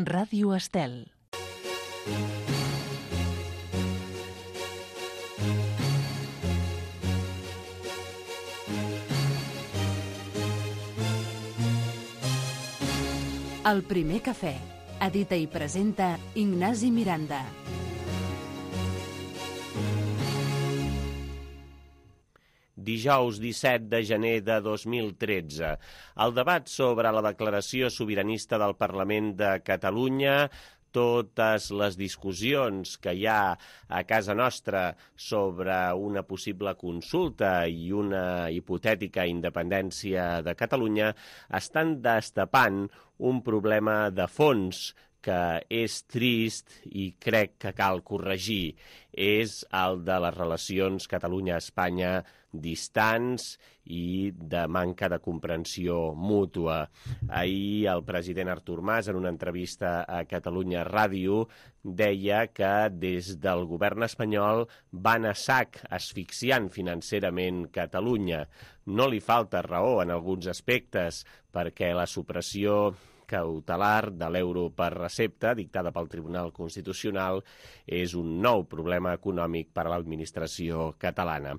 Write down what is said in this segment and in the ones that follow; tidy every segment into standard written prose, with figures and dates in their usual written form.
Ràdio Estel. El primer cafè. Edita i presenta Ignasi Miranda. Dijous 17 de gener de 2013. El debat sobre la declaració sobiranista del Parlament de Catalunya, totes les discussions que hi ha a casa nostra sobre una possible consulta i una hipotètica independència de Catalunya estan destapant un problema de fons que és trist i crec que cal corregir. És el de les relacions Catalunya-Espanya distants i de manca de comprensió mútua. Ahir el president Artur Mas, en una entrevista a Catalunya Ràdio, deia que des del govern espanyol van a sac asfixiant financerament Catalunya. No li falta raó en alguns aspectes, perquè la supressió cautelar de l'euro per recepta, dictada pel Tribunal Constitucional, és un nou problema econòmic per a l'administració catalana.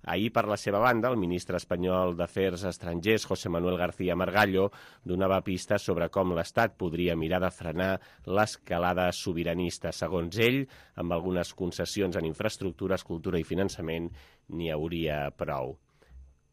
Ahir, per la seva banda, el ministre espanyol d'Afers Estrangers, José Manuel García Margallo, donava pistes sobre com l'Estat podria mirar de frenar l'escalada sobiranista. Segons ell, amb algunes concessions en infraestructures, cultura i finançament, n'hi hauria prou.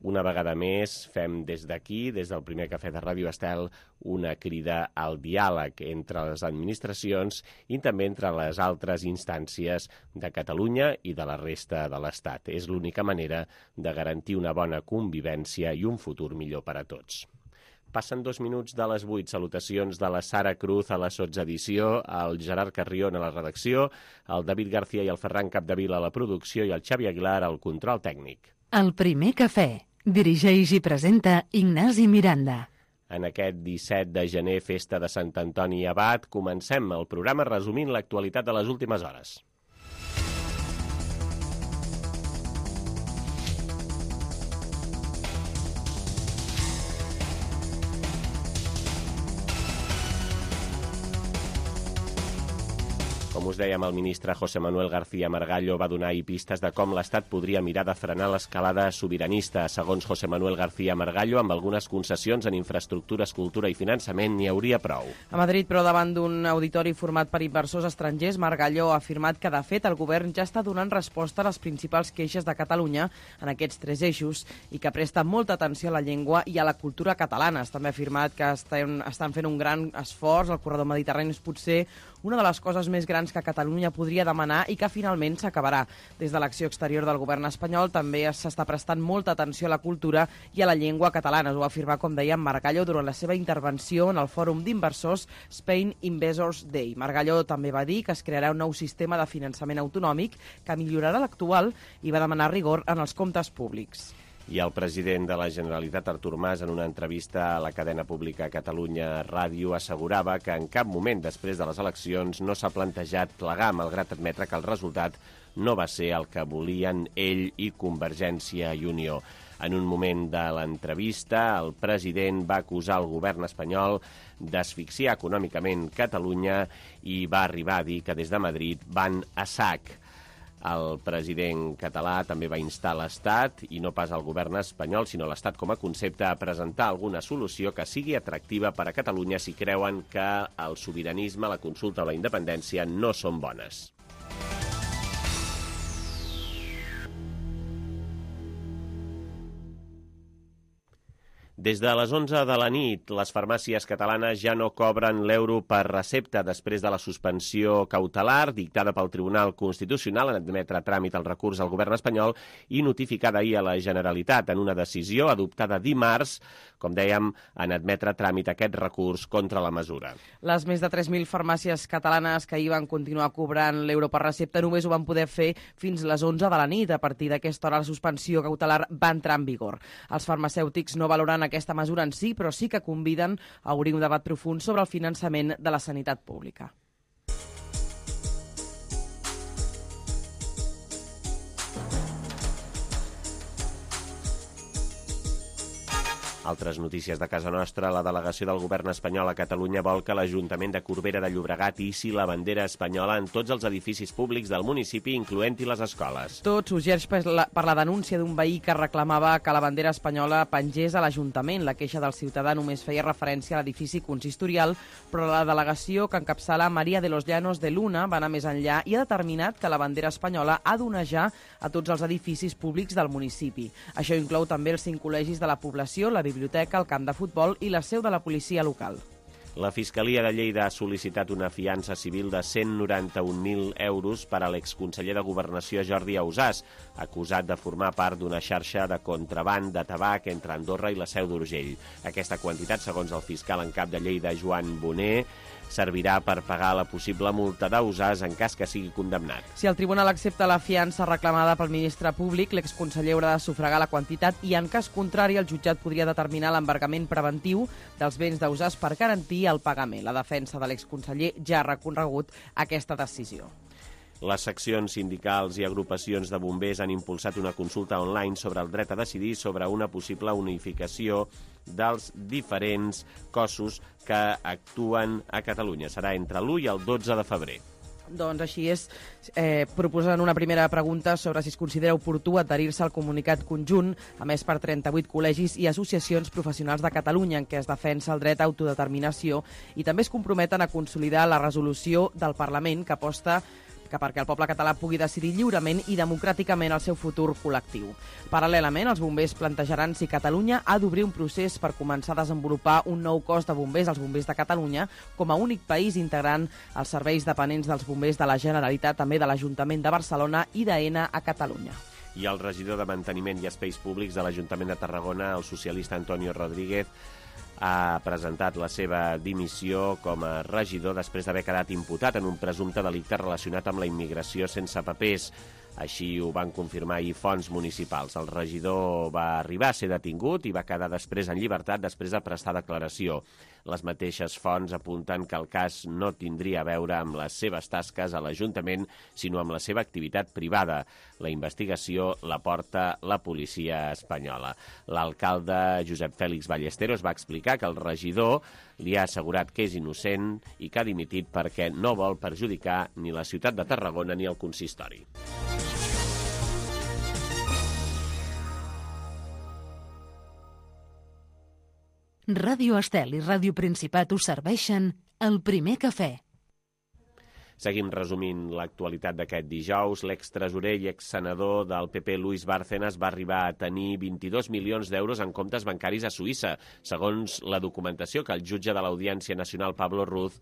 Una vegada més, fem des d'aquí, des del primer cafè de Ràdio Estel, una crida al diàleg entre les administracions i també entre les altres instàncies de Catalunya i de la resta de l'Estat. És l'única manera de garantir una bona convivència i un futur millor per a tots. Passen 2 minuts de les 8. Salutacions de la Sara Cruz a la sotsedició, el Gerard Carrion a la redacció, el David García i el Ferran Capdevila a la producció i el Xavi Aguilar al control tècnic. El primer cafè. Dirigeix i presenta Ignasi Miranda. En aquest 17 de gener, festa de Sant Antoni Abat, comencem el programa resumint l'actualitat de les últimes hores. Com us dèiem, el ministre José Manuel García Margallo va donar pistes de com l'Estat podria mirar de frenar l'escalada sobiranista. Segons José Manuel García Margallo, amb algunes concessions en infraestructures, cultura i finançament n'hi hauria prou. A Madrid, però davant d'un auditori format per inversors estrangers, Margallo ha afirmat que, de fet, el govern ja està donant resposta a les principals queixes de Catalunya en aquests 3 eixos i que presta molta atenció a la llengua i a la cultura catalanes. També ha afirmat que estan fent un gran esforç. El corredor mediterrani és potser una de les coses més grans que Catalunya podria demanar i que finalment s'acabarà. Des de l'acció exterior del govern espanyol també s'està prestant molta atenció a la cultura i a la llengua catalana. Ho va afirmar, com dèiem, Margallo durant la seva intervenció en el fòrum d'inversors Spain Investors Day. Margallo també va dir que es crearà un nou sistema de finançament autonòmic que millorarà l'actual i va demanar rigor en els comptes públics. I el president de la Generalitat, Artur Mas, en una entrevista a la cadena pública Catalunya Ràdio, assegurava que en cap moment després de les eleccions no s'ha plantejat plegar, malgrat admetre que el resultat no va ser el que volien ell i Convergència i Unió. En un moment de l'entrevista, el president va acusar el govern espanyol d'asfixiar econòmicament Catalunya i va arribar a dir que des de Madrid van a sac. El president català també va instar l'Estat, i no pas el govern espanyol, sinó l'Estat com a concepte, a presentar alguna solució que sigui atractiva per a Catalunya si creuen que el sobiranisme, la consulta o la independència no són bones. Des de les 11 de la nit, les farmàcies catalanes ja no cobren l'euro per recepta després de la suspensió cautelar dictada pel Tribunal Constitucional en admetre a tràmit el recurs al govern espanyol i notificada ahir a la Generalitat en una decisió adoptada dimarts, com dèiem, en admetre a tràmit aquest recurs contra la mesura. Les més de 3.000 farmàcies catalanes que ahir van continuar cobrant l'euro per recepta només ho van poder fer fins les 11 de la nit. A partir d'aquesta hora la suspensió cautelar va entrar en vigor. Els farmacèutics no valoren aquesta mesura en si, però sí que conviden a obrir un debat profund sobre el finançament de la sanitat pública. Altres notícies de casa nostra. La delegació del govern espanyol a Catalunya vol que l'Ajuntament de Corbera de Llobregat hissi la bandera espanyola en tots els edificis públics del municipi, incloent-hi les escoles. Tot sorgeix per la denúncia d'un veí que reclamava que la bandera espanyola pengés a l'Ajuntament. La queixa del ciutadà només feia referència a l'edifici consistorial, però la delegació que encapçala Maria de los Llanos de Luna va anar més enllà i ha determinat que la bandera espanyola ha d'onejar a tots els edificis públics del municipi. Això inclou també els 5 col·legis de la població, la biblioteca, el camp de futbol i la seu de la policia local. La Fiscalia de Lleida ha sol·licitat una fiança civil de 191.000 euros per a l'exconseller de Governació Jordi Ausàs, acusat de formar part d'una xarxa de contraband de tabac entre Andorra i la Seu d'Urgell. Aquesta quantitat, segons el fiscal en cap de Lleida, Joan Boner, servirà per pagar la possible multa d'Ausàs en cas que sigui condemnat. Si el tribunal accepta la fiança reclamada pel ministre públic, l'exconseller haurà de sufragar la quantitat i, en cas contrari, el jutjat podria determinar l'embargament preventiu dels béns d'Ausàs per garantir el pagament. La defensa de l'exconseller ja ha recorregut aquesta decisió. Les seccions sindicals i agrupacions de bombers han impulsat una consulta online sobre el dret a decidir sobre una possible unificació dels diferents cossos que actuen a Catalunya. Serà entre l'1 i el 12 de febrer. Doncs així és, proposen una primera pregunta sobre si es considera oportú adherir-se al comunicat conjunt, emès per 38 col·legis i associacions professionals de Catalunya, en què es defensa el dret a autodeterminació i també es comprometen a consolidar la resolució del Parlament que aposta perquè el poble català pugui decidir lliurement i democràticament el seu futur col·lectiu. Paral·lelament, els bombers plantejaran si Catalunya ha d'obrir un procés per començar a desenvolupar un nou cos de bombers, els bombers de Catalunya, com a únic país integrant els serveis dependents dels bombers de la Generalitat, també de l'Ajuntament de Barcelona i d'AENA a Catalunya. I el regidor de Manteniment i Espais Públics de l'Ajuntament de Tarragona, el socialista Antonio Rodríguez, ha presentat la seva dimissió com a regidor després d'haver quedat imputat en un presumpte delicte relacionat amb la immigració sense papers. Així ho van confirmar ahir fonts municipals. El regidor va arribar a ser detingut i va quedar després en llibertat després de prestar declaració. Les mateixes fonts apunten que el cas no tindria a veure amb les seves tasques a l'Ajuntament, sinó amb la seva activitat privada. La investigació la porta la policia espanyola. L'alcalde Josep Fèlix Ballesteros va explicar que el regidor li ha assegurat que és innocent i que ha dimitit perquè no vol perjudicar ni la ciutat de Tarragona ni el consistori. Ràdio Estel i Ràdio Principat us serveixen el primer cafè. Seguim resumint l'actualitat d'aquest dijous. L'extresorer i exsenador del PP, Luis Bárcenas, va arribar a tenir 22 milions d'euros en comptes bancaris a Suïssa, segons la documentació que el jutge de l'Audiència Nacional, Pablo Ruz,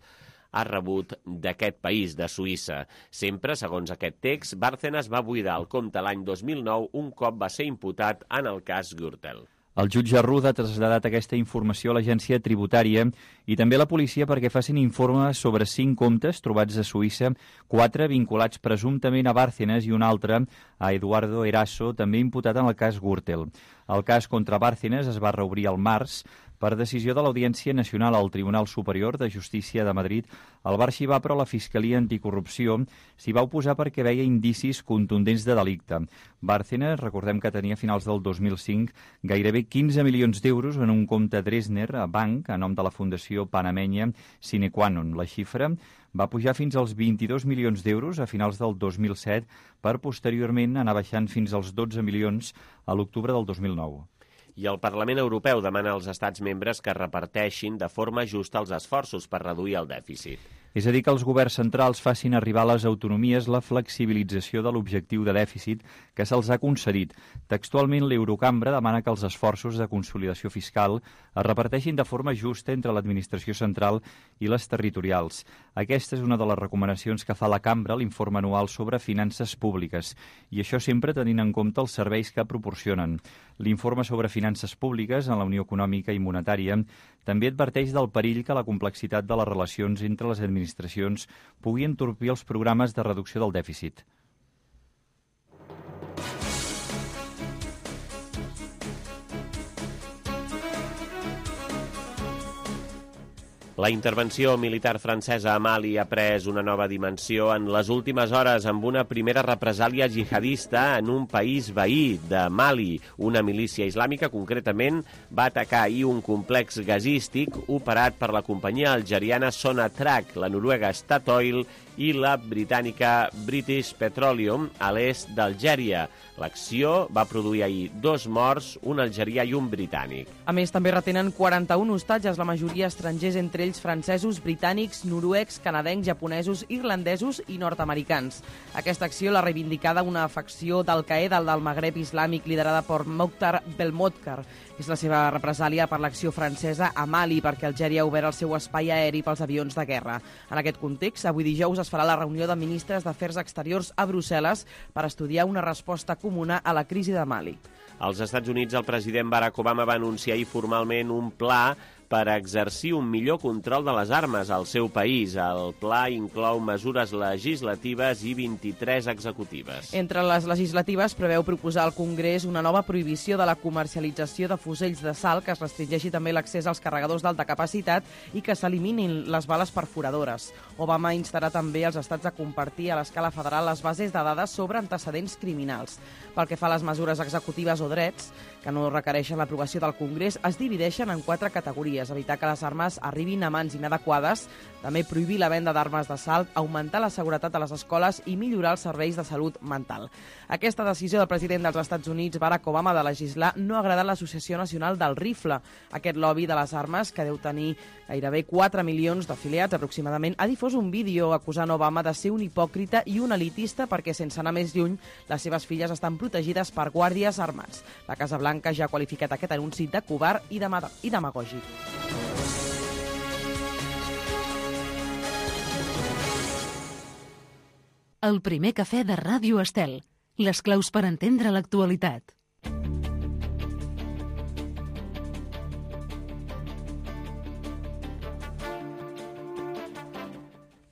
ha rebut d'aquest país, de Suïssa. Sempre, segons aquest text, Bárcenas va buidar el compte l'any 2009 un cop va ser imputat en el cas Gürtel. El jutge Ruz ha traslladat aquesta informació a l'agència tributària i també a la policia perquè facin informe sobre 5 comptes trobats a Suïssa, 4 vinculats presumptament a Bárcenas i un altre a Eduardo Eraso, també imputat en el cas Gürtel. El cas contra Bárcenas es va reobrir al març. Per decisió de l'Audiència Nacional al Tribunal Superior de Justícia de Madrid, el va arxivar, però la Fiscalia Anticorrupció s'hi va oposar perquè veia indicis contundents de delicte. Bárcenas, recordem que tenia a finals del 2005 gairebé 15 milions d'euros en un compte Dresdner a banc a nom de la Fundació Panamenya Sine Qua Non. La xifra va pujar fins als 22 milions d'euros a finals del 2007 per posteriorment anar baixant fins als 12 milions a l'octubre del 2009. I el Parlament Europeu demana als estats membres que reparteixin de forma justa els esforços per reduir el dèficit. És a dir, que els governs centrals facin arribar a les autonomies la flexibilització de l'objectiu de dèficit que se'ls ha concedit. Textualment, l'Eurocambra demana que els esforços de consolidació fiscal es reparteixin de forma justa entre l'administració central i les territorials. Aquesta és una de les recomanacions que fa la Cambra a l'informe anual sobre finances públiques, i això sempre tenint en compte els serveis que proporcionen. L'informe sobre finances públiques en la Unió Econòmica i Monetària també adverteix del perill que la complexitat de les relacions entre les administracions pugui entorpir els programes de reducció del dèficit. La intervenció militar francesa a Mali ha pres una nova dimensió en les últimes hores amb una primera represàlia jihadista en un país veí de Mali. Una milícia islàmica, concretament, va atacar ahir un complex gasístic operat per la companyia algeriana Sonatrach, la noruega Statoil i la britànica British Petroleum a l'est d'Algèria. L'acció va produir ahir 2 morts, un algerià i un britànic. A més, també retenen 41 hostatges, la majoria estrangers, entre ells francesos, britànics, noruecs, canadencs, japonesos, irlandesos i nord-americans. Aquesta acció l'ha reivindicada una facció d'Al-Qaeda del Magreb islàmic liderada per Mokhtar Belmokhtar. És la seva represàlia per l'acció francesa a Mali, perquè Algèria ha obert el seu espai aeri pels avions de guerra. En aquest context, avui dijous es farà la reunió de ministres d'Afers Exteriors a Brussel·les per estudiar una resposta comuna a la crisi de Mali. Als Estats Units, el president Barack Obama va anunciar ahir formalment un pla per exercir un millor control de les armes al seu país. El pla inclou mesures legislatives i 23 executives. Entre les legislatives preveu proposar al Congrés una nova prohibició de la comercialització de fusells d'assalt, que es restringeixi també l'accés als carregadors d'alta capacitat i que s'eliminin les bales perforadores. Obama instarà també els estats a compartir a l'escala federal les bases de dades sobre antecedents criminals. Pel que fa a les mesures executives o drets, que no requereixen l'aprovació del Congrés, es divideixen en 4 categories: evitar que les armes arribin a mans inadequades, també prohibir la venda d'armes d'assalt, augmentar la seguretat a les escoles i millorar els serveis de salut mental. Aquesta decisió del president dels Estats Units, Barack Obama, de legislar no ha agradat l'Associació Nacional del Rifle. Aquest lobby de les armes, que deu tenir gairebé 4 milions d'afiliats aproximadament, ha difós un vídeo acusant Obama de ser un hipòcrita i un elitista perquè, sense anar més lluny, les seves filles estan protegides per guàrdies armats. La Casa Blanca ja ha qualificat aquest anunci de covard i demagògic. El primer cafè de Ràdio Estel. Les claus per entendre l'actualitat.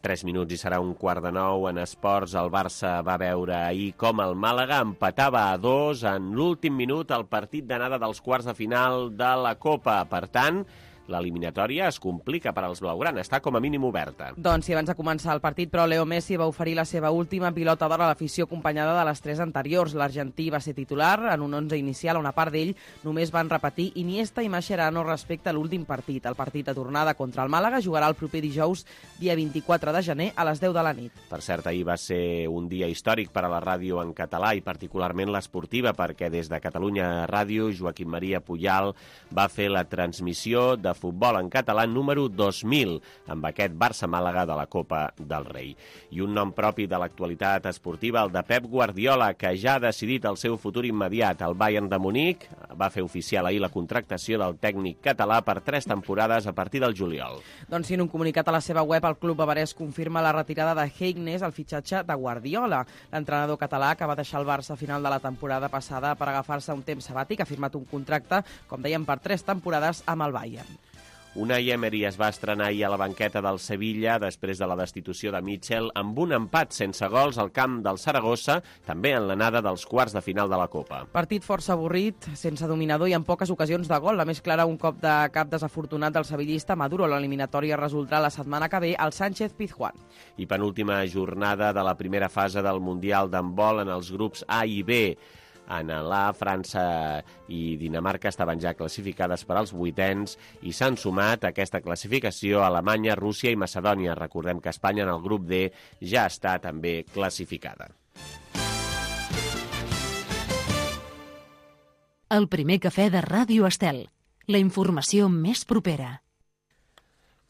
Tres minuts i serà 8:45 en esports. El Barça va veure ahir com el Màlaga empatava a 2 en l'últim minut al partit d'anada dels quarts de final de la Copa. Per tant, l'eliminatòria es complica per als blaugrana, està com a mínim oberta. Doncs sí, abans de començar el partit, però Leo Messi va oferir la seva última pilota d'or a l'afició acompanyada de les 3 anteriors. L'argentí va ser titular en un 11 inicial on a part d'ell només van repetir Iniesta i Mascherano respecte a l'últim partit. El partit de tornada contra el Màlaga jugarà el proper dijous, dia 24 de gener, a les 10 de la nit. Per cert, ahir va ser un dia històric per a la ràdio en català i particularment l'esportiva, perquè des de Catalunya Ràdio, Joaquim Maria Pujal va fer la transmissió de futbol en català número 2000 amb aquest Barça-Màlaga de la Copa del Rei. I un nom propi de l'actualitat esportiva, el de Pep Guardiola, que ja ha decidit el seu futur immediat. El Bayern de Munic va fer oficial ahir la contractació del tècnic català per 3 temporades a partir del juliol. Doncs sí, en un comunicat a la seva web, el club bavarès confirma la retirada de Heiknes al fitxatge de Guardiola. L'entrenador català, que va deixar el Barça a final de la temporada passada per agafar-se un temps sabàtic, ha firmat un contracte, com dèiem, per 3 temporades amb el Bayern. Unai Emery es va estrenar ahir a la banqueta del Sevilla després de la destitució de Mitchell amb un empat sense gols al camp del Saragossa, també en l'anada dels quarts de final de la Copa. Partit força avorrit, sense dominador i amb poques ocasions de gol. La més clara, un cop de cap desafortunat del sevillista Maduro. L'eliminatòria resoldrà la setmana que ve al Sánchez Pizjuán. I penúltima jornada de la primera fase del Mundial d'handbol en els grups A i B. En la França i Dinamarca estaven ja classificades per als 8ens i s'han sumat a aquesta classificació Alemanya, Rússia i Macedònia. Recordem que Espanya en el grup D ja està també classificada. El primer cafè de Ràdio Estel. La informació més propera.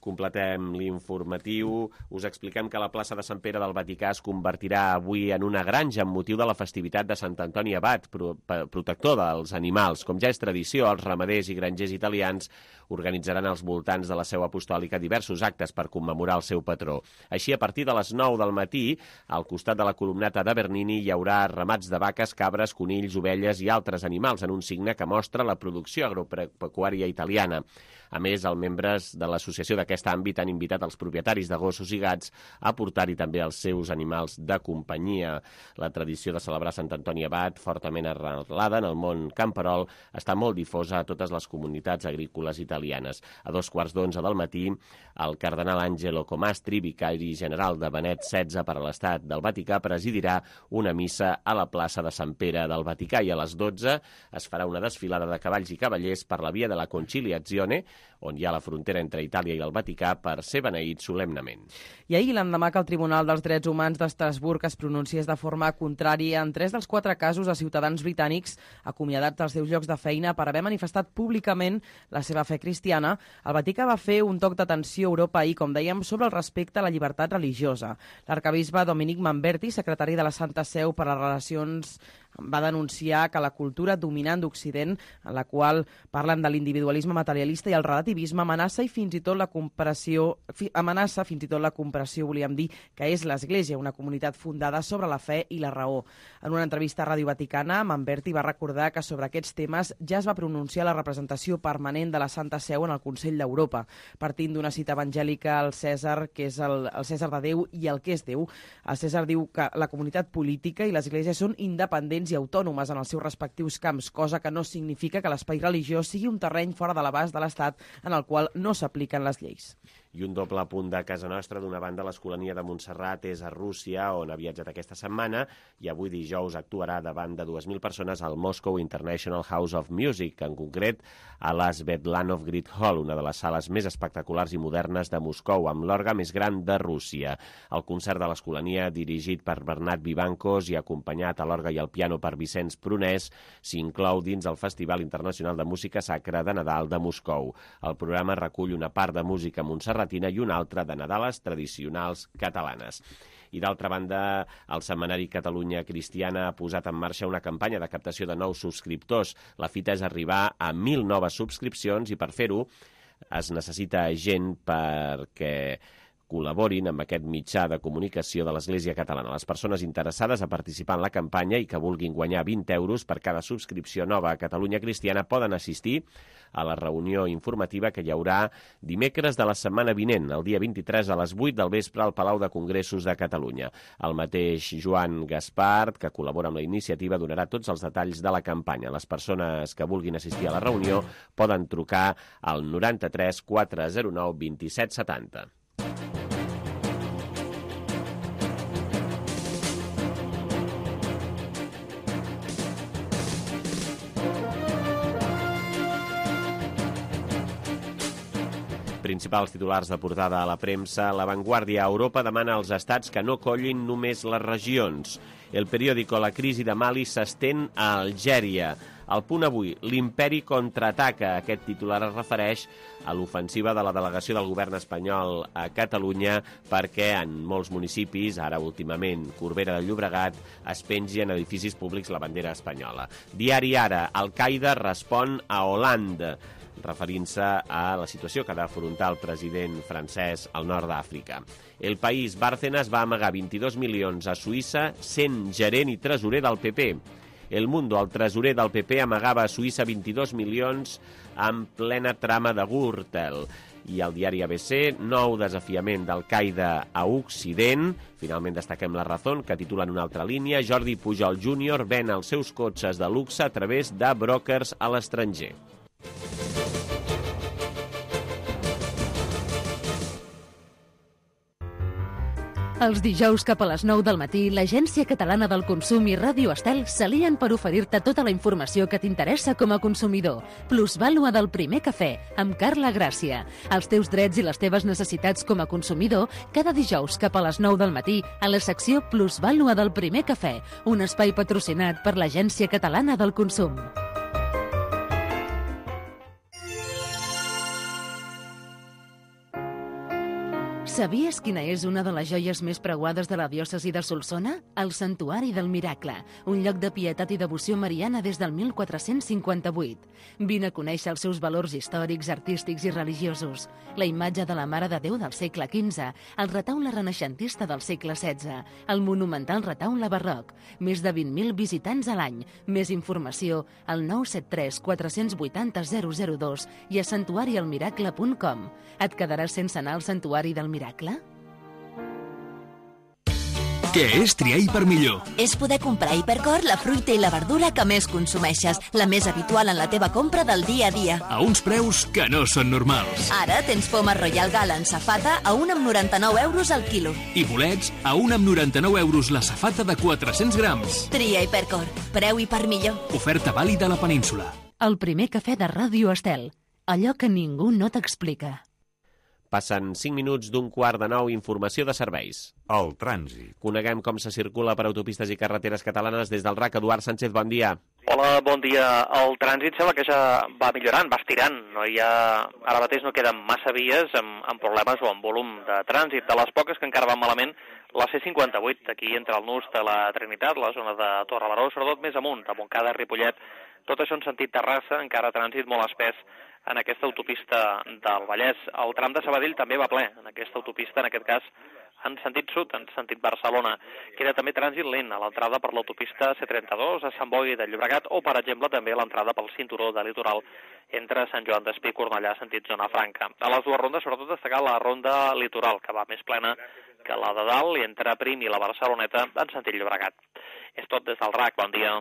Completem l'informatiu. Us expliquem que la plaça de Sant Pere del Vaticà es convertirà avui en una granja amb motiu de la festivitat de Sant Antoni Abat, protector dels animals. Com ja és tradició, els ramaders i grangers italians organitzaran als voltants de la seu apostòlica diversos actes per commemorar el seu patró. Així, a partir de les 9 del matí, al costat de la columnata de Bernini hi haurà ramats de vaques, cabres, conills, ovelles i altres animals en un signe que mostra la producció agropecuària italiana. A més, els membres de l'Associació de d'aquest àmbit han invitat els propietaris de gossos i gats a portar-hi també els seus animals de companyia. La tradició de celebrar Sant Antoni Abat, fortament arrelada en el món camperol, està molt difosa a totes les comunitats agrícoles italianes. A 2:15 del matí, el cardenal Angelo Comastri, vicari general de Benet XVI per a l'Estat del Vaticà, presidirà una missa a la plaça de Sant Pere del Vaticà i a les 12 es farà una desfilada de cavalls i cavallers per la via de la Conciliazione, on hi ha la frontera entre Itàlia i el Vaticà, per ser beneït solemnement. I ahir, l'endemà que el Tribunal dels Drets Humans d'Estrasburg es pronunciés de forma contrària en 3 dels 4 casos de ciutadans britànics acomiadats dels seus llocs de feina per haver manifestat públicament la seva fe cristiana, el Vaticà va fer un toc d'atenció a Europa ahir, com dèiem, sobre el respecte a la llibertat religiosa. L'arcabisbe Dominic Manberti, secretari de la Santa Seu per a les Relacions, va denunciar que la cultura dominant d'Occident, en la qual parlen de l'individualisme materialista i el relativisme, amenaça fins i tot la comparació, volíem dir, que és l'Església, una comunitat fundada sobre la fe i la raó. En una entrevista a Ràdio Vaticana, Manberti va recordar que sobre aquests temes ja es va pronunciar la representació permanent de la Santa Seu en el Consell d'Europa, partint d'una cita evangèlica al Cèsar, que és el Cèsar de Déu i el que és Déu. El Cèsar diu que la comunitat política i l'Església són independents i autònomes en els seus respectius camps, cosa que no significa que l'espai religiós sigui un terreny fora de l'abast de l'Estat en el qual no s'apliquen les lleis. I un doble punt de casa nostra. D'una banda, l'Escolania de Montserrat és a Rússia, on ha viatjat aquesta setmana, i avui dijous actuarà davant de 2.000 persones al Moscow International House of Music, en concret a la Svetlanov Great Hall, una de les sales més espectaculars i modernes de Moscou, amb l'orgue més gran de Rússia. El concert de l'Escolania, dirigit per Bernat Vivancos i acompanyat a l'orgue i al piano per Vicenç Prunès, s'inclou dins el Festival Internacional de Música Sacra de Nadal de Moscou. El programa recull una part de música montserratina i una altra de Nadales tradicionals catalanes. I d'altra banda, el setmanari Catalunya Cristiana ha posat en marxa una campanya de captació de nous subscriptors. La fita és arribar a 1.000 noves subscripcions i per fer-ho es necessita gent perquè col·laborin amb aquest mitjà de comunicació de l'Església Catalana. Les persones interessades a participar en la campanya i que vulguin guanyar 20 euros per cada subscripció nova a Catalunya Cristiana poden assistir a la reunió informativa que hi haurà dimecres de la setmana vinent, el dia 23 a les 8 del vespre al Palau de Congressos de Catalunya. El mateix Joan Gaspart, que col·labora amb la iniciativa, donarà tots els detalls de la campanya. Les persones que vulguin assistir a la reunió poden trucar al 93 409 2770. Principals titulars de portada a la premsa. La Vanguardia. Europa demana als estats que no collin només les regions. El periòdico. La crisi de Mali s'estén a Algèria. El Punt Avui. L'imperi contraataca. Aquest titular es refereix a l'ofensiva de la delegació del govern espanyol a Catalunya perquè en molts municipis, ara últimament Corbera de Llobregat, es pengi en edificis públics la bandera espanyola. Diari Ara. Al-Qaeda respon a Holanda, referint-se a la situació que ha d'afrontar el president francès al nord d'Àfrica. El País. Bárcenas va amagar 22 milions a Suïssa sent gerent i tresorer del PP. El Mundo. El tresorer del PP amagava a Suïssa 22 milions en plena trama de Gürtel. I el diari ABC. Nou desafiament d'Al-Qaeda a Occident. Finalment destaquem La Razón, que titula en una altra línia: Jordi Pujol Júnior ven els seus cotxes de luxe a través de brokers a l'estranger. Els dijous cap a les 9 del matí, l'Agència Catalana del Consum i Ràdio Estel s'alien per oferir-te tota la informació que t'interessa com a consumidor. Plusvàlua del primer cafè, amb Carla Gràcia. Els teus drets i les teves necessitats com a consumidor, cada dijous cap a les 9 del matí, a la secció Plusvàlua del primer cafè, un espai patrocinat per l'Agència Catalana del Consum. Sabies quina és una de les joies més preuades de la diòcesi de Solsona? El Santuari del Miracle, un lloc de pietat i devoció mariana des del 1458. Vine a conèixer els seus valors històrics, artístics i religiosos. La imatge de la Mare de Déu del segle XV, el retaule renaixentista del segle XVI, el monumental retaule barroc, més de 20.000 visitants a l'any. Més informació al 973 480 002 i a santuarialmiracle.com. Et quedaràs sense anar al Santuari del Miracle? Què és triar Hipermillor? És poder comprar a Hipercor la fruita i la verdura que més consumeixes, la més habitual en la teva compra del dia a dia. A uns preus que no són normals. Ara tens poma Royal Gala en safata a 1,99 € al quilo. I bolets a 1,99 € la safata de 400 grams. Tria Hipercor. Preu Hipermillor. Oferta vàlida a la península. El primer cafè de Ràdio Estel. Allò que ningú no t'explica. Passen 5 minuts d'un 8:45, informació de serveis. El trànsit. Coneguem com se circula per autopistes i carreteres catalanes des del RAC. Eduard Sánchez, bon dia. Hola, bon dia. El trànsit sembla que ja va millorant, va estirant. Ara mateix no queden massa vies amb problemes o amb volum de trànsit. De les poques que encara van malament, la C58, aquí entre el nus de la Trinitat, la zona de Torrebaró, sobretot més amunt, a Montcada, Ripollet, tot això en sentit Terrassa, encara trànsit molt espès en aquesta autopista del Vallès. El tram de Sabadell també va ple en aquesta autopista, en aquest cas en sentit sud, en sentit Barcelona. Queda també trànsit lent a l'entrada per l'autopista C32 a Sant Boi de Llobregat o, per exemple, també a l'entrada pel cinturó de litoral entre Sant Joan d'Espí i Cornellà, sentit Zona Franca. A les dues rondes, sobretot destacar la ronda litoral, que va més plena que la de dalt i entre Prim i la Barceloneta en sentit Llobregat. És tot des del RAC. Bon dia.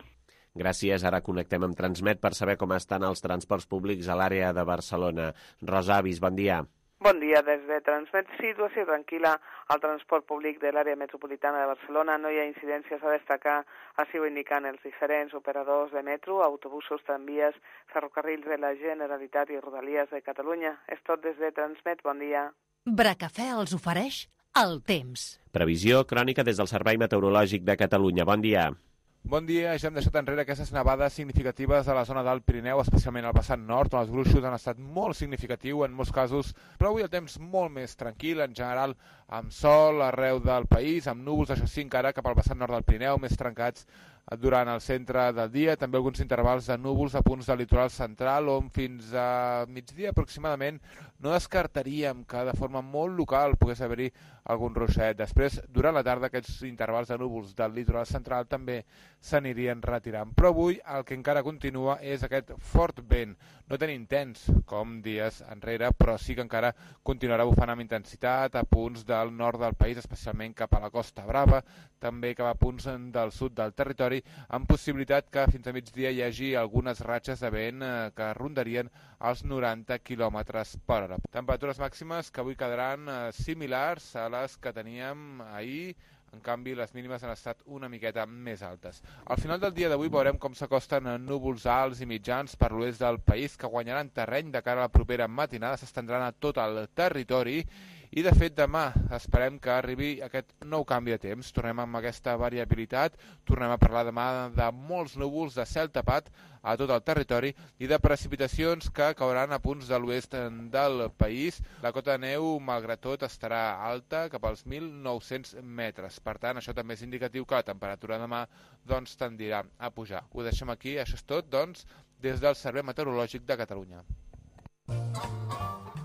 Gràcies. Ara connectem amb Transmet per saber com estan els transports públics a l'àrea de Barcelona. Rosa Avis, bon dia. Bon dia. Des de Transmet, situació tranquil·la al transport públic de l'àrea metropolitana de Barcelona. No hi ha incidències a destacar, així ho indiquen els diferents operadors de metro, autobusos, tramvies, ferrocarrils de la Generalitat i Rodalies de Catalunya. És tot des de Transmet. Bon dia. Bracafè els ofereix el temps. Previsió crònica des del Servei Meteorològic de Catalunya. Bon dia. Bon dia, ja hem deixat enrere aquestes nevades significatives a la zona del Pirineu, especialment al vessant nord, on els gruixos han estat molt significatius en molts casos, però avui el temps molt més tranquil, en general amb sol arreu del país, amb núvols, això sí, encara cap al vessant nord del Pirineu, més trencats durant el centre del dia, també alguns intervals de núvols a punts del litoral central, on fins a migdia aproximadament no descartaríem que de forma molt local pogués haver-hi algun ruixet. Després, durant la tarda, aquests intervals de núvols del litoral central també s'anirien retirant. Però avui el que encara continua és aquest fort vent, no tan intens com dies enrere, però sí que encara continuarà bufant amb intensitat a punts del nord del país, especialment cap a la Costa Brava, també cap a punts del sud del territori, amb possibilitat que fins a migdia hi hagi algunes ratxes de vent que rondarien els 90 km per hora. Temperatures màximes que avui quedaran similars a les que teníem ahir, en canvi les mínimes han estat una miqueta més altes. Al final del dia d'avui veurem com s'acosten núvols alts i mitjans per l'oest del país que guanyaran terreny de cara a la propera matinada, s'estendran a tot el territori. I, de fet, demà esperem que arribi aquest nou canvi de temps. Tornem amb aquesta variabilitat, tornem a parlar demà de molts núvols, de cel tapat a tot el territori i de precipitacions que cauran a punts de l'oest del país. La cota de neu, malgrat tot, estarà alta, cap als 1.900 metres. Per tant, això també és indicatiu que la temperatura demà tendirà a pujar. Ho deixem aquí, això és tot, des del Servei Meteorològic de Catalunya.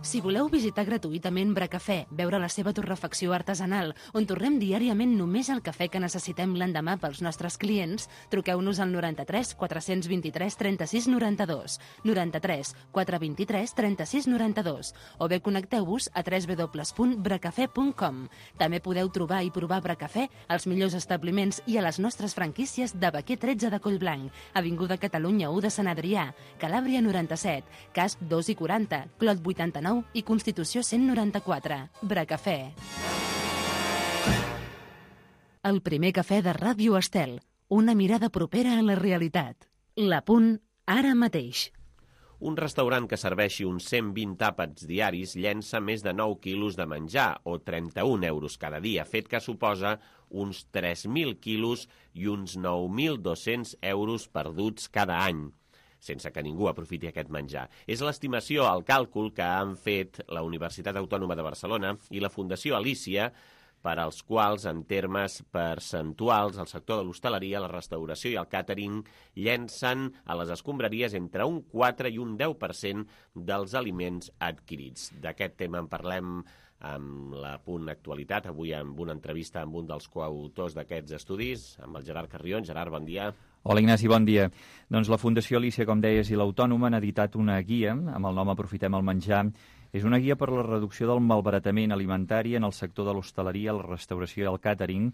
Si voleu visitar gratuïtament Bracafè, veure la seva torrefacció artesanal, on tornem diàriament només el cafè que necessitem l'endemà pels nostres clients, truqueu-nos al 93 423 36 92, 93 423 36 92, o bé connecteu-vos a www.bracafè.com. També podeu trobar i provar Bracafè als millors establiments i a les nostres franquícies de Baquer 13 de Collblanc, Avinguda Catalunya 1 de Sant Adrià, Calàbria 97, Casp 2 i 40, Clot 89 i Constitució 194. Bracafè. El primer cafè de Ràdio Estel. Una mirada propera a la realitat. La Punt, ara mateix. Un restaurant que serveixi uns 120 àpats diaris llença més de 9 quilos de menjar, o 31 euros cada dia, fet que suposa uns 3.000 quilos i uns 9.200 euros perduts cada any. sense que ningú aprofiti aquest menjar. És l'estimació, el càlcul que han fet la Universitat Autònoma de Barcelona i la Fundació Alícia, per als quals, en termes percentuals, el sector de l'hostaleria, la restauració i el càtering llencen a les escombraries entre un 4 i un 10% dels aliments adquirits. D'aquest tema en parlem amb la Punt Actualitat, avui amb una entrevista amb un dels coautors d'aquests estudis, amb el Gerard Carrion. Gerard, bon dia. Hola, Ignasi, bon dia. Doncs la Fundació Alícia, com deies, i l'Autònoma han editat una guia amb el nom Aprofitem el menjar. És una guia per la reducció del malbaratament alimentari en el sector de l'hostaleria, la restauració i el càtering,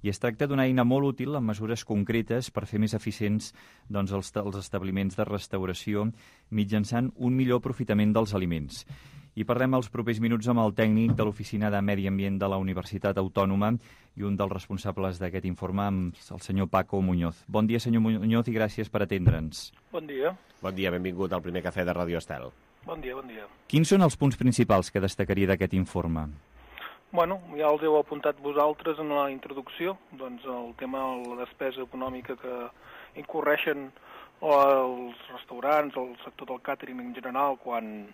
i es tracta d'una eina molt útil amb mesures concretes per fer més eficients els establiments de restauració mitjançant un millor aprofitament dels aliments. I parlem els propers minuts amb el tècnic de l'Oficina de Medi Ambient de la Universitat Autònoma i un dels responsables d'aquest informe, el senyor Paco Muñoz. Bon dia, senyor Muñoz, i gràcies per atendre'ns. Bon dia. Bon dia, benvingut al primer cafè de Radio Estel. Bon dia, bon dia. Quins són els punts principals que destacaria d'aquest informe? Bueno, ja els heu apuntat vosaltres en la introducció, doncs el tema de la despesa econòmica que incorreixen els restaurants, el sector del càtering en general, quan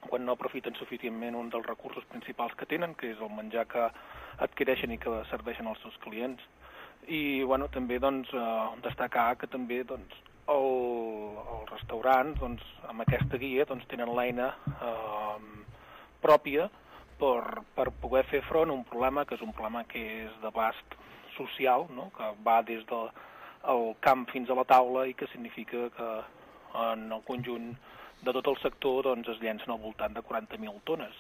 no aprofiten suficientment un dels recursos principals que tenen, que és el menjar que adquireixen i que serveixen als seus clients. I bueno, també doncs, destacar que també doncs, els restaurants doncs, amb aquesta guia doncs, tenen l'eina pròpia per poder fer front a un problema que és un problema que és d'abast social, no? Que va des del camp fins a la taula i que significa que en el conjunt de tot el sector doncs, es llencen al voltant de 40.000 tones.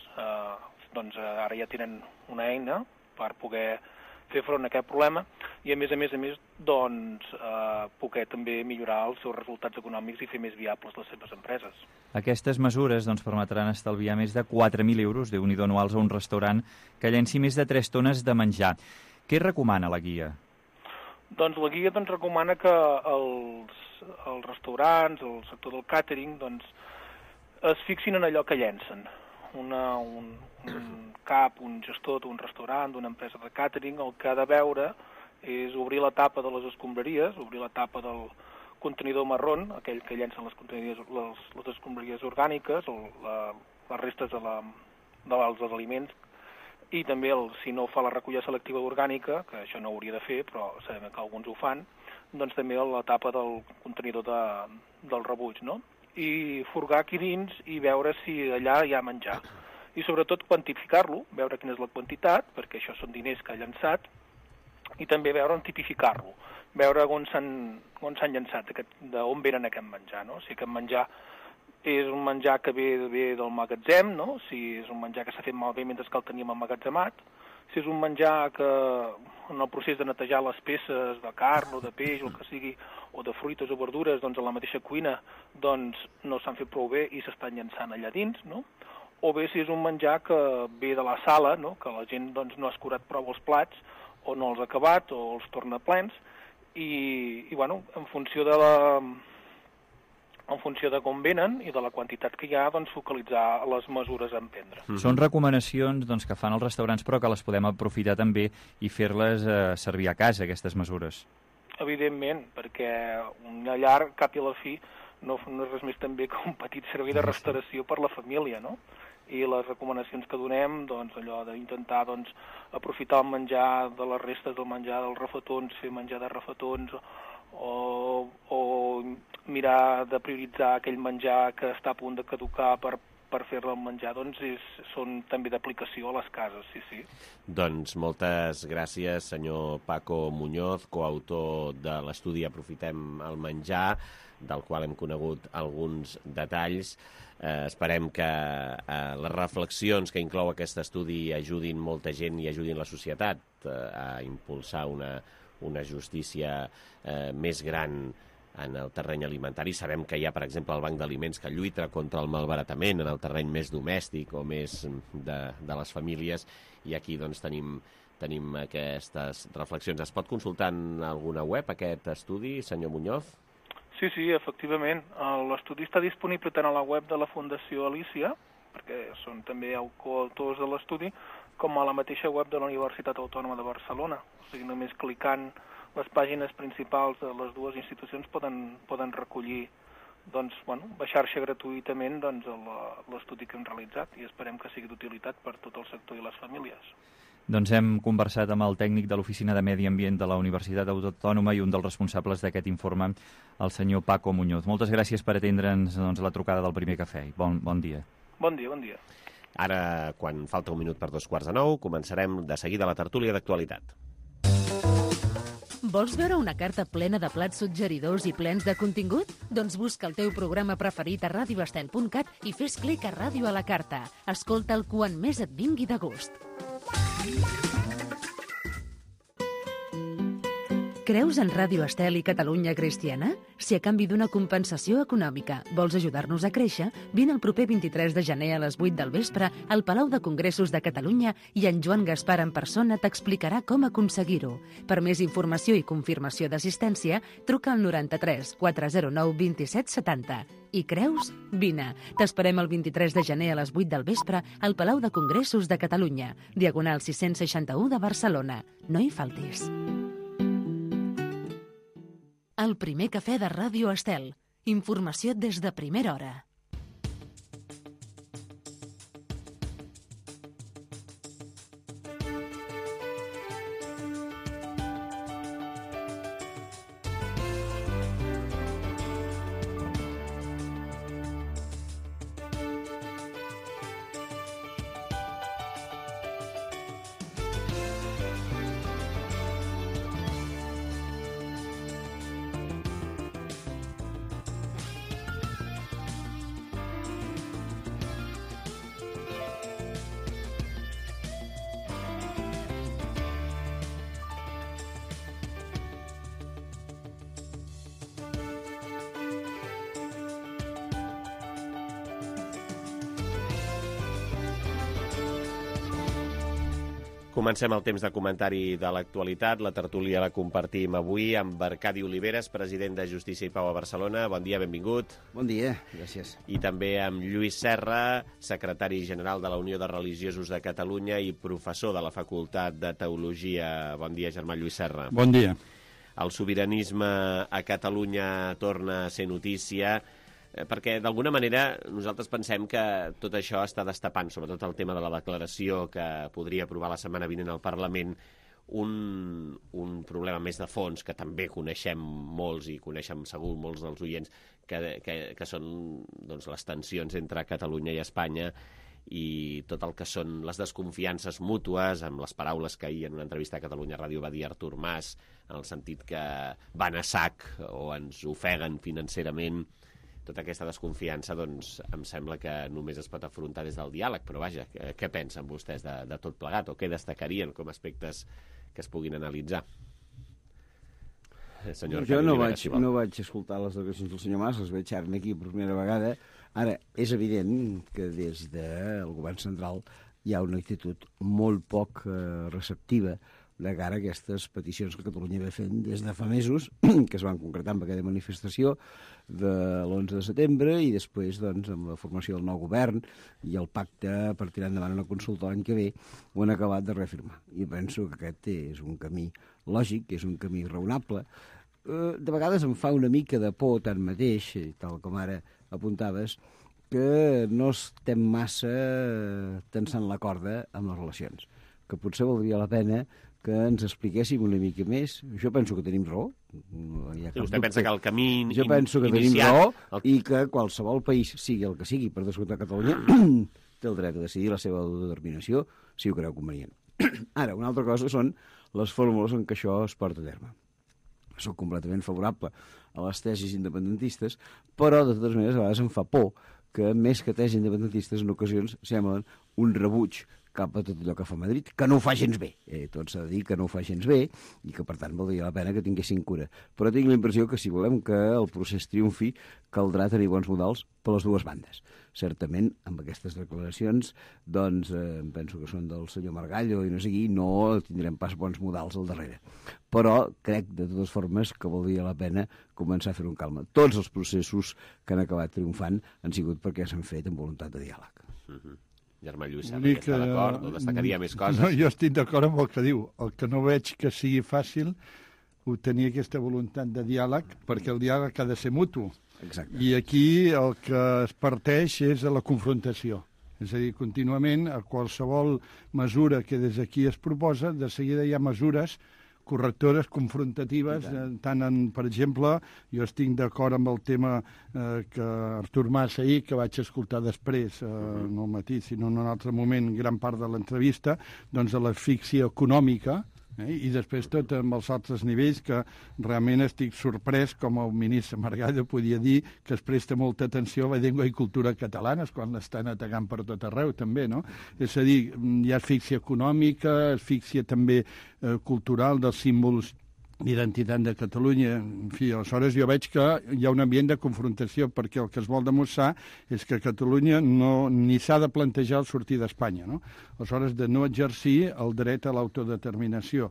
Doncs ara ja tenen una eina per poder fer front a aquest problema i a més doncs, poder també millorar els seus resultats econòmics i fer més viables les seves empreses. Aquestes mesures doncs, permetran estalviar més de 4.000 euros Déu-n'hi-do anuals a un restaurant que llenci més de 3 tones de menjar. Què recomana la guia? Doncs la guia doncs, recomana que els restaurants, el sector del càtering, doncs, es fixin en allò que llencen. Un cap, un gestor d'un restaurant, d'una empresa de càtering, el que ha de veure és obrir la tapa de les escombraries, obrir la tapa del contenidor marrón, aquell que llencen les escombraries orgàniques, o les restes dels aliments, i també, si no fa la recollida selectiva orgànica, que això no hauria de fer, però sabem que alguns ho fan, doncs també la tapa del contenidor del rebuig, no? I furgar aquí dins i veure si allà hi ha menjar. I sobretot quantificar-lo, veure quina és la quantitat, perquè això són diners que ha llançat, i també veure on tipificar-lo, veure on s'han llançat, d'on venen aquest menjar, no? Si aquest menjar és un menjar que ve del magatzem, no? Si és un menjar que s'ha fet malbé mentre que el teníem emmagatzemat, si és un menjar que en el procés de netejar les peces de carn o de peix o el que sigui, o de fruites o verdures, doncs a la mateixa cuina doncs no s'han fet prou bé i s'estan llançant allà dins, no? O bé si és un menjar que ve de la sala, no? Que la gent doncs, no ha escurat prou els plats o no els ha acabat o els torna plens i bueno, en funció de com venen i de la quantitat que hi ha, doncs focalitzar les mesures a emprendre. Són recomanacions doncs, que fan els restaurants però que les podem aprofitar també i fer-les servir a casa, aquestes mesures. Evidentment, perquè una llar, cap i a la fi, no és res més també que un petit servei de restauració per la família, no? I les recomanacions que donem, doncs, allò d'intentar doncs, aprofitar el menjar de les restes del menjar dels refetons, fer menjar de refetons, o mirar de prioritzar aquell menjar que està a punt de caducar per fer-lo menjar, doncs són també d'aplicació a les cases, sí. Doncs moltes gràcies, senyor Paco Muñoz, coautor de l'estudi Aprofitem el menjar, del qual hem conegut alguns detalls. Esperem que les reflexions que inclou aquest estudi ajudin molta gent i ajudin la societat a impulsar una justícia més gran en el terreny alimentari. Sabem que hi ha, per exemple, el Banc d'Aliments que lluita contra el malbaratament en el terreny més domèstic o més de les famílies, i aquí doncs, tenim aquestes reflexions. Es pot consultar en alguna web aquest estudi, senyor Muñoz? Sí, efectivament. L'estudi està disponible tant a la web de la Fundació Alícia, perquè són també coautors de l'estudi, com a la mateixa web de la Universitat Autònoma de Barcelona. O sigui, només clicant les pàgines principals de les dues institucions poden recollir baixar-se gratuïtament l'estudi que hem realitzat i esperem que sigui d'utilitat per tot el sector i les famílies. Doncs hem conversat amb el tècnic de l'Oficina de Medi Ambient de la Universitat Autònoma i un dels responsables d'aquest informe, el senyor Paco Muñoz. Moltes gràcies per atendre'ns la trucada del Primer Cafè. Bon dia. Bon dia, bon dia. Ara, quan falta un minut per 8:45, començarem de seguida la tertúlia d'actualitat. Vols veure una carta plena de plats suggeridors i plens de contingut? Doncs busca el teu programa preferit a radioestel.cat i fes clic a Ràdio a la carta. Escolta'l quan més et vingui de gust. Creus en Ràdio Estel i Catalunya Cristiana? Si a canvi d'una compensació econòmica vols ajudar-nos a créixer, vine el proper 23 de gener a les 8 del vespre al Palau de Congressos de Catalunya i en Joan Gaspar en persona t'explicarà com aconseguir-ho. Per més informació i confirmació d'assistència, truca al 93 409 27 70. I creus? Vine. T'esperem el 23 de gener a les 8 del vespre al Palau de Congressos de Catalunya, diagonal 661 de Barcelona. No hi faltis. El Primer Cafè de Ràdio Estel. Informació des de primera hora. Comencem el temps de comentari de l'actualitat. La tertúlia la compartim avui amb Arcadi Oliveres, president de Justícia i Pau a Barcelona. Bon dia, benvingut. Bon dia, gràcies. I també amb Lluís Serra, secretari general de la Unió de Religiosos de Catalunya i professor de la Facultat de Teologia. Bon dia, germà Lluís Serra. Bon dia. El sobiranisme a Catalunya torna a ser notícia, perquè d'alguna manera nosaltres pensem que tot això està destapant, sobretot el tema de la declaració que podria aprovar la setmana vinent al Parlament, un problema més de fons que també coneixem molts i coneixem segur molts dels oients, que són doncs, les tensions entre Catalunya i Espanya i tot el que són les desconfiances mútues, amb les paraules que ahir en una entrevista a Catalunya Ràdio va dir Artur Mas, en el sentit que van a sac o ens ofeguen financerament. Tota aquesta desconfiança, doncs, em sembla que només es pot afrontar des del diàleg, però vaja, què pensen vostès de tot plegat, o què destacarien com aspectes que es puguin analitzar? Jo no vaig escoltar les declaracions del senyor Mas, les veig ara aquí per primera vegada. Ara, és evident que des del govern central hi ha una actitud molt poc receptiva de cara a aquestes peticions que Catalunya va fent des de fa mesos, que es van concretar amb aquella manifestació de l'11 de setembre i després, doncs, amb la formació del nou govern i el pacte per tirar endavant una consulta l'any que ve, ho han acabat de reafirmar. I penso que aquest és un camí lògic, és un camí raonable. De vegades em fa una mica de por, tanmateix, tal com ara apuntaves, que no estem massa tensant la corda amb les relacions, que potser valdria la pena que ens expliquéssim una mica més. Jo penso que tenim raó. Vostè pensa que el camí iniciat... Jo penso que tenim raó i que qualsevol país, sigui el que sigui, per descomptar Catalunya, té el dret a decidir la seva autodeterminació si ho creu convenient. Ara, una altra cosa són les fórmules en què això es porta a terme. Soc completament favorable a les tesis independentistes, però de totes maneres a vegades em fa por que més que tesis independentistes en ocasions semblen un rebuig cap a tot allò que fa Madrid, que no ho fa gens bé. Tot s'ha de dir que no ho fa gens bé i que, per tant, valdria la pena que tinguessin cura. Però tinc la impressió que si volem que el procés triomfi, caldrà tenir bons models per les dues bandes. Certament, amb aquestes declaracions, doncs, penso que són del senyor Margallo i no sé qui, no tindrem pas bons models al darrere. Però crec, de totes formes, que valdria la pena començar a fer-ho amb calma. Tots els processos que han acabat triomfant han sigut perquè s'han fet amb voluntat de diàleg. Germà Lluís, està d'acord o destacaria més coses? No, jo estic d'acord amb el que diu. El que no veig que sigui fàcil obtenir aquesta voluntat de diàleg, perquè el diàleg ha de ser mutu. Exacte. I aquí el que es parteix és a la confrontació. És a dir, contínuament, a qualsevol mesura que des d'aquí es proposa, de seguida hi ha mesures correctores, confrontatives, tant per exemple, jo estic d'acord amb el tema que Artur Mas ahir, que vaig escoltar després, no al matí, sinó en un altre moment, gran part de l'entrevista, doncs de l'asfíxia econòmica, i després tot amb els altres nivells que realment estic sorprès com el ministre Margallo podia dir que es presta molta atenció a la llengua i cultura catalanes quan l'estan atacant per tot arreu també, no? És a dir, hi ha asfíxia econòmica, asfíxia també cultural dels símbols d'identitat de Catalunya. En fi, aleshores jo veig que hi ha un ambient de confrontació perquè el que es vol demostrar és que Catalunya ni s'ha de plantejar el sortir d'Espanya, no? Aleshores, de no exercir el dret a l'autodeterminació.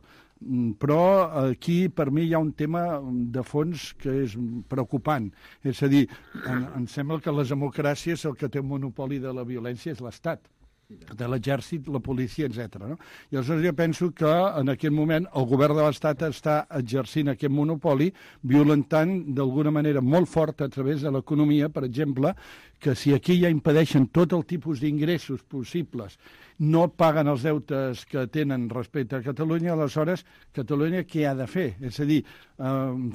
Però aquí per mi hi ha un tema de fons que és preocupant. És a dir, em sembla que les democràcies el que té un monopoli de la violència és l'Estat, de l'exèrcit, la policia, etc. No? I aleshores jo penso que en aquest moment el govern de l'Estat està exercint aquest monopoli, violentant d'alguna manera molt forta a través de l'economia, per exemple, que si aquí ja impedeixen tot el tipus d'ingressos possibles, no paguen els deutes que tenen respecte a Catalunya, aleshores Catalunya què ha de fer? És a dir,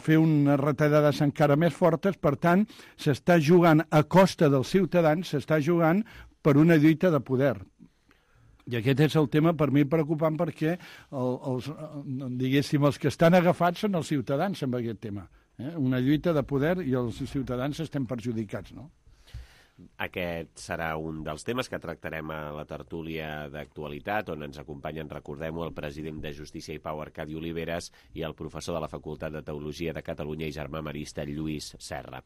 fer unes retallades encara més fortes, per tant, s'està jugant a costa dels ciutadans, s'està jugant per una lluita de poder. I aquest és el tema per mi preocupant perquè diguéssim, els que estan agafats són els ciutadans amb aquest tema. Una lluita de poder i els ciutadans estem perjudicats, no? Aquest serà un dels temes que tractarem a la tertúlia d'actualitat, on ens acompanyen, recordem-ho, el president de Justícia i Pau, Arcadi Oliveres, i el professor de la Facultat de Teologia de Catalunya i germà marista, Lluís Serra.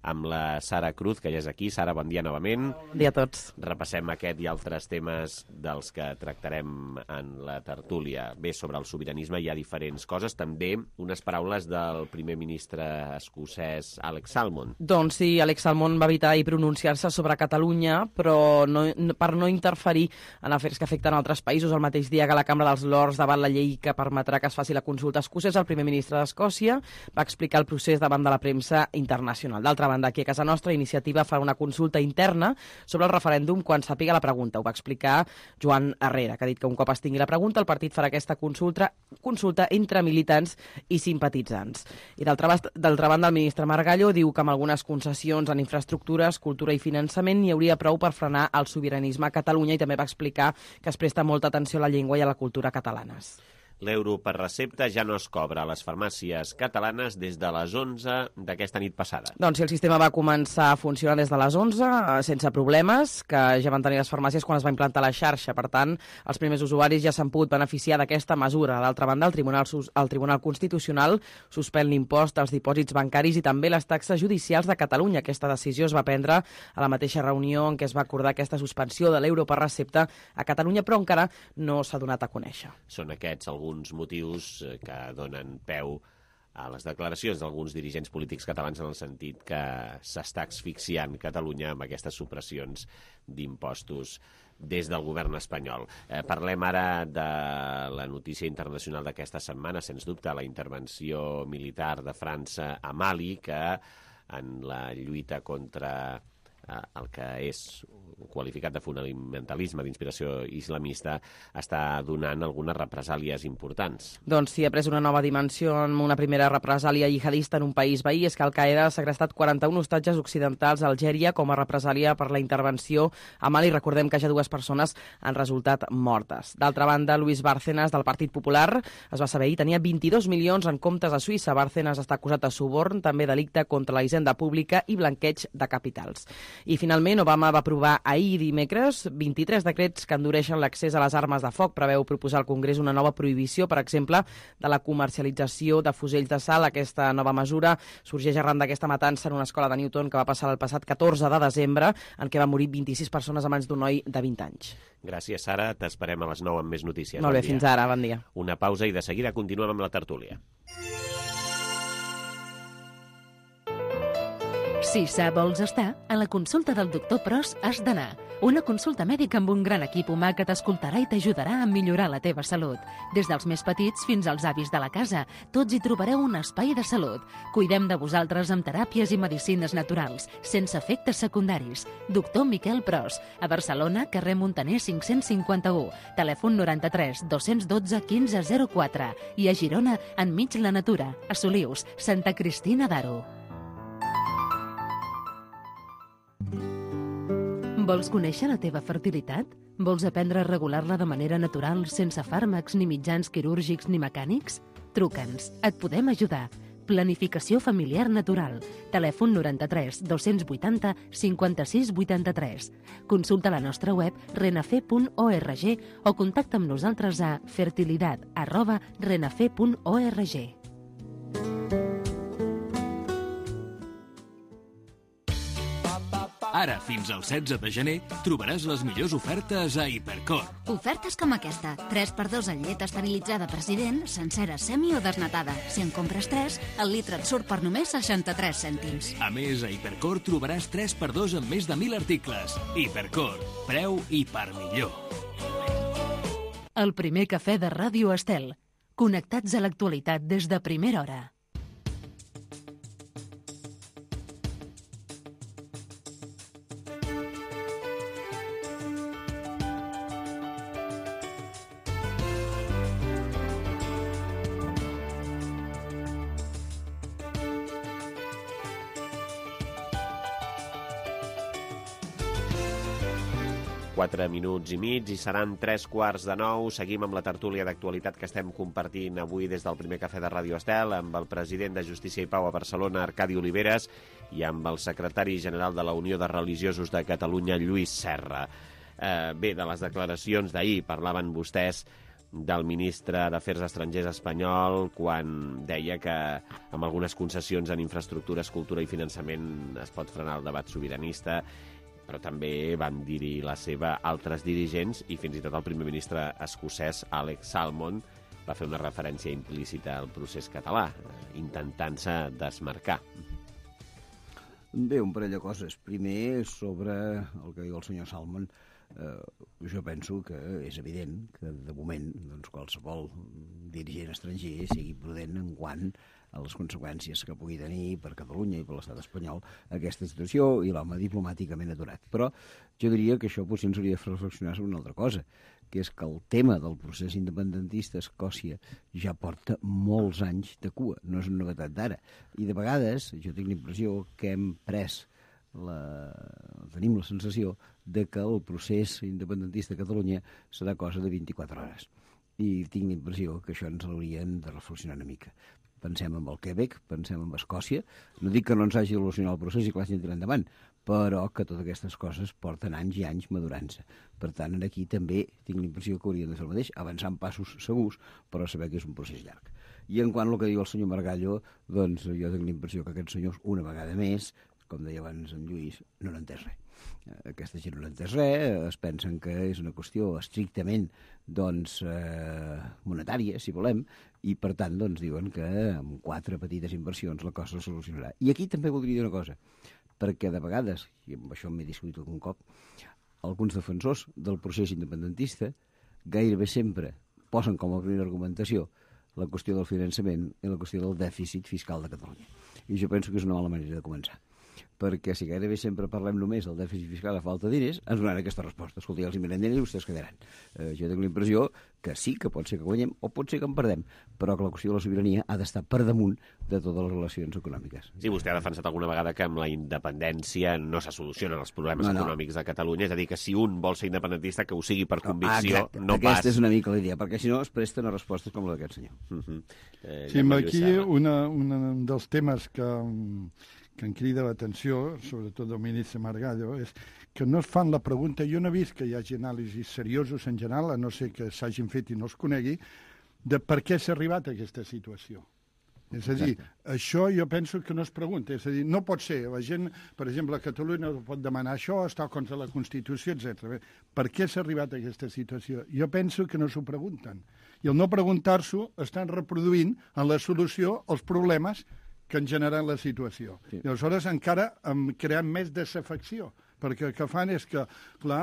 Amb la Sara Cruz, que ja és aquí. Sara, bon dia novament. Bon dia a tots. Repassem aquest i altres temes dels que tractarem en la tertúlia. Bé, sobre el sobiranisme hi ha diferents coses, també unes paraules del primer ministre escocès Alex Salmond. Doncs sí, Alex Salmond va evitar i pronunciar-se sobre Catalunya, però per no interferir en afers que afecten altres països. El mateix dia que la Cambra dels Lords debat la llei que permetrà que es faci la consulta escocesa, el primer ministre d'Escòcia va explicar el procés davant de la premsa internacional. D'altra banda, aquí a casa nostra, Iniciativa fa una consulta interna sobre el referèndum quan sàpiga la pregunta. Ho va explicar Joan Herrera, que ha dit que un cop es tingui la pregunta, el partit farà aquesta consulta entre militants i simpatitzants. I d'altra banda, el ministre Margallo diu que amb algunes concessions en infraestructures, cultura i finançament n'hi hauria prou per frenar el sobiranisme a Catalunya, i també va explicar que es presta molta atenció a la llengua i a la cultura catalanes. L'euro per recepta ja no es cobra a les farmàcies catalanes des de les 11 d'aquesta nit passada. Doncs sí, el sistema va començar a funcionar des de les 11 sense problemes, que ja van tenir les farmàcies quan es va implantar la xarxa. Per tant, els primers usuaris ja s'han pogut beneficiar d'aquesta mesura. D'altra banda, el Tribunal Constitucional suspèn l'impost als dipòsits bancaris i també les taxes judicials de Catalunya. Aquesta decisió es va prendre a la mateixa reunió en què es va acordar aquesta suspensió de l'euro per recepta a Catalunya, però encara no s'ha donat a conèixer. Són aquests alguns motius que donen peu a les declaracions d'alguns dirigents polítics catalans en el sentit que s'està asfixiant Catalunya amb aquestes supressions d'impostos des del govern espanyol. Parlem ara de la notícia internacional d'aquesta setmana, sens dubte, la intervenció militar de França a Mali, que en la lluita contra el que és qualificat de fonamentalisme d'inspiració islamista està donant algunes represàlies importants. Doncs sí, ha pres una nova dimensió amb una primera represàlia jihadista en un país veí. És que Al-Qaeda ha segrestat 41 hostatges occidentals a Algèria com a represàlia per la intervenció a Mali. Recordem que ja 2 persones han resultat mortes. D'altra banda, Luis Bárcenas, del Partit Popular, es va saber ahir, tenia 22 milions en comptes a Suïssa. Bárcenas està acusat de suborn, també delicte contra la hisenda pública i blanqueig de capitals. I finalment, Obama va aprovar ahir dimecres 23 decrets que endureixen l'accés a les armes de foc. Preveu proposar al Congrés una nova prohibició, per exemple, de la comercialització de fusells de sal. Aquesta nova mesura sorgeix arran d'aquesta matança en una escola de Newton que va passar el passat 14 de desembre, en què va morir 26 persones a mans d'un noi de 20 anys. Gràcies, Sara. T'esperem a les 9 amb més notícies. Molt bé, fins ara. Bon dia. Una pausa i de seguida continuem amb la tertúlia. Si sa vols estar, a la consulta del doctor Pros has d'anar. Una consulta mèdica amb un gran equip humà que t'escoltarà i t'ajudarà a millorar la teva salut. Des dels més petits fins als avis de la casa, tots hi trobareu un espai de salut. Cuidem de vosaltres amb teràpies i medicines naturals, sense efectes secundaris. Doctor Miquel Pros, a Barcelona, carrer Montaner 551, telèfon 93 212 1504 i a Girona, enmig la natura, a Solius, Santa Cristina d'Aro. Vols conèixer la teva fertilitat? Vols aprendre a regular-la de manera natural, sense fàrmacs ni mitjans quirúrgics ni mecànics? Truca'ns, et podem ajudar. Planificació familiar natural. Telèfon 93 280 56 83. Consulta la nostra web renafe.org o contacta amb nosaltres a fertilidad@renafe.org. Ara, fins al 16 de gener, trobaràs les millors ofertes a Hipercor. Ofertes com aquesta. 3x2 en llet esterilitzada President, sencera, semi o desnatada. Si en compres 3, el litre et surt per només 63 cèntims. A més, a Hipercor trobaràs 3x2 en més de 1.000 articles. Hipercor, preu i per millor. El primer cafè de Ràdio Estel. Connectats a l'actualitat des de primera hora. Quatre minuts i mig i seran 8:45. Seguim amb la tertúlia d'actualitat que estem compartint avui des del primer cafè de Ràdio Estel amb el president de Justícia i Pau a Barcelona, Arcadi Oliveres, i amb el secretari general de la Unió de Religiosos de Catalunya, Lluís Serra. Bé, de les declaracions d'ahir parlaven vostès del ministre d'Afers Estrangers espanyol quan deia que amb algunes concessions en infraestructures, cultura i finançament es pot frenar el debat sobiranista, però també van dir-hi la seva altres dirigents i fins i tot el primer ministre escocès, Alex Salmond, va fer una referència implícita al procés català, intentant-se desmarcar. Bé, un parell de coses. Primer, sobre el que diu el senyor Salmond, jo penso que és evident que, de moment, doncs, qualsevol dirigent estranger sigui prudent en quant a les conseqüències que pugui tenir per Catalunya i per l'estat espanyol aquesta situació i l'home diplomàticament aturat. Però jo diria que això potser ens hauria de fer reflexionar sobre una altra cosa, que és que el tema del procés independentista a Escòcia ja porta molts anys de cua, no és una novetat d'ara. I de vegades jo tinc la impressió que hem pres tenim la sensació de que el procés independentista a Catalunya serà cosa de 24 hores. I tinc la impressió que això ens l'haurien de reflexionar una mica. Pensem en el Quebec, pensem en Escòcia. No dic que no ens hagi d'il·lusionar el procés i que l'hagin de tirar endavant, però que totes aquestes coses porten anys i anys madurant-se. Per tant, aquí també tinc la impressió que haurien de fer el mateix, avançar en passos segurs, però saber que és un procés llarg. I en quant al que diu el senyor Margallo, doncs jo tinc la impressió que aquests senyors, una vegada més, com deia abans en Lluís, no n'ha entès res. Aquesta gent no n'ha entès res, es pensen que és una qüestió estrictament monetària, si volem, i per tant doncs, diuen que amb 4 petites inversions la cosa es solucionarà. I aquí també voldria dir una cosa, perquè de vegades, i amb això m'he discutit algun cop, alguns defensors del procés independentista gairebé sempre posen com a primera argumentació la qüestió del finançament i la qüestió del dèficit fiscal de Catalunya. I jo penso que és una mala manera de començar, perquè si gairebé sempre parlem només del dèficit fiscal a falta de diners, ens donaran aquesta resposta. Escolta, ja els mirem diners i vostès quedaran. Jo tinc la impressió que sí, que pot ser que guanyem o pot ser que en perdem, però que la qüestió de la sobirania ha d'estar per damunt de totes les relacions econòmiques. Sí, vostè ha defensat alguna vegada que amb la independència no se solucionen els problemes econòmics de Catalunya, és a dir, que si un vol ser independentista, que ho sigui per convicció, no pas... Aquesta és una mica la idea, perquè si no es presten a respostes com la d'aquest senyor. Sí, aquí un dels temes que em crida l'atenció, sobretot del ministre Margallo, és que no es fan la pregunta, jo no he vist que hi hagi anàlisis seriosos en general, a no ser que s'hagin fet i no es conegui, de per què s'ha arribat a aquesta situació. És a dir, això jo penso que no es pregunta, és a dir, no pot ser, la gent, per exemple, a Catalunya no pot demanar això, està contra la Constitució, etc. Per què s'ha arribat a aquesta situació? Jo penso que no s'ho pregunten. I el no preguntar-s'ho estan reproduint en la solució els problemes que han generat la situació. Sí. I aleshores encara hem creat més desafecció, perquè el que fan és que, clar,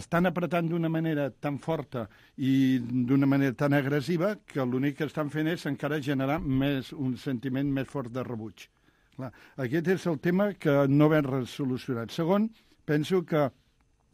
estan apretant d'una manera tan forta i d'una manera tan agressiva que l'únic que estan fent és encara generar un sentiment més fort de rebuig. Clar, aquest és el tema que no ben resolucionat. Segon, penso que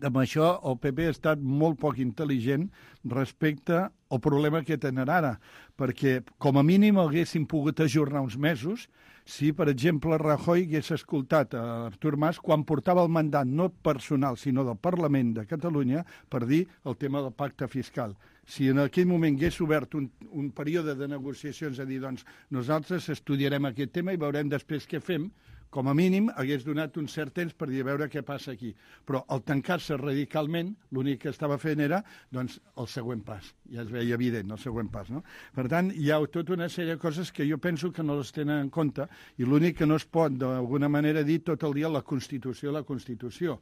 amb això el PP ha estat molt poc intel·ligent respecte al problema que tenen ara, perquè com a mínim haguessin pogut ajornar uns mesos si, per exemple, Rajoy hagués escoltat a Artur Mas quan portava el mandat no personal, sinó del Parlament de Catalunya per dir el tema del pacte fiscal. Si en aquell moment hagués obert un període de negociacions a dir, doncs, nosaltres estudiarem aquest tema i veurem després què fem, com a mínim hagués donat un cert temps per dir a veure què passa aquí. Però al tancar-se radicalment, l'únic que estava fent era doncs, el següent pas. Ja es veia evident, el següent pas. No? Per tant, hi ha tota una sèrie de coses que jo penso que no les tenen en compte i l'únic que no es pot, d'alguna manera, dir tot el dia la Constitució.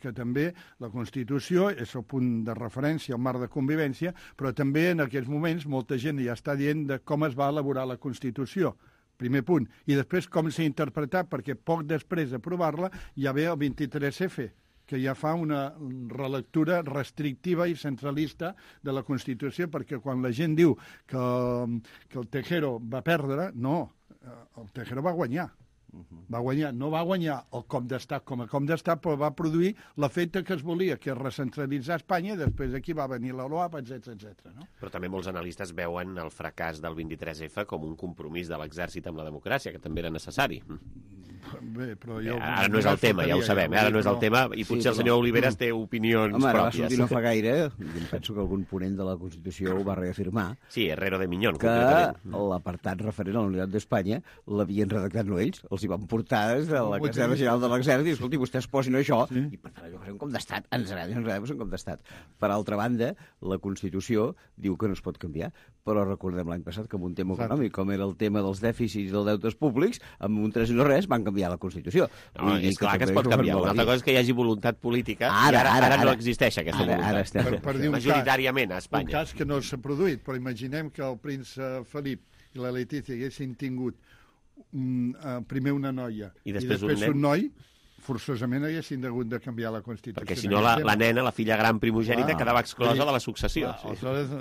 Que també la Constitució és el punt de referència, el marc de convivència, però també en aquests moments molta gent ja està dient de com es va elaborar la Constitució. Primer punt. I després com s'ha interpretat, perquè poc després d'aprovar-la ja ve el 23F, que ja fa una relectura restrictiva i centralista de la Constitució, perquè quan la gent diu que el Tejero va perdre, no, el Tejero va guanyar. Va guanyar, no va guanyar el cop d'estat com a cop d'estat, però va produir l'efecte que es volia, que és recentralitzar Espanya, i després aquí va venir la LOAP, etc. No? Però també molts analistes veuen el fracàs del 23F com un compromís de l'exèrcit amb la democràcia, que també era necessari. Bé, però ara no és el tema, ja ho sabem, ara no és el tema, i potser el senyor Oliveres té opinions pròpies. Home, va sortir no fa gaire, i penso que algun ponent de la Constitució ho va reafirmar. Sí, Herrero de Miñón, que l'apartat referent a la unitat d'Espanya l'havien redactat no ells, els hi van portar des de la Caserna General de l'Exèrcit i escolti, vostès posin això, i per tant allò va ser un cop d'estat, ens agrada, va ser un cop d'estat. Per altra banda, la Constitució diu que no es pot canviar, però recordem l'any passat que amb un tema econòmic, com era el tema dels dèficits i dels deutes públics, amb un 3 i no res van canviar la Constitució. No, és clar que es pot canviar. Una altra cosa és que hi hagi voluntat política i ara no existeix aquesta voluntat. Per dir majoritàriament a Espanya. Un cas que no s'ha produït, però imaginem que el príncep Felip i la Letícia haguessin tingut primer una noia i després un noi, forçosament haguessin hagut de canviar la Constitució. Perquè si no la nena, la filla gran primogènita, quedava exclosa de la successió.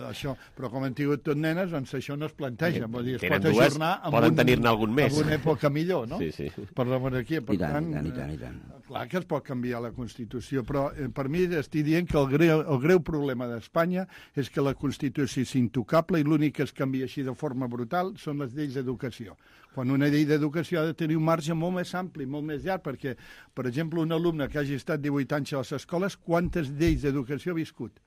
Això, però com han tingut tot nenes, doncs això no es planteja. Vull dir, es pot dues, ajornar poden tenir-ne algun més. En una època millor, no? Sí. Per la monarquia. Per tant, i tant. Clar que es pot canviar la Constitució, però per mi estic dient que el greu problema d'Espanya és que la Constitució és intocable i l'únic que es canvia així de forma brutal són les lleis d'educació. Quan una llei d'educació ha de tenir un marge molt més ampli, molt més llarg, perquè, per exemple, un alumne que hagi estat 18 anys a les escoles, quantes lleis d'educació ha viscut?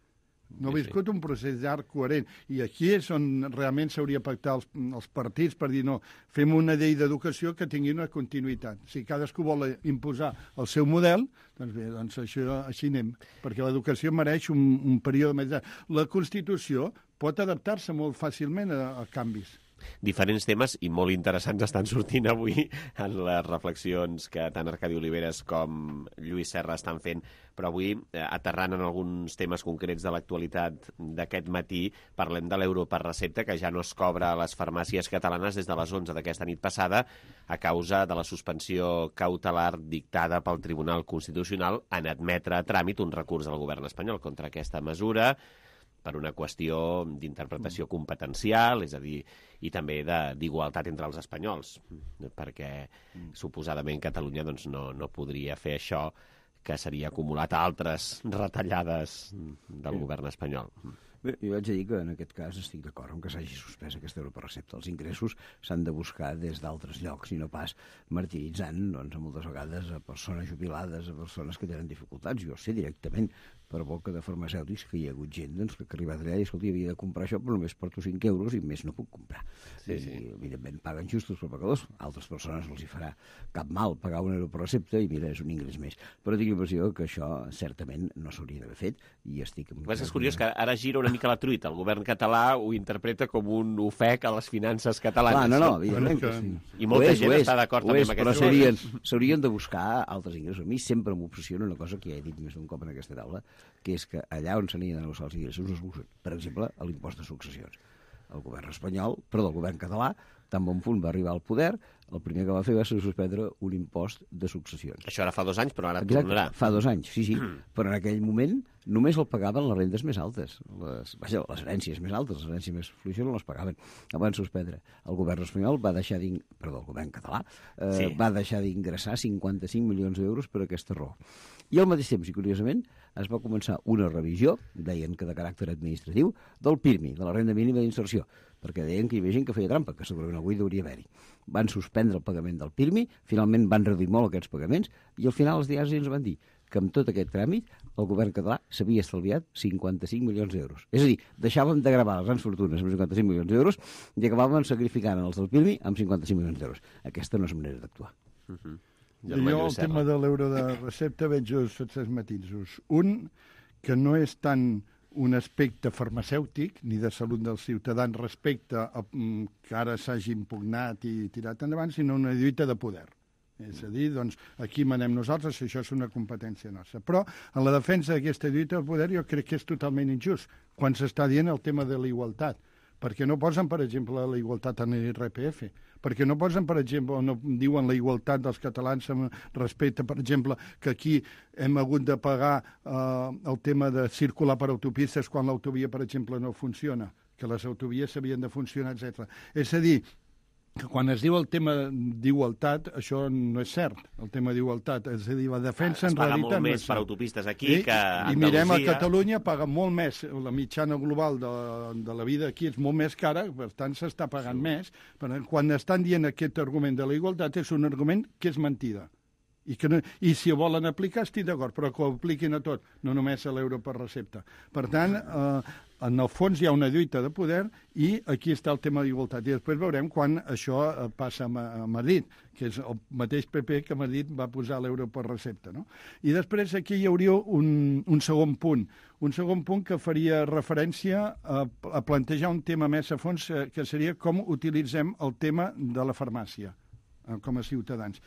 No ha viscut un procés llarg, coherent. I aquí és on realment s'hauria de pactar els partits per dir no, fem una llei d'educació que tingui una continuïtat. Si cadascú vol imposar el seu model, doncs bé, doncs això, així anem, perquè l'educació mereix un període més llarg. La Constitució pot adaptar-se molt fàcilment a canvis. Diferents temes i molt interessants estan sortint avui en les reflexions que tant Arcadi Oliveres com Lluís Serra estan fent, però avui, aterrant en alguns temes concrets de l'actualitat d'aquest matí, parlem de l'euro per recepta, que ja no es cobra a les farmàcies catalanes des de les 11 d'aquesta nit passada a causa de la suspensió cautelar dictada pel Tribunal Constitucional en admetre a tràmit un recurs del govern espanyol contra aquesta mesura, per una qüestió d'interpretació competencial, és a dir, i també d'igualtat entre els espanyols, perquè suposadament Catalunya doncs, no podria fer això que seria acumulat a altres retallades del govern espanyol. Bé, jo vaig dir que en aquest cas estic d'acord amb que s'hagi suspès aquest euro per recepta. Els ingressos s'han de buscar des d'altres llocs i no pas martiritzant doncs, moltes vegades a persones jubilades, a persones que tenen dificultats. Jo sé directament per boca de farmacèutics que hi ha hagut gent doncs, que ha arribat allà i escolta, havia de comprar això però només porto 5 euros i més no puc comprar. I evidentment paguen justos per pecadors. A altres persones no els hi farà cap mal pagar un euro per recepta i mira, és un ingrés més. Però tinc l'impressió que això certament no s'hauria d'haver fet i estic... És curiós que ara gira una mica la truita. El govern català ho interpreta com un ofec a les finances catalanes. Clar, no, evidentment que sí. I molta gent està d'acord també amb aquesta cosa. Però s'haurien de buscar altres ingressos. A mi sempre m'obsessiona una cosa que ja he dit més d'un cop en aquesta taula, que és que allà on s'han de negociar els ingressos es busquen. Per exemple, l'impost de successions. El govern espanyol, el govern català, Tan bon punt va arribar al poder, el primer que va fer va ser suspendre un impost de successions. Això ara fa 2 anys, però ara Exacte, tornarà. fa 2 anys, sí. Però en aquell moment només el pagaven les rendes més altes. Les herències més altes, les herències més fluixes no les pagaven. El van suspendre. El govern espanyol va deixar el govern català va deixar d'ingressar 55 milions d'euros per aquesta raó. I al mateix temps, i curiosament, es va començar una revisió, deien que de caràcter administratiu, del PIRMI, de la renda mínima d'inserció, perquè deien que hi havia gent que feia trampa, que segurament avui hauria d'haver-hi. Van suspendre el pagament del PIRMI, finalment van reduir molt aquests pagaments, i al final els diaris ens van dir que amb tot aquest tràmit el govern català s'havia estalviat 55 milions d'euros. És a dir, deixàvem de gravar les grans fortunes amb 55 milions d'euros i acabàvem sacrificant els del PIRMI amb 55 milions d'euros. Aquesta no és manera d'actuar. Jo el tema de l'euro de recepta veig dos matisos. Un, que no és tant un aspecte farmacèutic ni de salut dels ciutadans respecte a que ara s'hagi impugnat i tirat endavant, sinó una lluita de poder. És a dir, doncs, aquí manem nosaltres, això és una competència nostra. Però en la defensa d'aquesta lluita de poder jo crec que és totalment injust quan s'està dient el tema de la igualtat. Perquè no posen, per exemple, la igualtat en l'IRPF, perquè no posen, per exemple, no diuen la igualtat dels catalans respecte, per exemple, que aquí hem hagut de pagar el tema de circular per autopistes quan l'autovia, per exemple, no funciona, que les autovies s'havien de funcionar, etc. És a dir, que quan es diu el tema d'igualtat, això no és cert, el tema d'igualtat. És a dir, la defensa en realitat... Es paga molt més per autopistes aquí que a Andalusia. I mirem a Catalunya, paga molt més. La mitjana global de la vida aquí és molt més cara, per tant s'està pagant més. Però quan estan dient aquest argument de la igualtat és un argument que és mentida. I si ho volen aplicar estic d'acord, però que ho apliquin a tot, no només a l'euro per recepta. Per tant, en el fons hi ha una lluita de poder i aquí està el tema d'igualtat. I després veurem quan això passa a Madrid, que és el mateix PP que a Madrid va posar l'euro per recepta. No? I després aquí hi hauria un segon punt. Un segon punt que faria referència a plantejar un tema més a fons, que seria com utilitzem el tema de la farmàcia com a ciutadans.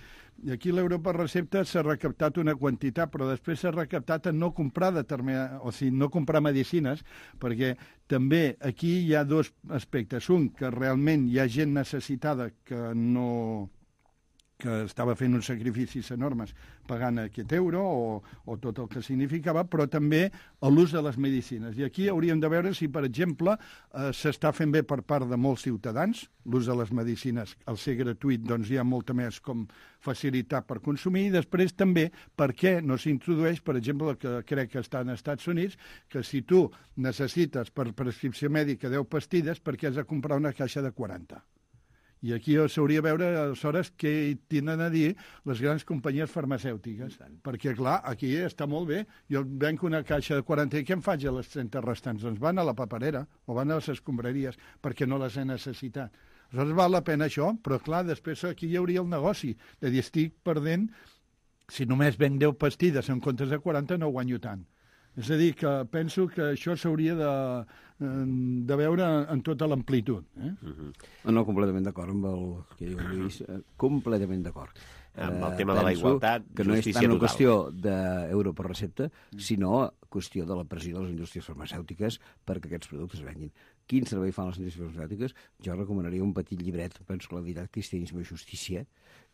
I aquí l'euro per recepta s'ha recaptat una quantitat, però després s'ha recaptat en no comprar no comprar medicines, perquè també aquí hi ha dos aspectes. Un, que realment hi ha gent necessitada que estava fent uns sacrificis enormes pagant aquest euro o tot el que significava, però també l'ús de les medicines. I aquí hauríem de veure si, per exemple, s'està fent bé per part de molts ciutadans, l'ús de les medicines, al ser gratuït, doncs hi ha molta més com facilitat per consumir, i després també per què no s'introdueix, per exemple, el que crec que està als Estats Units, que si tu necessites per prescripció mèdica 10 pastilles, per què has de comprar una caixa de 40? I aquí s'hauria de veure, aleshores, què tenen a dir les grans companyies farmacèutiques. Perquè, clar, aquí està molt bé. Jo venc una caixa de 40 i què em faig a les 30 restants? Doncs van a la paperera o van a les escombraries perquè no les he necessitat. Aleshores val la pena això, però, clar, després aquí hi hauria el negoci de dir, estic perdent, si només venc 10 pastilles en comptes de 40 no guanyo tant. És a dir, que penso que això s'hauria de veure en tota l'amplitud. No, completament d'acord amb el que diu Lluís, completament d'acord. Amb el tema de la igualtat, que no és tant una qüestió d'euro per recepta, sinó qüestió de la pressió de les indústries farmacèutiques perquè aquests productes es venguin. Quin servei fan les indústries farmacèutiques? Jo recomanaria un petit llibret, penso que l'editat Cristianisme i Justícia,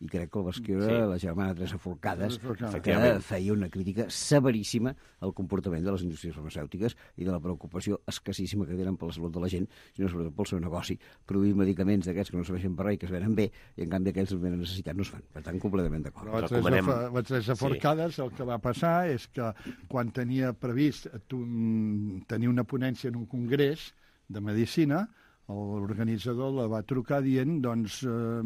i crec que el va escriure la germana Teresa Forcades, que feia una crítica severíssima al comportament de les indústries farmacèutiques i de la preocupació escassíssima que tenen per la salut de la gent, sinó sobretot pel seu negoci, produir medicaments d'aquests que no serveixen per res i que es venen bé, i en canvi aquells que venen necessitat no es fan. Per tant, completament d'acord. La Teresa Forcades el que va passar és que quan tenia previst tenir una ponència en un congrés de medicina, l'organitzador la va trucar dient, doncs,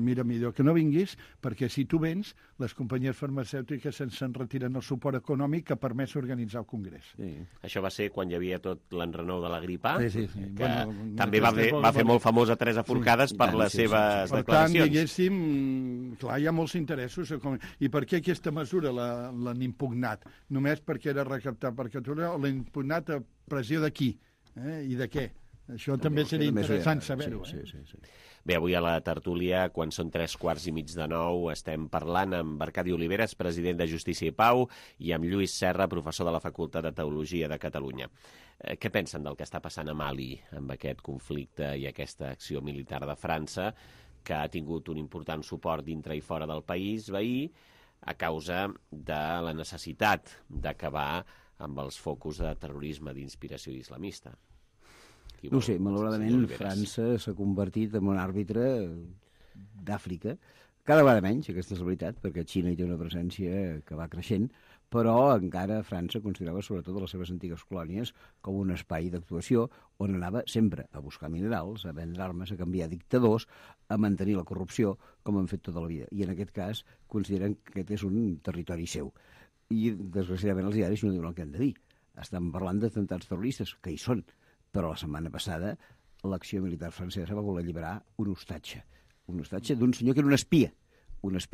mira, millor que no vinguis, perquè si tu vens, les companyies farmacèutiques se'n retiren el suport econòmic que ha permès organitzar el congrés. Sí. Això va ser quan hi havia tot l'enrenou de la grip A, sí. Que també va fer molt famosa Teresa Forcades per les seves declaracions. Per tant, diguéssim, clar, hi ha molts interessos. I per què aquesta mesura l'han impugnat? Només perquè era recaptar per Catalunya o l'han impugnat a pressió de qui? I de què? Això també seria interessant saber-ho. Sí. Bé, avui a la tertúlia, quan són 8:45, estem parlant amb Arcadi Oliveres, president de Justícia i Pau, i amb Lluís Serra, professor de la Facultat de Teologia de Catalunya. Què pensen del que està passant a Mali amb aquest conflicte i aquesta acció militar de França? que ha tingut un important suport dintre i fora del país veí a causa de la necessitat d'acabar amb els focus de terrorisme d'inspiració islamista. No sé, malauradament França s'ha convertit en un àrbitre d'Àfrica, cada vegada menys, aquesta és la veritat, perquè Xina hi té una presència que va creixent, però encara França considerava sobretot les seves antigues colònies com un espai d'actuació on anava sempre a buscar minerals, a vendre armes, a canviar dictadors, a mantenir la corrupció, com han fet tota la vida. I en aquest cas consideren que aquest és un territori seu. I, desgraciadament, els diaris no diuen el que han de dir. Estan parlant d'atemptats terroristes, que hi són, però la setmana passada l'acció militar francesa va voler alliberar un hostatge d'un senyor que era un espia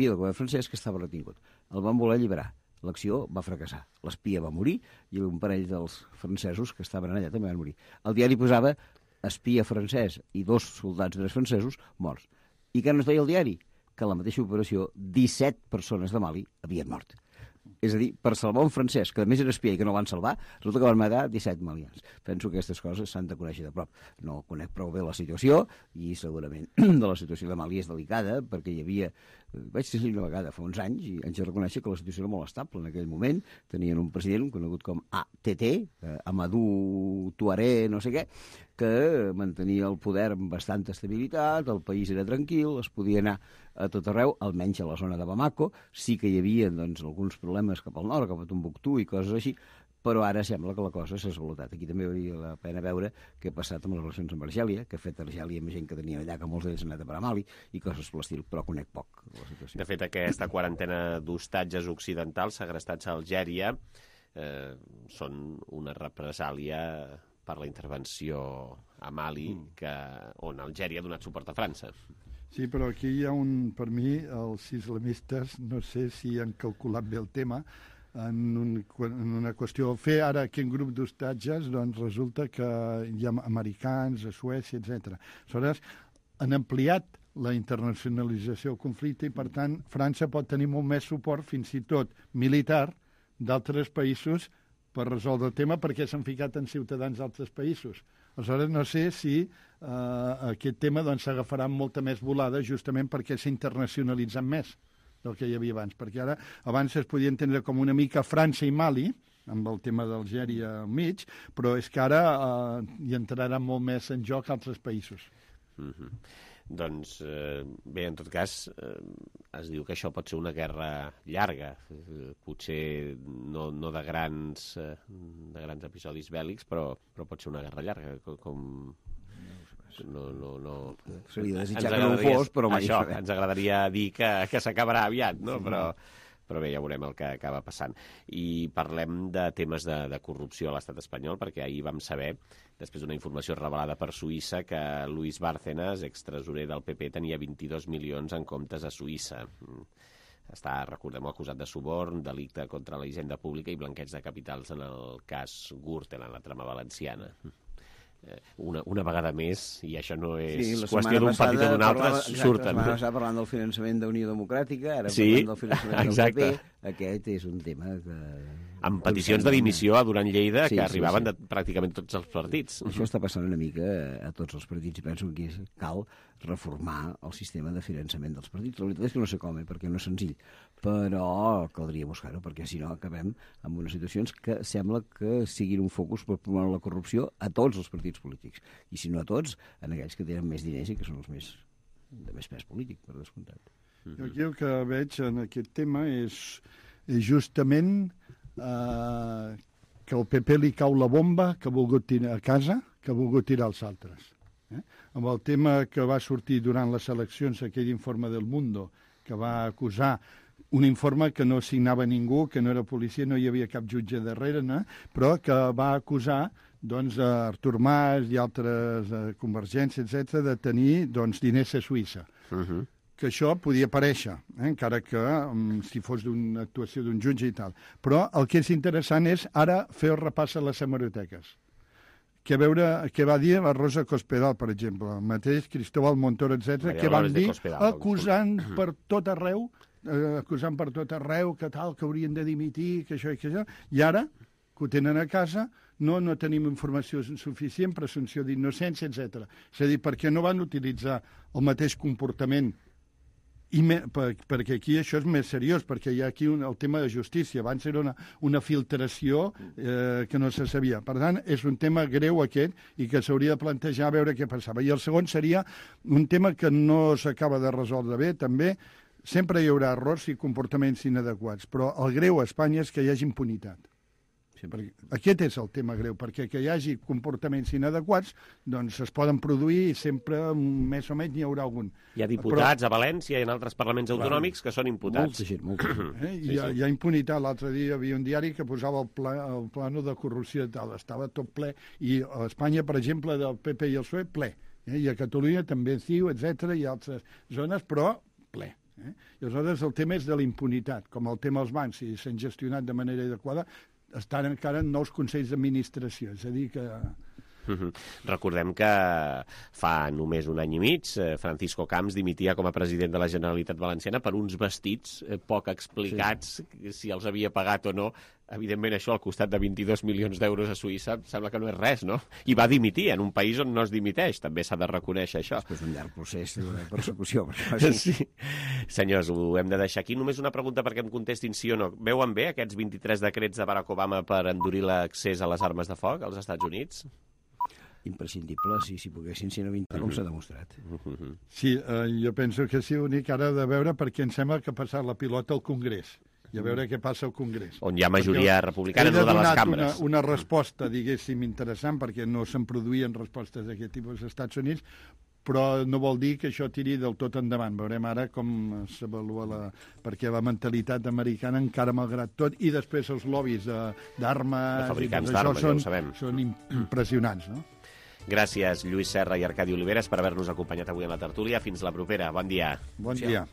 del govern francès que estava retingut. El van voler alliberar. L'acció va fracassar. L'espia va morir i un parell dels francesos que estaven allà també van morir. El diari posava espia francès i 2 soldats francesos morts. I què no es deia el diari? Que en la mateixa operació 17 persones de Mali havien mort. És a dir, per salvar un francès, que a més era espia i que no van salvar, resulta que van matar 17 malians. Penso que aquestes coses s'han de conèixer de prop. No conec prou bé la situació i segurament de la situació de Mali és delicada perquè hi havia... Vaig ser una vegada fa uns anys i haig de reconèixer que la situació era molt estable en aquell moment. Tenien un president conegut com ATT, Amadou Touaré, no sé què, que mantenia el poder amb bastanta estabilitat, el país era tranquil, es podia anar a tot arreu, almenys a la zona de Bamako. Sí que hi havia doncs, alguns problemes cap al nord, cap a Tombuctú i coses així, però ara sembla que la cosa s'ha esvalotat. Aquí també hauria la pena veure què ha passat amb les relacions amb Argèlia, que ha fet Argèlia amb gent que tenia allà, que molts d'ells han anat a parar a Mali, i coses per l'estil, però conec poc la situació. De fet, aquesta quarantena d'hostatges occidentals segrestats a Algèria són una represàlia per la intervenció a Mali, on Algèria ha donat suport a França. Sí, però aquí hi ha per mi, els islamistes, no sé si han calculat bé el tema, en una qüestió. Fer ara aquest grup d'hostatges, doncs resulta que hi ha americans, a Suècia, etc. Aleshores, han ampliat la internacionalització del conflicte i, per tant, França pot tenir molt més suport, fins i tot militar, d'altres països per resoldre el tema perquè s'han ficat en ciutadans d'altres països. Aleshores, no sé si aquest tema s'agafarà amb molta més volada justament perquè s'ha internacionalitzat més del que hi havia abans, perquè ara abans es podia entendre com una mica França i Mali, amb el tema d'Algèria al mig, però és que ara hi entrarà molt més en joc altres països. Doncs bé, en tot cas, es diu que això pot ser una guerra llarga, potser no de grans episodis bèl·lics, però pot ser una guerra llarga, com... No. Seria desitjar que no ho fos, però mai això, ens agradaria dir que s'acabarà aviat, no? Però bé, ja veurem el que acaba passant. I parlem de temes de corrupció a l'estat espanyol, perquè ahir vam saber, després d'una informació revelada per Suïssa, que Luis Bárcenas, extresorer del PP, tenia 22 milions en comptes a Suïssa. Està, recordem-ho, acusat de suborn, delicte contra la hisenda pública i blanqueig de capitals en el cas Gürtel, en la trama valenciana. Una vegada més, i això no és qüestió d'un partit o d'un altre, surten. La setmana passada parlant del finançament d'Unió Democràtica, ara parlant del finançament del PP, aquest és un tema que... Amb peticions de dimissió a Duran Lleida que arribaven de pràcticament tots els partits. Això està passant una mica a tots els partits i penso que aquí cal reformar el sistema de finançament dels partits. La veritat és que no sé com, perquè no és senzill, però caldria buscar-ho, perquè si no acabem amb unes situacions que sembla que siguin un focus per promoure la corrupció a tots els partits polítics, i si no a tots, en aquells que tenen més diners i que són els de més pes polític, per descomptat. Jo aquí el que veig en aquest tema és justament que el PP li cau la bomba que ha volgut tirar a casa, que ha volgut tirar als altres. Amb el tema que va sortir durant les eleccions, aquell informe del Mundo, que va acusar un informe que no signava ningú, que no era policia, no hi havia cap jutge darrere, però que va acusar Artur Mas i altres Convergència, etc., de tenir diners a Suïssa. Que això podia aparèixer, encara que si fos d'una actuació d'un jutge i tal. Però el que és interessant és ara fer el repàs a les hemeroteques. Que veure què va dir la Rosa Cospedal, per exemple, el mateix Cristóbal Montoro, etc., que van dir acusant per tot arreu que tal, que haurien de dimitir, que això i que això, i ara, que ho tenen a casa, no tenim informació suficient, presumpció d'innocència, etc. És a dir, perquè no van utilitzar el mateix comportament perquè aquí això és més seriós, perquè hi ha aquí el tema de justícia. Abans era una filtració que no se sabia. Per tant, és un tema greu aquest i que s'hauria de plantejar a veure què passava. I el segon seria un tema que no s'acaba de resoldre bé, també. Sempre hi haurà errors i comportaments inadequats, però el greu a Espanya és que hi hagi impunitat. Aquest és el tema greu, perquè que hi hagi comportaments inadequats doncs es poden produir i sempre més o menys n'hi haurà algun. Hi ha diputats a València i en altres parlaments autonòmics que són imputats. Molta gent. Hi ha impunitat. L'altre dia hi havia un diari que posava el plano de corrupció i tal. Estava tot ple. I a Espanya, per exemple, del PP i el PSOE, ple. I a Catalunya també CiU, etc. i altres zones, però ple. I aleshores el tema és de la impunitat. Com el tema dels bancs, si s'han gestionat de manera adequada, estan encara en nous consells d'administració, és a dir que... Recordem que fa només un any i mig Francisco Camps dimitia com a president de la Generalitat Valenciana per uns vestits poc explicats si els havia pagat o no. Evidentment això al costat de 22 milions d'euros a Suïssa sembla que no és res, no? I va dimitir en un país on no es dimiteix, també s'ha de reconèixer això. És un llarg procés de persecució. Sí. Senyors, ho hem de deixar aquí. Només una pregunta perquè em contestin sí o no. Veuen bé aquests 23 decrets de Barack Obama per endurir l'accés a les armes de foc als Estats Units? Imprescindible, si poguessin ser 20, com s'ha demostrat. Sí, jo penso que sí, únic ara de veure perquè em sembla que ha passat la pilota al Congrés i a veure què passa al Congrés. On hi ha majoria republicana, no de les cambres. Una resposta, diguéssim, interessant, perquè no se'n produïen respostes d'aquest tipus als Estats Units, però no vol dir que això tiri del tot endavant. Veurem ara com s'avalua perquè la mentalitat americana encara malgrat tot, i després els lobbies d'armes... De fabricants d'armes, ja ho sabem. Són impressionants, no? Gràcies, Lluís Serra i Arcadi Oliveres, per haver-nos acompanyat avui a la tertúlia. Fins la propera. Bon dia. Bon dia.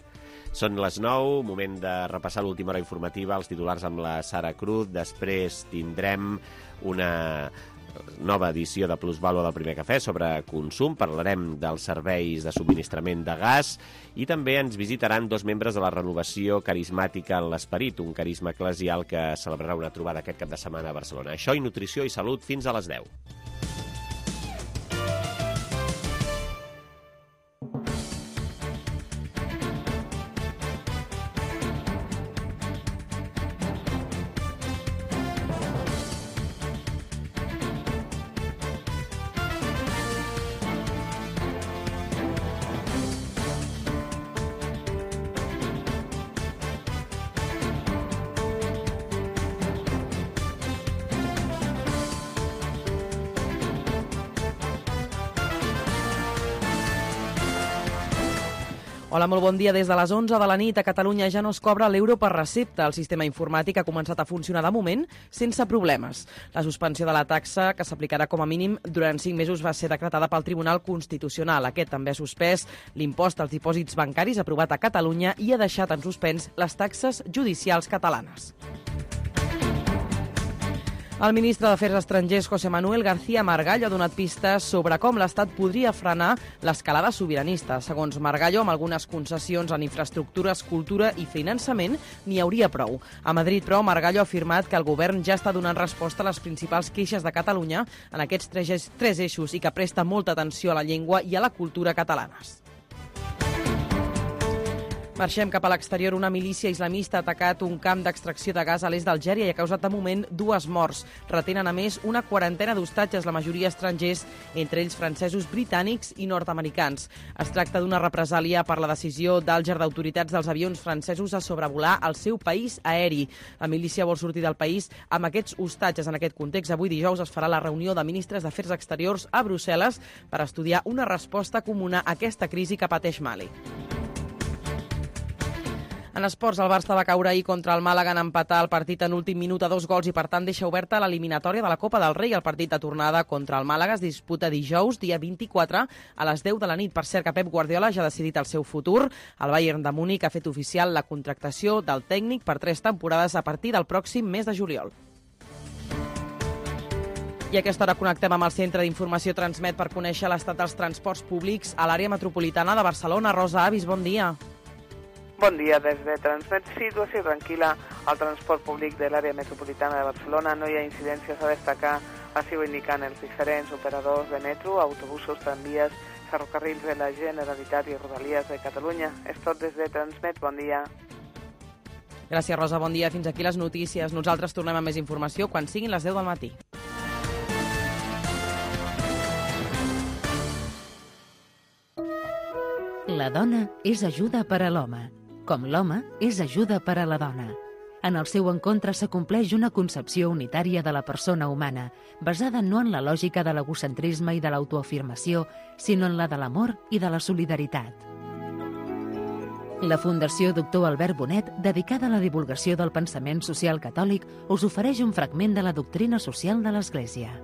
Són les 9, moment de repassar l'última hora informativa, els titulars amb la Sara Cruz. Després tindrem una nova edició de Plusvàlua del Primer Cafè sobre consum. Parlarem dels serveis de subministrament de gas i també ens visitaran dos membres de la Renovació Carismàtica en l'Esperit, un carisma eclesial que celebrarà una trobada aquest cap de setmana a Barcelona. Això i nutrició i salut fins a les 10. Hola, molt bon dia. Des de les 11 de la nit a Catalunya ja no es cobra l'euro per recepta. El sistema informàtic ha començat a funcionar de moment sense problemes. La suspensió de la taxa, que s'aplicarà com a mínim durant 5 mesos, va ser decretada pel Tribunal Constitucional. Aquest també ha suspès l'impost als dipòsits bancaris aprovat a Catalunya i ha deixat en suspens les taxes judicials catalanes. El ministre d'Afers Estrangers, José Manuel García Margallo, ha donat pistes sobre com l'Estat podria frenar l'escalada sobiranista. Segons Margallo, amb algunes concessions en infraestructures, cultura i finançament, n'hi hauria prou. A Madrid, però, Margallo ha afirmat que el govern ja està donant resposta a les principals queixes de Catalunya en aquests tres eixos i que presta molta atenció a la llengua i a la cultura catalanes. Marxem cap a l'exterior. Una milícia islamista ha atacat un camp d'extracció de gas a l'est d'Algèria i ha causat de moment 2 morts. Retenen a més una quarantena d'hostatges, la majoria estrangers, entre ells francesos, britànics i nord-americans. Es tracta d'una represàlia per la decisió d'Àlger d'autoritats dels avions francesos a sobrevolar el seu país aeri. La milícia vol sortir del país amb aquests hostatges. En aquest context, avui dijous es farà la reunió de ministres d'Afers Exteriors a Brussel·les per estudiar una resposta comuna a aquesta crisi que pateix Mali. En esports, el Barça va caure ahir contra el Màlaga en empatar el partit en últim minut a 2 gols i, per tant, deixa oberta l'eliminatòria de la Copa del Rei. El partit de tornada contra el Màlaga es disputa dijous, dia 24, a les 10 de la nit. Per cert, que Pep Guardiola ja ha decidit el seu futur. El Bayern de Múnich ha fet oficial la contractació del tècnic per 3 temporades a partir del pròxim mes de juliol. I a aquesta hora connectem amb el Centre d'Informació Transmet per conèixer l'estat dels transports públics a l'àrea metropolitana de Barcelona. Rosa Avis, bon dia. Bon dia. Des de Transmet, situació tranquil·la al transport públic de l'àrea metropolitana de Barcelona. No hi ha incidències a destacar Així ho indiquen els diferents operadors de metro, autobusos, tramvies, ferrocarrils de la Generalitat i Rodalies de Catalunya. És tot des de Transmet. Bon dia. Gràcies, Rosa. Bon dia. Fins aquí les notícies. Nosaltres tornem amb més informació quan siguin les 10 del matí. La dona és ajuda per a l'home, com l'home és ajuda per a la dona. En el seu encontre s'acompleix una concepció unitària de la persona humana, basada no en la lògica de l'egocentrisme i de l'autoafirmació, sinó en la de l'amor i de la solidaritat. La Fundació Doctor Albert Bonet, dedicada a la divulgació del pensament social catòlic, us ofereix un fragment de la doctrina social de l'Església.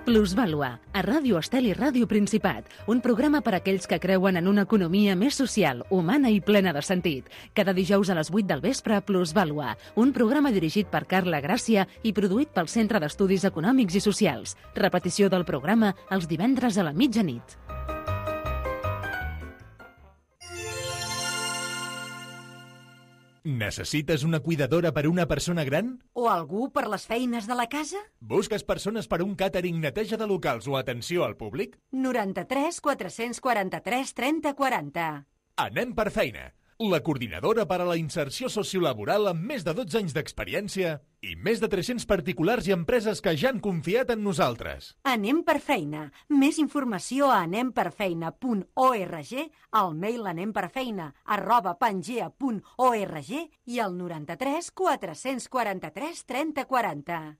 Plusvàlua, a Ràdio Estel i Ràdio Principat, un programa per a aquells que creuen en una economia més social, humana i plena de sentit. Cada dijous a les 8 del vespre, Plusvàlua, un programa dirigit per Carla Gràcia i produït pel Centre d'Estudis Econòmics i Socials. Repetició del programa els divendres a la mitjanit. Necessites una cuidadora per a una persona gran? O algú per les feines de la casa? Busques persones per a un càtering, neteja de locals o atenció al públic? 93 443 30 40. Anem per feina. La coordinadora per a la inserció sociolaboral amb més de 12 anys d'experiència i més de 300 particulars i empreses que ja han confiat en nosaltres. Anem per feina. Més informació a anemperfeina.org, al mail anemperfeina@pangea.org i al 93 443 30 40.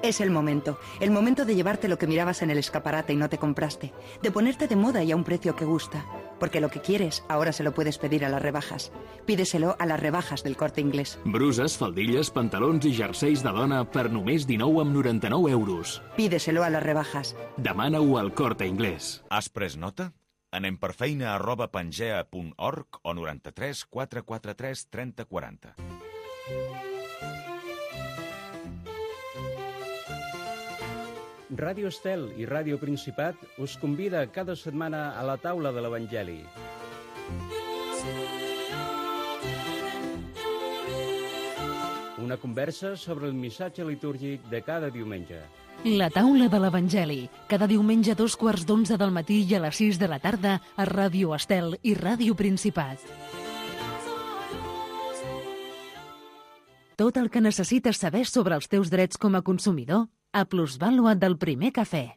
Es el momento de llevarte lo que mirabas en el escaparate y no te compraste, de ponerte de moda y a un precio que gusta, porque lo que quieres ahora se lo puedes pedir a las rebajas. Pídeselo a las rebajas del Corte Inglés. Bruses, faldilles, pantalons i jerseis de dona per només 19,99 euros. Pídeselo a las rebajas. Demana-ho al Corte Inglés. Has pres nota? Anem per feina@pangea.org o 93 443 30 40. Ràdio Estel i Ràdio Principat us convida cada setmana a la taula de l'Evangeli. Una conversa sobre el missatge litúrgic de cada diumenge. La taula de l'Evangeli, cada diumenge a 2:15 del matí i a les 6 de la tarda a Ràdio Estel i Ràdio Principat. Tot el que necessites saber sobre els teus drets com a consumidor a Plusvàlua del Primer Cafè.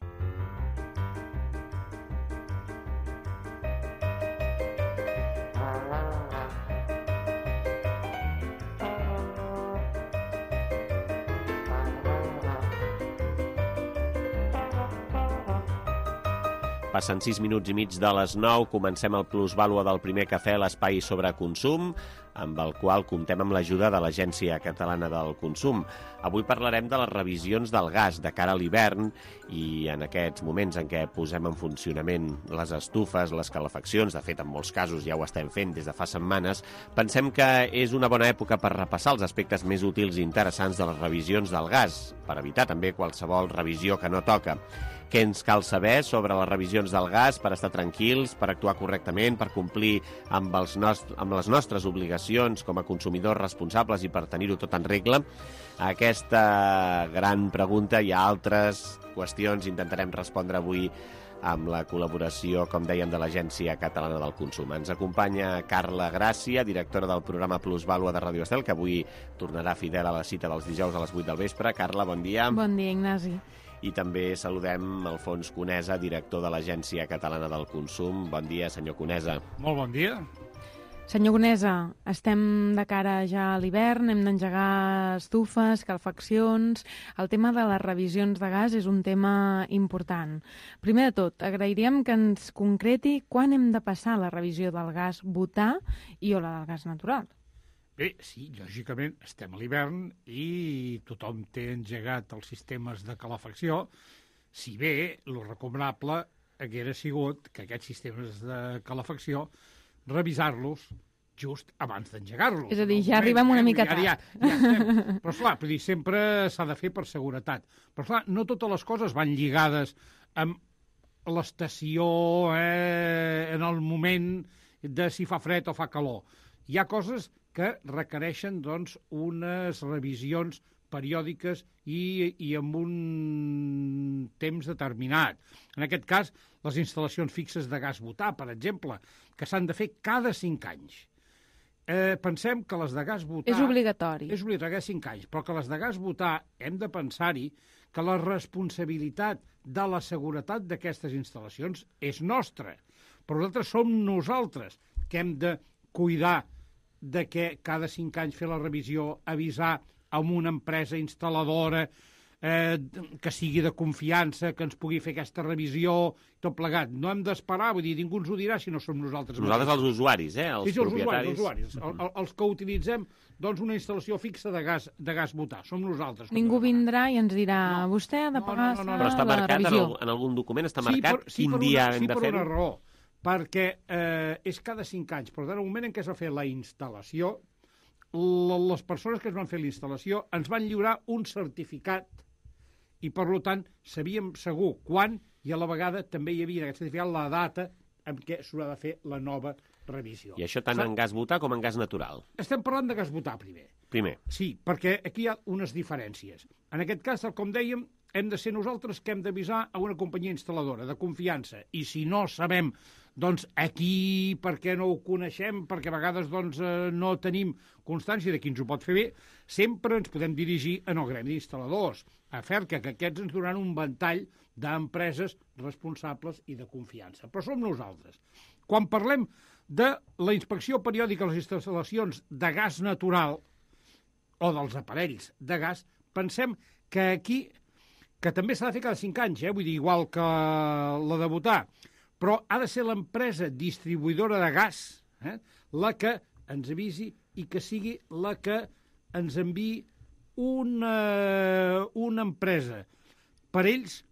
Passen 6 minuts i mig de les 9, comencem el Plusvàlua del Primer Cafè, l'espai sobre consum, amb el qual comptem amb l'ajuda de l'Agència Catalana del Consum. Avui parlarem de les revisions del gas de cara a l'hivern i en aquests moments en què posem en funcionament les estufes, les calefaccions, de fet en molts casos ja ho estem fent des de fa setmanes, pensem que és una bona època per repassar els aspectes més útils i interessants de les revisions del gas, per evitar també qualsevol revisió que no toca. Què ens cal saber sobre les revisions del gas per estar tranquils, per actuar correctament, per complir amb les nostres obligacions com a consumidors responsables i per tenir-ho tot en regla? A aquesta gran pregunta i a altres qüestions intentarem respondre avui amb la col·laboració, com dèiem, de l'Agència Catalana del Consum. Ens acompanya Carla Gràcia, directora del programa Plusvàlua de Ràdio Estel, que avui tornarà fidel a la cita dels dijous a les 8 del vespre. Carla, bon dia. Bon dia, Ignasi. I també saludem Alfons Conesa, director de l'Agència Catalana del Consum. Bon dia, senyor Conesa. Molt bon dia. Senyor Conesa, estem de cara ja a l'hivern, hem d'engegar estufes, calefaccions. El tema de les revisions de gas és un tema important. Primer de tot, agrairíem que ens concreti quan hem de passar la revisió del gas butà i o la del gas natural. Bé, sí, lògicament estem a l'hivern i tothom té engegat els sistemes de calefacció, si bé el recomanable haguera sigut que aquests sistemes de calefacció revisar-los just abans d'engegar-los. És a dir, ja arribem una mica tard. Ja estem. Però, esclar, sempre s'ha de fer per seguretat. Però, esclar, no totes les coses van lligades amb l'estació, en el moment de si fa fred o fa calor. Hi ha coses que requereixen doncs, unes revisions periòdiques i amb un temps determinat. En aquest cas, les instal·lacions fixes de gas butà, per exemple, que s'han de fer cada 5 anys. Pensem que les de gas butà... És obligatori. És obligatori cada 5 anys, però que les de gas butà hem de pensar-hi que la responsabilitat de la seguretat d'aquestes instal·lacions és nostra. Però nosaltres som nosaltres que hem de cuidar de que cada 5 anys fer la revisió, avisar amb una empresa instal·ladora que sigui de confiança, que ens pugui fer aquesta revisió, tot plegat. No hem d'esperar, vull dir, ningú ens ho dirà si no som nosaltres. Nosaltres els usuaris, els propietaris. Els usuaris. Els que utilitzem doncs, una instal·lació fixa de gas butà. Som nosaltres. Ningú vindrà i ens dirà, vostè ha de pagar no. Però està marcat en algun document, està marcat quin dia hem de fer-ho? Sí, per una raó. Perquè és cada 5 anys, però en el moment en què es va fer la instal·lació, les persones que es van fer la instal·lació ens van lliurar un certificat i, per tant, sabíem segur quan i a la vegada també hi havia en aquest certificat la data en què s'haurà de fer la nova revisió. I això tant en gas butà com en gas natural? Estem parlant de gas butà primer. Sí, perquè aquí hi ha unes diferències. En aquest cas, tal com dèiem, hem de ser nosaltres que hem d'avisar a una companyia instal·ladora de confiança. I si no sabem, doncs, aquí, per què no ho coneixem, perquè a vegades doncs, no tenim constància de qui ens ho pot fer bé, sempre ens podem dirigir en el gremi d'instal·ladors, a FERCA, que aquests ens donaran un ventall d'empreses responsables i de confiança. Però som nosaltres. Quan parlem de la inspecció periòdica a les instal·lacions de gas natural o dels aparells de gas, pensem que aquí, que també s'ha de fer cada 5 anys, vull dir, igual que la de butà, però ha de ser l'empresa distribuïdora de gas la que ens avisi i que sigui la que ens enviï una empresa per ells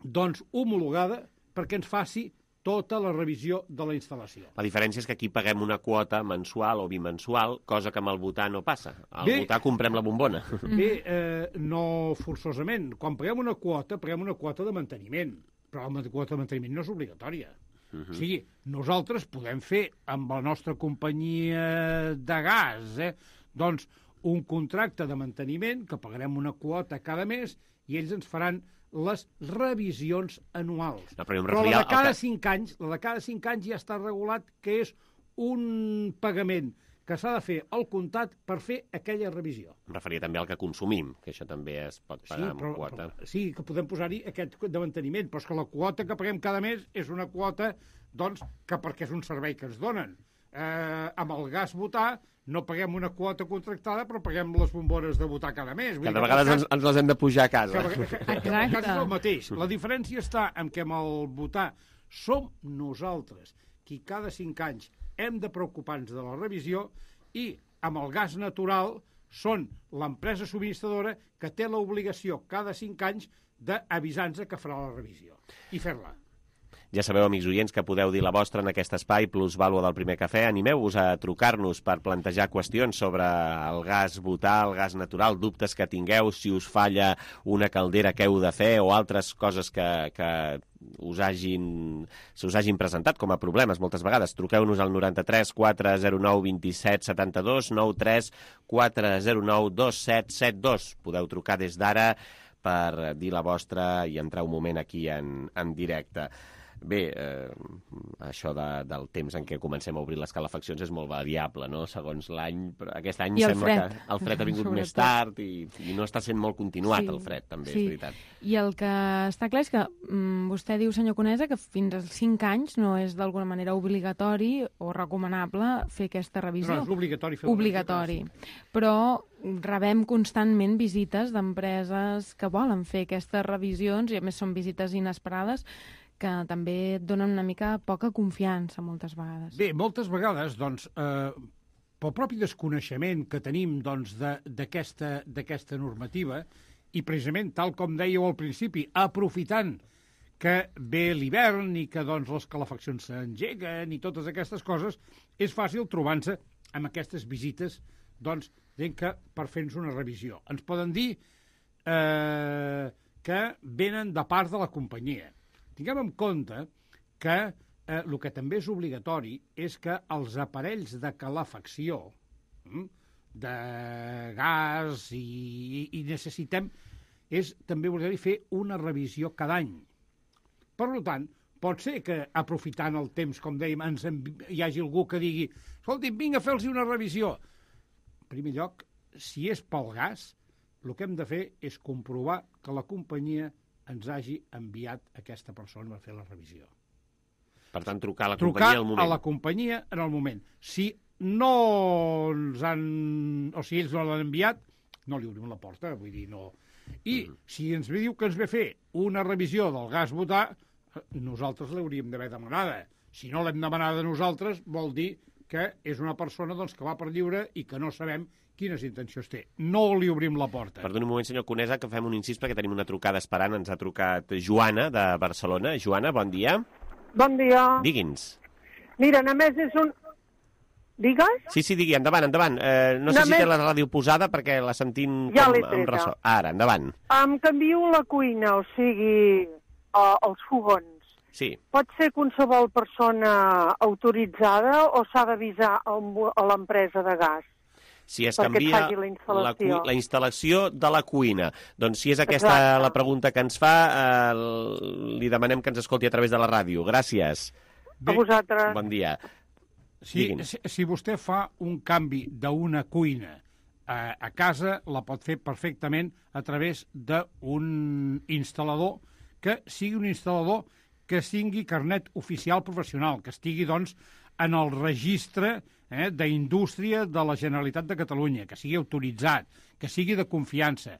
doncs homologada perquè ens faci tota la revisió de la instal·lació. La diferència és que aquí paguem una quota mensual o bimensual, cosa que amb el butà no passa. Al butà comprem la bombona. No forçosament. Quan paguem una quota de manteniment, però la quota de manteniment no és obligatòria. O sigui, nosaltres podem fer amb la nostra companyia de gas doncs un contracte de manteniment que pagarem una quota cada mes i ells ens faran les revisions anuals. Però la de cada 5 anys ja està regulat que és un pagament que s'ha de fer al comptat per fer aquella revisió. Em referia també al que consumim, que això també es pot pagar amb quota. Sí, que podem posar-hi aquest de manteniment, però és que la quota que paguem cada mes és una quota doncs, que perquè és un servei que ens donen. Amb el gas butà no paguem una quota contractada, però paguem les bombones de butà cada mes. Cada vegada ens les hem de pujar a casa. El cas és el mateix. La diferència està en què amb el butà som nosaltres qui cada 5 anys hem de preocupar-nos de la revisió i amb el gas natural són l'empresa subministradora que té l'obligació cada 5 anys d'avisar-nos que farà la revisió i fer-la. Ja sabeu, amics oients, que podeu dir la vostra en aquest espai Plus Vàlua del Primer Cafè. Animeu-vos a trucar-nos per plantejar qüestions sobre el gas butà, el gas natural, dubtes que tingueu, si us falla una caldera que heu de fer o altres coses que us hagin presentat com a problemes moltes vegades. Truqueu-nos al 93 409 27 72, 93 409 2772. Podeu trucar des d'ara per dir la vostra i entrar un moment aquí en directe. Bé, això del temps en què comencem a obrir les calefaccions és molt variable, no?, segons l'any. Però aquest any sembla que el fred ha vingut més tard i no està sent molt continuat, el fred, també, és veritat. I el que està clar és que vostè diu, senyor Conesa, que fins als 5 anys no és d'alguna manera obligatori o recomanable fer aquesta revisió. No, és obligatori fer obligatori. Però rebem constantment visites d'empreses que volen fer aquestes revisions i a més són visites inesperades que també et donen una mica poca confiança moltes vegades. Bé, moltes vegades, doncs, pel propi desconeixement que tenim doncs, d'aquesta normativa, i precisament, tal com dèieu al principi, aprofitant que ve l'hivern i que doncs, les calefaccions s'engeguen i totes aquestes coses, és fàcil trobar-se amb aquestes visites doncs, que per fer-nos una revisió. Ens poden dir que venen de part de la companyia. Tinguem en compte que el que també és obligatori és que els aparells de calefacció de gas i necessitem també voler fer una revisió cada any. Per tant, pot ser que aprofitant el temps, com dèiem, hi hagi algú que digui escolti, vinga a fer-los una revisió. En primer lloc, si és pel gas, el que hem de fer és comprovar que la companyia ens hagi enviat aquesta persona a fer la revisió. Per tant, trucar a la companyia al moment. Trucar a la companyia en el moment. Si no ens han... o si ells no l'han enviat, no li obrim la porta, vull dir, no... I si ens diu que ens ve fer una revisió del gas butà, nosaltres l'hauríem d'haver demanada. Si no l'hem demanada nosaltres, vol dir que és una persona que va per lliure i que no sabem quines intencions té. No li obrim la porta. Perdoni un moment, senyor Conesa, que fem un incís perquè tenim una trucada esperant. Ens ha trucat Joana, de Barcelona. Joana, bon dia. Bon dia. Digui'ns. Mira, només és un... Digues? Sí, digui, endavant. No sé si té la ràdio posada perquè la sentim ja com amb ressò. Ara, endavant. Em canvio la cuina, o sigui, els fogons. Sí. Pot ser qualsevol persona autoritzada o s'ha d'avisar a l'empresa de gas? Si es canvia la instal·lació de la cuina. Doncs si és aquesta la pregunta que ens fa, li demanem que ens escolti a través de la ràdio. Gràcies. A vosaltres. Bon dia. Si vostè fa un canvi d'una cuina a casa, la pot fer perfectament a través d'un instal·lador que sigui un instal·lador que tingui carnet oficial professional, que estigui, doncs, en el registre d'indústria de la Generalitat de Catalunya, que sigui autoritzat, que sigui de confiança,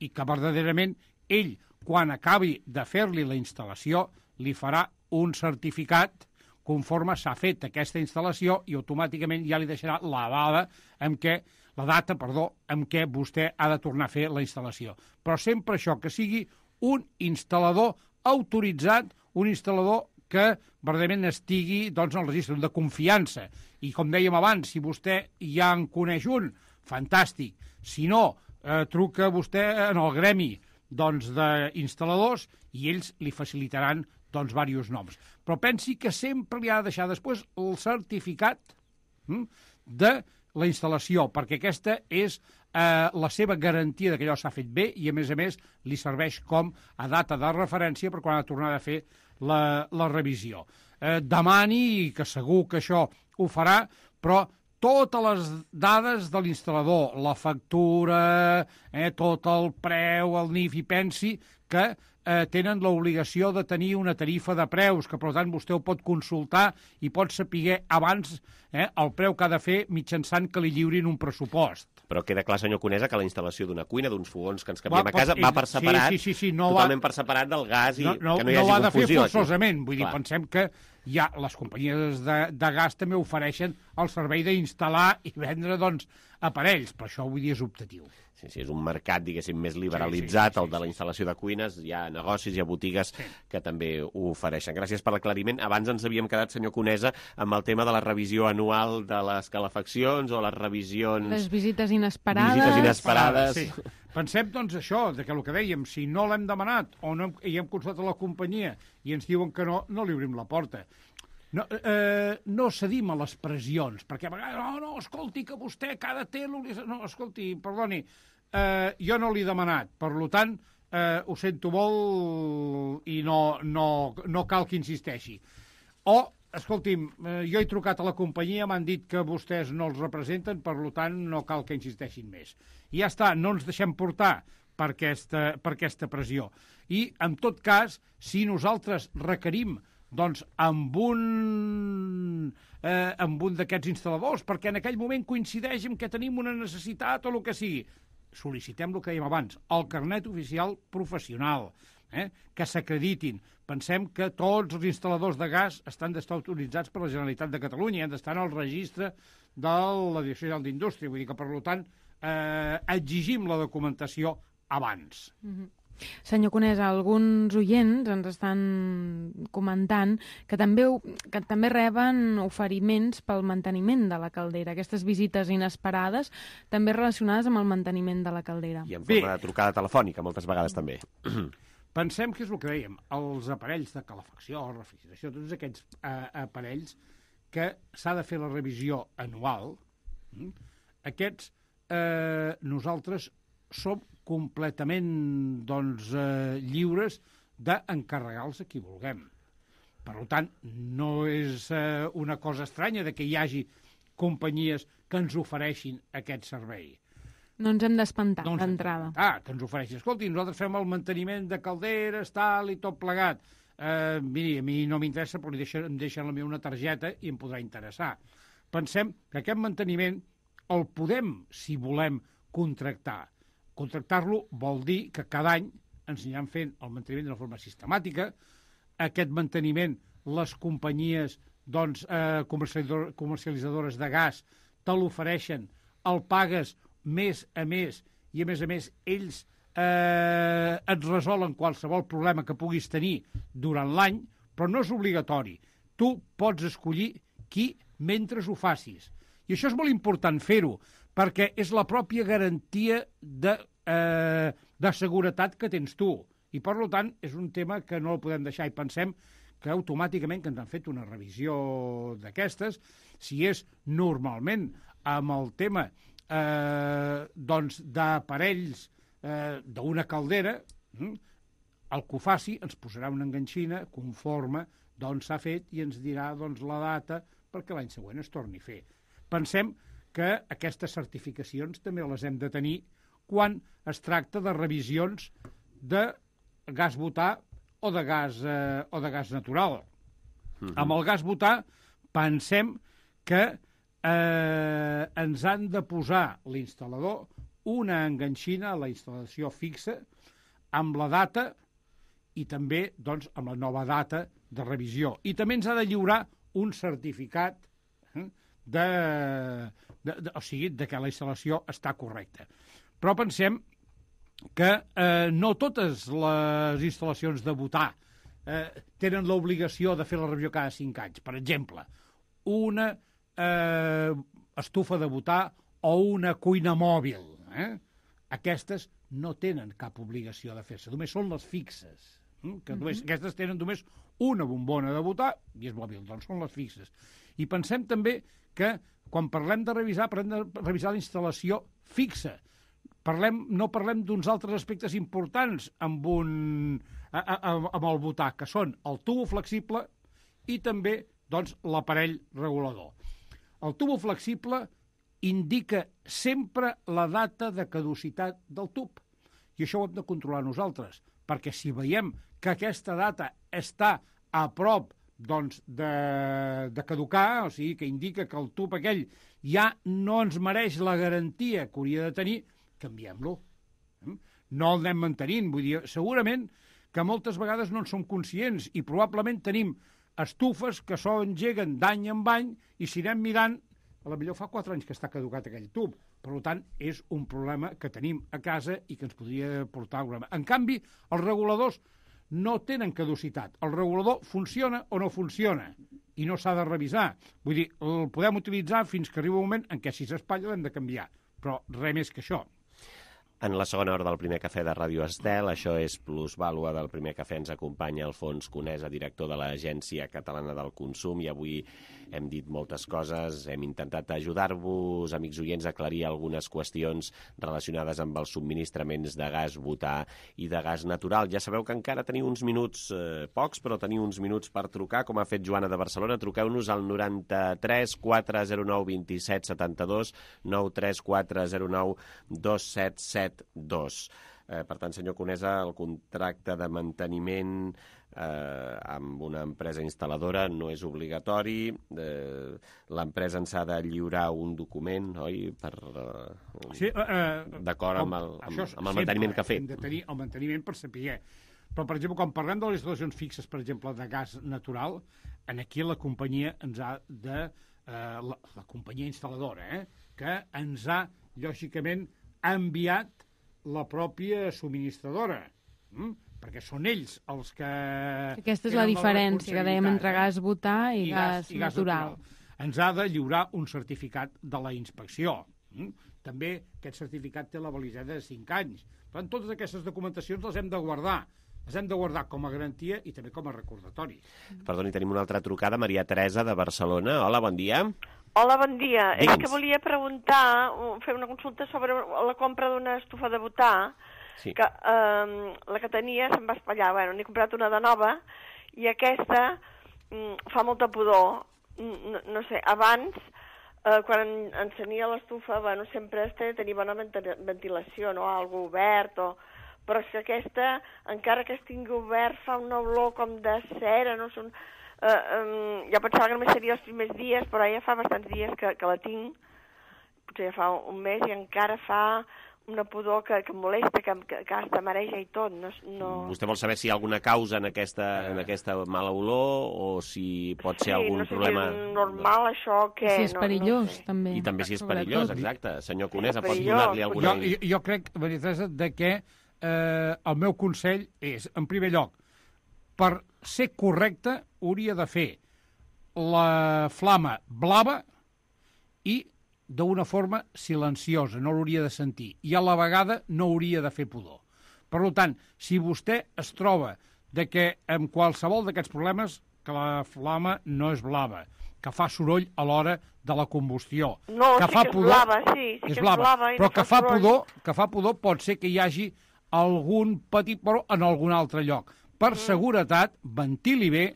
i que verdaderament ell, quan acabi de fer-li la instal·lació, li farà un certificat conforme s'ha fet aquesta instal·lació i automàticament ja li deixarà la data en què vostè ha de tornar a fer la instal·lació. Però sempre això, que sigui un instal·lador autoritzat, un instal·lador que verdaderament estigui en el registre de confiança. I com dèiem abans, si vostè ja en coneix un, fantàstic. Si no, truca vostè en el gremi d'instal·ladors i ells li facilitaran diversos noms. Però pensi que sempre li ha de deixar després el certificat de la instal·lació, perquè aquesta és la seva garantia que allò s'ha fet bé i, a més, li serveix com a data de referència per quan ha de tornar a fer la revisió. Demani, que segur que això ho farà, però totes les dades de l'instal·lador, la factura, tot el preu, el NIF, i pensi que tenen l'obligació de tenir una tarifa de preus, que per tant vostè ho pot consultar i pot saber abans el preu que ha de fer mitjançant que li lliurin un pressupost. Però queda clar, senyor Conesa, que la instal·lació d'una cuina, d'uns fogons que ens canviem a casa, va per separat, totalment per separat del gas i que no hi hagi confusió. No ho ha de fer forçosament, vull dir, pensem que ja les companyies de gas també ofereixen el servei d'instal·lar i vendre, aparells, però això, vull dir, és optatiu. Sí, és un mercat, diguéssim, més liberalitzat, el de la instal·lació de cuines. Hi ha negocis, hi ha botigues que també ho ofereixen. Gràcies per l'aclariment. Abans ens havíem quedat, senyor Conesa, amb el tema de la revisió anual de les calefaccions o les revisions... Les visites inesperades. Sí. Pensem, això, que el que dèiem, si no l'hem demanat o no hem consultat a la companyia i ens diuen que no li obrim la porta. No cedim a les pressions, perquè a vegades, no, escolti, que vostè cada telo... No, escolti, perdoni, jo no l'he demanat, per tant, ho sento molt i no cal que insisteixi. O, escolti'm, jo he trucat a la companyia, m'han dit que vostès no els representen, per tant, no cal que insisteixin més. I ja està, no ens deixem portar per aquesta pressió. I, en tot cas, si nosaltres requerim amb un d'aquests instal·ladors, perquè en aquell moment coincideix que tenim una necessitat o el que sigui, sol·licitem el que dèiem abans, el carnet oficial professional, que s'acreditin. Pensem que tots els instal·ladors de gas estan d'estar autoritzats per la Generalitat de Catalunya i han d'estar en el registre de la Direcció General d'Indústria, vull dir que, per tant, exigim la documentació abans. Senyor Conesa, alguns oients ens estan comentant que també reben oferiments pel manteniment de la caldera, aquestes visites inesperades també relacionades amb el manteniment de la caldera. I en forma de trucada telefònica, moltes vegades també. Pensem que és el que dèiem, els aparells de calefacció, refrigeració, tots aquests aparells que s'ha de fer la revisió anual, Aquests nosaltres som completament lliures d'encarregar-los a qui vulguem. Per tant, no és una cosa estranya que hi hagi companyies que ens ofereixin aquest servei. No ens hem d'espantar d'entrada. Que ens ofereixin. Escolti, nosaltres fem el manteniment de calderes, tal i tot plegat. Miri, a mi no m'interessa, però em deixen la meva una targeta i em podrà interessar. Pensem que aquest manteniment el podem, si volem, contractar. Contractar-lo vol dir que cada any ens aniran fent el manteniment d'una forma sistemàtica. Aquest manteniment, les companyies comercialitzadores de gas te l'ofereixen, el pagues mes a més i, a més, ells et resolen qualsevol problema que puguis tenir durant l'any, però no és obligatori. Tu pots escollir qui mentre ho facis. I això és molt important fer-ho, perquè és la pròpia garantia de seguretat que tens tu. I, per tant, és un tema que no el podem deixar. I pensem que automàticament que ens han fet una revisió d'aquestes, si és normalment amb el tema d'aparells d'una caldera, el que ho faci ens posarà una enganxina conforme s'ha fet i ens dirà la data perquè l'any següent es torni a fer. Pensem que aquestes certificacions també les hem de tenir quan es tracta de revisions de gas butà o de gas natural. Amb el gas butà pensem que ens han de posar l'instal·lador una enganxina a la instal·lació fixa amb la data i també amb la nova data de revisió. I també ens ha de lliurar un certificat o sigui, que la instal·lació està correcta. Però pensem que no totes les instal·lacions de butà tenen l'obligació de fer la revisió cada 5 anys. Per exemple, una estufa de butà o una cuina mòbil. Aquestes no tenen cap obligació de fer-se, només són les fixes. Aquestes tenen només una bombona de butà i és mòbil, doncs són les fixes. I pensem també que quan parlem de revisar, parlem de revisar la instal·lació fixa. No parlem d'uns altres aspectes importants amb el butà, que són el tubo flexible i també l'aparell regulador. El tubo flexible indica sempre la data de caducitat del tub. I això ho hem de controlar nosaltres, perquè si veiem que aquesta data està a prop de caducar, o sigui, que indica que el tub aquell ja no ens mereix la garantia que hauria de tenir, canviem-lo. No el anem mantenint. Vull dir, segurament que moltes vegades no en som conscients i probablement tenim estufes que s'engeguen d'any en any i si anem mirant, potser fa 4 anys que està caducat aquell tub. Per tant, és un problema que tenim a casa i que ens podria portar un problema. En canvi, els reguladors no tenen caducitat. El regulador funciona o no funciona i no s'ha de revisar. Vull dir, el podem utilitzar fins que arriba un moment en què si s'espatlla l'hem de canviar. Però res més que això. En la segona hora del primer cafè de Ràdio Estel, això és Plusvàlua del primer cafè, ens acompanya Alfons Conesa, director de l'Agència Catalana del Consum, i avui hem dit moltes coses, hem intentat ajudar-vos, amics oients, a aclarir algunes qüestions relacionades amb els subministraments de gas butà i de gas natural. Ja sabeu que encara teniu uns minuts, pocs, però teniu uns minuts per trucar, com ha fet Joana de Barcelona. Truqueu-nos al 93 409 27 72, 93 409 277 2. Per tant, senyor Conesa, el contracte de manteniment amb una empresa instal·ladora no és obligatori. L'empresa ens ha de lliurar un document, oi? D'acord amb el manteniment que ha fet. Hem de tenir el manteniment per saber. Però, per exemple, quan parlem de les instal·lacions fixes, per exemple, de gas natural, aquí la companyia ens ha de... la companyia instal·ladora, que ens ha, lògicament, enviat la pròpia subministradora, perquè són ells els que... Aquesta és la diferència que dèiem entre gas butà i gas natural. Ens ha de lliurar un certificat de la inspecció. També aquest certificat té la validesa de 5 anys. Per tant, totes aquestes documentacions les hem de guardar. Les hem de guardar com a garantia i també com a recordatori. Perdoni, tenim una altra trucada, Maria Teresa, de Barcelona. Hola, bon dia. Hola, bon dia. Digue'ns. És que volia preguntar, fer una consulta sobre la compra d'una estufa de butà, Sí. que la que tenia se'm va espatllar. Bueno, n'he comprat una de nova, i aquesta fa molta pudor. No sé, abans, quan encenia l'estufa, bueno, sempre tenia bona ventilació, no? Algo obert, però és que aquesta, encara que estigui obert, fa una olor com de cera, no? Jo pensava que només seria els primers dies, però ja fa bastants dies que la tinc, potser ja fa un mes, i encara fa una pudor que em molesta, que hasta mareja i tot. No... Vostè vol saber si hi ha alguna causa en aquesta mala olor o si pot ser algun problema... Sí, no sé si és normal això, que... Si és perillós, sé. també. I també si és perillós, exacte. Senyor Conesa, pot donar-li alguna... Jo crec, Maria Teresa, que el meu consell és, en primer lloc, per ser correcte, hauria de fer la flama blava i d'una forma silenciosa, no l'hauria de sentir, i a la vegada no hauria de fer pudor. Per tant, si vostè es troba de que amb qualsevol d'aquests problemes que la flama no és blava, que fa soroll a l'hora de la combustió, no, que sí fa que és pudor, blava, sí que és blava, però que fa pudor pot ser que hi hagi algun petit però en algun altre lloc. Per seguretat, ventili bé,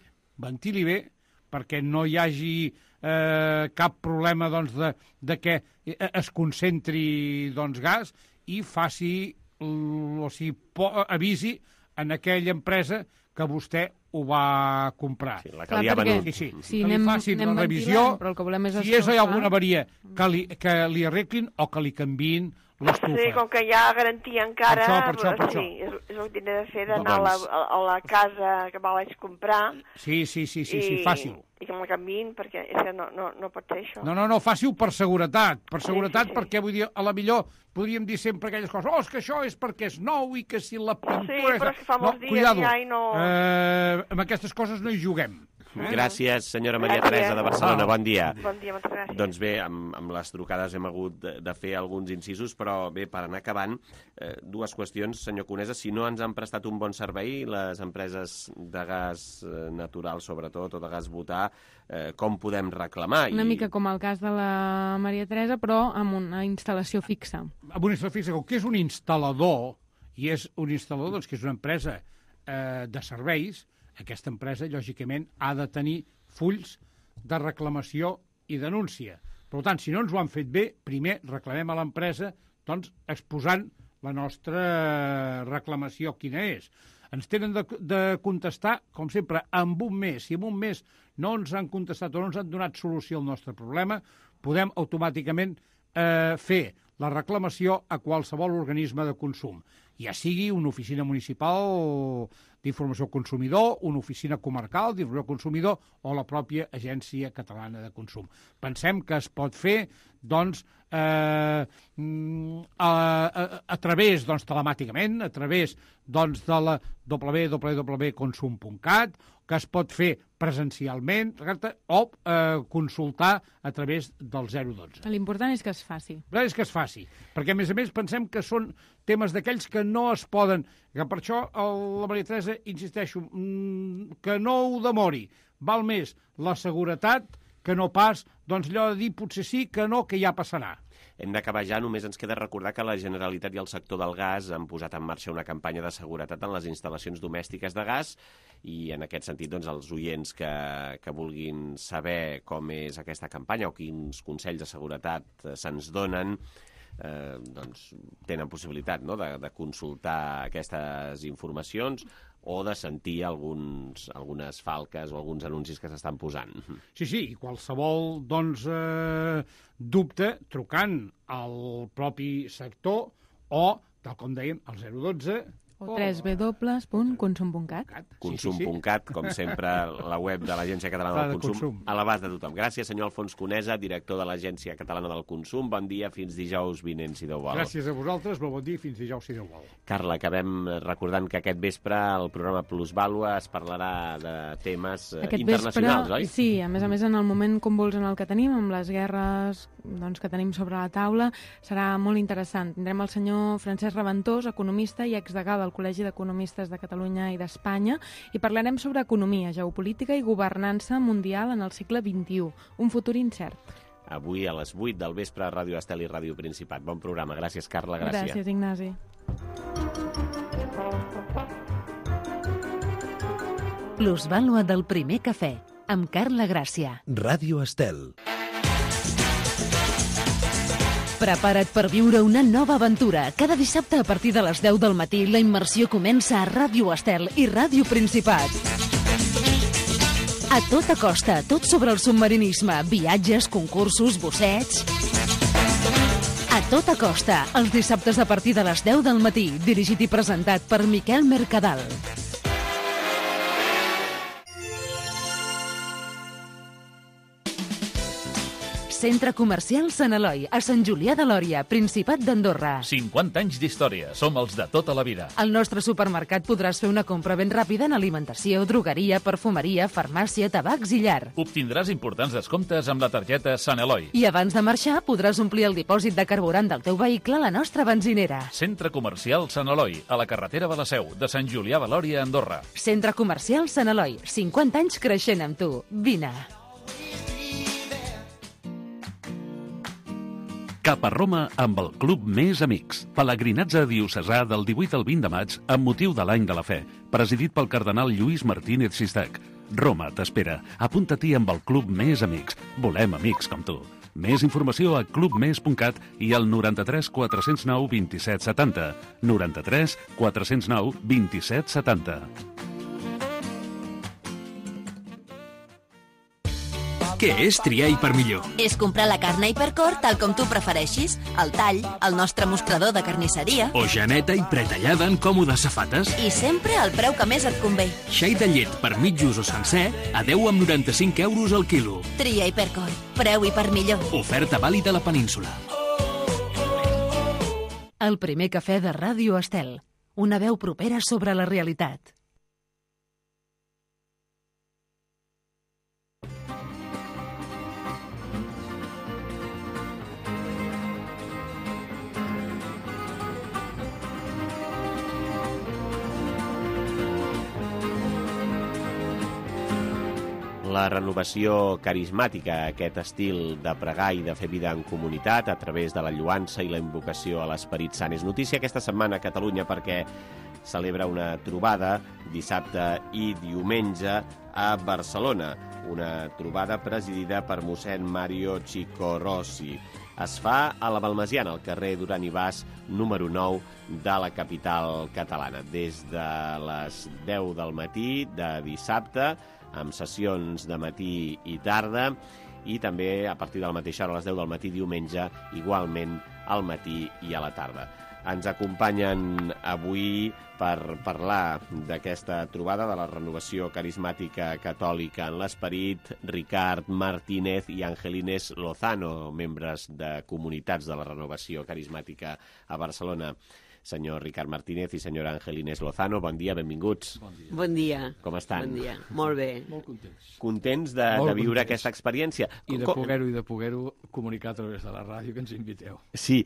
perquè no hi hagi cap problema doncs, de que es concentri gas i faci, o sigui, avisi en aquella empresa que vostè ho va comprar. Sí, la que li ha venut. Sí, que li facin la revisió, però el que volem és si és alguna avaria, que li arreglin o que li canviïn l'estufa. Sí, com que hi ha garantia encara, per això. Sí, és el que tindré de fer, d'anar a la casa que me vaig comprar. Sí, fàcil. I que me canviïn, perquè no pot ser això. No, fàcil per seguretat, perquè vull dir, a la millor podríem dir sempre aquelles coses, és que això és perquè és nou i que si la pintura... Sí, però és que fa molts dies ja i no... Amb aquestes coses no hi juguem. Gràcies, senyora Maria Teresa de Barcelona. Bon dia. Bon dia, moltes gràcies. Doncs bé, amb les trucades hem hagut de fer alguns incisos, però bé, per anar acabant, dues qüestions, senyor Conesa. Si no ens han prestat un bon servei, les empreses de gas natural, sobretot, o de gas butà, com podem reclamar? Una mica com el cas de la Maria Teresa, però amb una instal·lació fixa. Amb una instal·lació fixa, que és un instal·lador, i és un instal·lador doncs, que és una empresa de serveis, aquesta empresa, lògicament, ha de tenir fulls de reclamació i denúncia. Per tant, si no ens ho han fet bé, primer reclamem a l'empresa doncs, exposant la nostra reclamació quina és. Ens tenen de contestar, com sempre, amb un mes. Si en un mes no ens han contestat o no ens han donat solució al nostre problema, podem automàticament fer la reclamació a qualsevol organisme de consum, ja sigui una oficina municipal d'informació al consumidor, una oficina comarcal d'informació al consumidor o la pròpia Agència Catalana de Consum. Pensem que es pot fer doncs, a través, doncs, telemàticament, a través doncs, de la www.consum.cat, que es pot fer presencialment o consultar a través del 012. L'important és que es faci. És que es faci, perquè a més pensem que són temes d'aquells que no es poden, que per això la Maria Teresa, insisteixo, que no ho demori. Val més la seguretat que no pas, doncs allò de dir potser sí, que no, que ja passarà. Hem d'acabar ja, només ens queda recordar que la Generalitat i el sector del gas han posat en marxa una campanya de seguretat en les instal·lacions domèstiques de gas i en aquest sentit doncs, els oients que vulguin saber com és aquesta campanya o quins consells de seguretat se'ns donen, doncs, tenen possibilitat de consultar aquestes informacions o de sentir algunes falques o alguns anuncis que s'estan posant. Sí, i qualsevol dubte trucant al propi sector o, tal com dèiem, al 012 o www.consum.cat. Consum.cat, com sempre, la web de l'Agència Catalana del Consum, a l'abast de tothom. Gràcies, senyor Alfons Conesa, director de l'Agència Catalana del Consum. Bon dia, fins dijous vinent, si Déu vol. Gràcies a vosaltres, bon dia, fins dijous, si Déu vol. Carla, acabem recordant que aquest vespre el programa Plusvàlua es parlarà de temes internacionals, oi? Sí, a més, en el moment convuls en el que tenim, amb les guerres doncs, que tenim sobre la taula, serà molt interessant. Tindrem el senyor Francesc Reventós, economista i exdegà del Col·legi d'Economistes de Catalunya i d'Espanya, i parlarem sobre economia, geopolítica i governança mundial en el segle XXI, un futur incert. avui a les 8 del vespre a Ràdio Estel i Ràdio Principat. Bon programa. Gràcies, Carla. Gràcies. Gràcies, Ignasi. Plusvàlua del primer cafè, amb Carla Gràcia. Ràdio Estel. Prepara't per viure una nova aventura. Cada dissabte a partir de les 10 del matí la immersió comença a Ràdio Estel i Ràdio Principat. A tota costa, tot sobre el submarinisme, viatges, concursos, bussets... A tota costa, els dissabtes a partir de les 10 del matí, dirigit i presentat per Miquel Mercadal. Centre Comercial Sant Eloi, a Sant Julià de Lòria, Principat d'Andorra. 50 anys d'història, som els de tota la vida. Al nostre supermercat podràs fer una compra ben ràpida en alimentació, drogueria, perfumeria, farmàcia, tabacs i llar. Obtindràs importants descomptes amb la targeta Sant Eloi. I abans de marxar podràs omplir el dipòsit de carburant del teu vehicle a la nostra benzinera. Centre Comercial Sant Eloi, a la carretera de la Seu, de Sant Julià de Lòria, Andorra. Centre Comercial Sant Eloi, 50 anys creixent amb tu. Vine. Cap a Roma amb el Club Més Amics. Pelegrinatge diocesà del 18 al 20 de maig amb motiu de l'Any de la Fe, presidit pel cardenal Lluís Martínez Sistac. Roma t'espera. Apunta-t'hi amb el Club Més Amics. Volem amics com tu. Més informació a clubmes.cat i al 93 409 27 70. 93 409 27 70. Què és triar Hipermillor? És comprar la carn a Hipercor tal com tu prefereixis, el tall, el nostre mostrador de carnisseria... O geneta i pretallada en còmodes safates. I sempre al preu que més et convé. Xai de llet per mitjos o sencer a 10,95 € al quilo. Tria Hipercor. Preu Hipermillor. Oferta vàlida a la península. El primer cafè de Ràdio Estel. Una veu propera sobre la realitat. La renovació carismàtica, aquest estil de pregar i de fer vida en comunitat a través de la lloança i la invocació a l'Esperit Sant. És notícia aquesta setmana a Catalunya perquè celebra una trobada dissabte i diumenge a Barcelona. Una trobada presidida per mossèn Mario Chico Rossi. Es fa a la Balmesiana, al carrer Duran i Bas, número 9 de la capital catalana. Des de les 10 del matí de dissabte, amb sessions de matí i tarda, i també a partir de la mateixa hora, a les 10 del matí diumenge, igualment al matí i a la tarda. Ens acompanyen avui per parlar d'aquesta trobada de la renovació carismàtica catòlica en l'Esperit, Ricard Martínez i Angelines Lozano, membres de comunitats de la renovació carismàtica a Barcelona. Senyor Ricard Martínez i senyora Angelines Lozano, bon dia, benvinguts. Bon dia. Bon dia. Com estan? Bon dia. Molt bé. Molt contents. Contents de viure aquesta experiència. I de poder-ho comunicar a través de la ràdio que ens inviteu. Sí.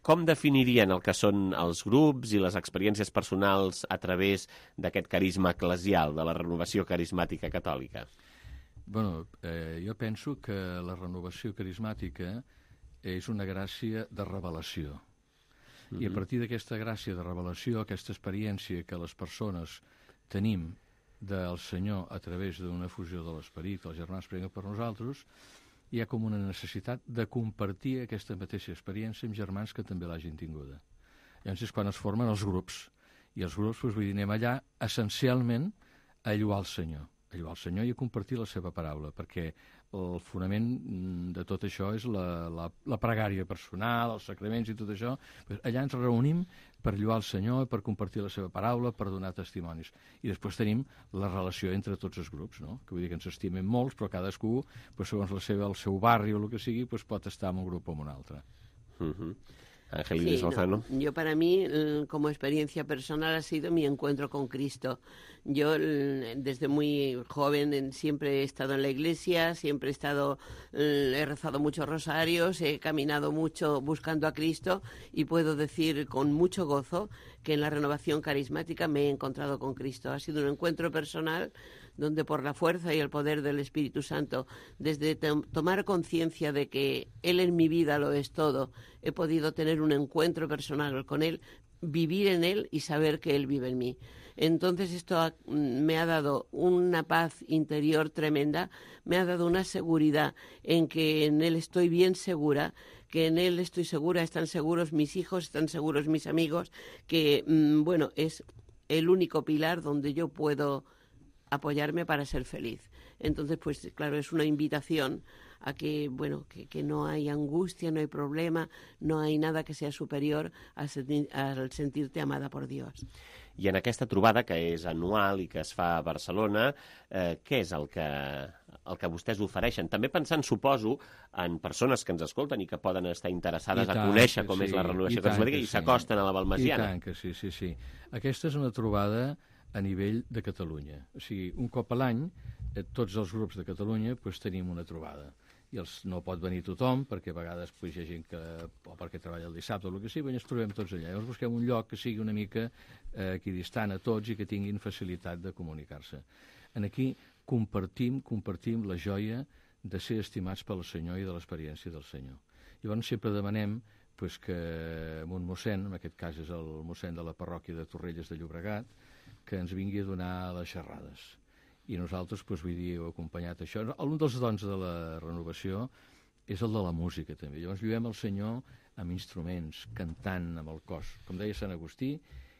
Com definirien el que són els grups i les experiències personals a través d'aquest carisma eclesial, de la renovació carismàtica catòlica? Bueno, jo penso que la renovació carismàtica és una gràcia de revelació. I a partir d'aquesta gràcia de revelació, aquesta experiència que les persones tenim del Senyor a través d'una fusió de l'Esperit, que els germans preguen per nosaltres, hi ha com una necessitat de compartir aquesta mateixa experiència amb germans que també l'hagin tinguda. Llavors és quan es formen els grups. I els grups, vull dir, anem allà essencialment a lloar el Senyor. A lloar el Senyor i a compartir la seva paraula, perquè el fonament de tot això és la pregària personal, els sacraments i tot això. Allà ens reunim per lloar el Senyor, per compartir la seva paraula, per donar testimonis. I després tenim la relació entre tots els grups, no? Que vull dir que ens estimem molts, però cadascú, segons el seu barri o el que sigui, pot estar en un grup o en un altre. Angelines Lozano. Yo para mí, como experiencia personal, ha sido mi encuentro con Cristo. Yo desde muy joven siempre he estado en la iglesia, siempre he rezado muchos rosarios, he caminado mucho buscando a Cristo y puedo decir con mucho gozo que en la renovación carismática me he encontrado con Cristo. Ha sido un encuentro personal donde por la fuerza y el poder del Espíritu Santo, desde tomar conciencia de que Él en mi vida lo es todo, he podido tener un encuentro personal con Él, vivir en Él y saber que Él vive en mí. Entonces esto me ha dado una paz interior tremenda, me ha dado una seguridad en que en Él estoy bien segura, que en Él estoy segura, están seguros mis hijos, están seguros mis amigos, que, bueno, es el único pilar donde yo puedo apoyarme para ser feliz. Entonces, pues claro, es una invitación a que, bueno, que no hay angustia, no hay problema, no hay nada que sea superior al sentirte amada por Dios. I en aquesta trobada, que és anual i que es fa a Barcelona, què és el que vostès ofereixen? També pensant, suposo, en persones que ens escolten i que poden estar interessades a conèixer com és la renovació carismàtica i s'acosten a la Balmesiana. I tant que sí, sí, sí. Aquesta és una trobada a nivell de Catalunya. O sigui, un cop a l'any, tots els grups de Catalunya tenim una trobada. I no pot venir tothom, perquè a vegades hi ha gent que, o perquè treballa el dissabte o el que sigui, ens trobem tots allà. Llavors busquem un lloc que sigui una mica equidistant a tots i que tinguin facilitat de comunicar-se. Aquí compartim la joia de ser estimats pel Senyor i de l'experiència del Senyor. Llavors sempre demanem que un mossèn, en aquest cas és el mossèn de la parròquia de Torrelles de Llobregat, que ens vingui a donar les xerrades. I nosaltres, vull dir, heu acompanyat això. Un dels dons de la renovació és el de la música, també. Llavors vivem el Senyor amb instruments, cantant amb el cos. Com deia Sant Agustí,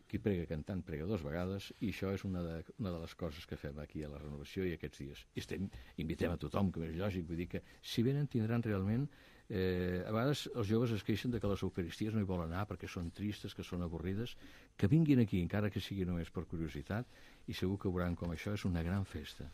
qui prega cantant prega 2 vegades, i això és una de les coses que fem aquí a la renovació i aquests dies. I invitem a tothom, que és lògic, vull dir que si venen tindran realment... a vegades els joves es queixen de que les eucaristies no hi volen anar perquè són tristes, que són avorrides, que vinguin aquí, encara que sigui només per curiositat, i segur que veuran com això és una gran festa.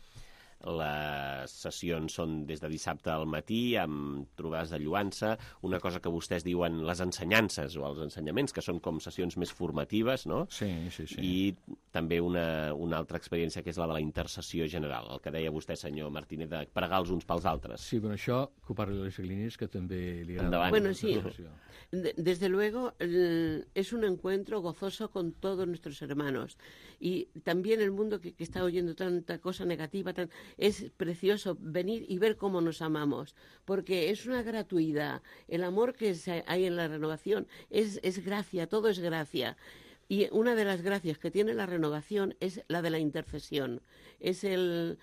Les sessions són des de dissabte al matí, amb trobades de lloança, una cosa que vostès diuen les ensenyances o els ensenyaments, que són com sessions més formatives, no? Sí, sí, sí. I també una altra experiència, que és la de la intercessió general, el que deia vostè, senyor Martínez, de pregar els uns pels altres. Sí, però això, que ho parli l'Aleix Aglinis, que també li agrada. Endavant. Bueno, sí, desde luego es un encuentro gozoso con todos nuestros hermanos. Y también el mundo que está oyendo tanta cosa negativa, es precioso venir y ver cómo nos amamos, porque es una gratuidad. El amor que hay en la renovación es gracia, todo es gracia. Y una de las gracias que tiene la renovación es la de la intercesión, es el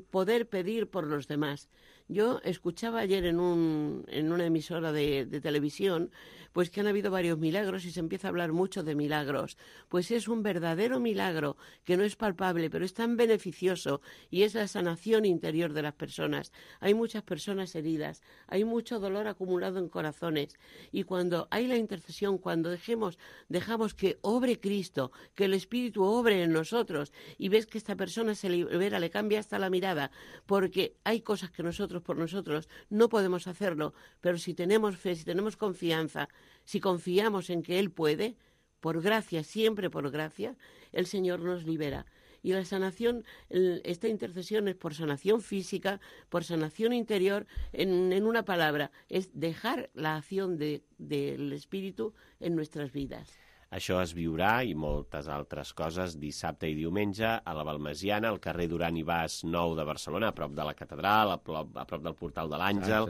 poder pedir por los demás. Yo escuchaba ayer en una emisora de televisión pues que han habido varios milagros y se empieza a hablar mucho de milagros. Pues es un verdadero milagro que no es palpable, pero es tan beneficioso, y es la sanación interior de las personas. Hay muchas personas heridas, hay mucho dolor acumulado en corazones, y cuando hay la intercesión, cuando dejamos que obre Cristo, que el Espíritu obre en nosotros, y ves que esta persona se libera, le cambia hasta la mirada, porque hay cosas que nosotros por nosotros no podemos hacerlo, pero si tenemos fe, si tenemos confianza, si confiamos en que Él puede, por gracia, siempre por gracia, el Señor nos libera. Y la sanación, esta intercesión es por sanación física, por sanación interior, en una palabra, es dejar la acción del Espíritu en nuestras vidas. Això es viurà, i moltes altres coses, dissabte i diumenge a la Balmesiana, al carrer Duran i Bas 9 de Barcelona, a prop de la catedral, a prop del portal de l'Àngel,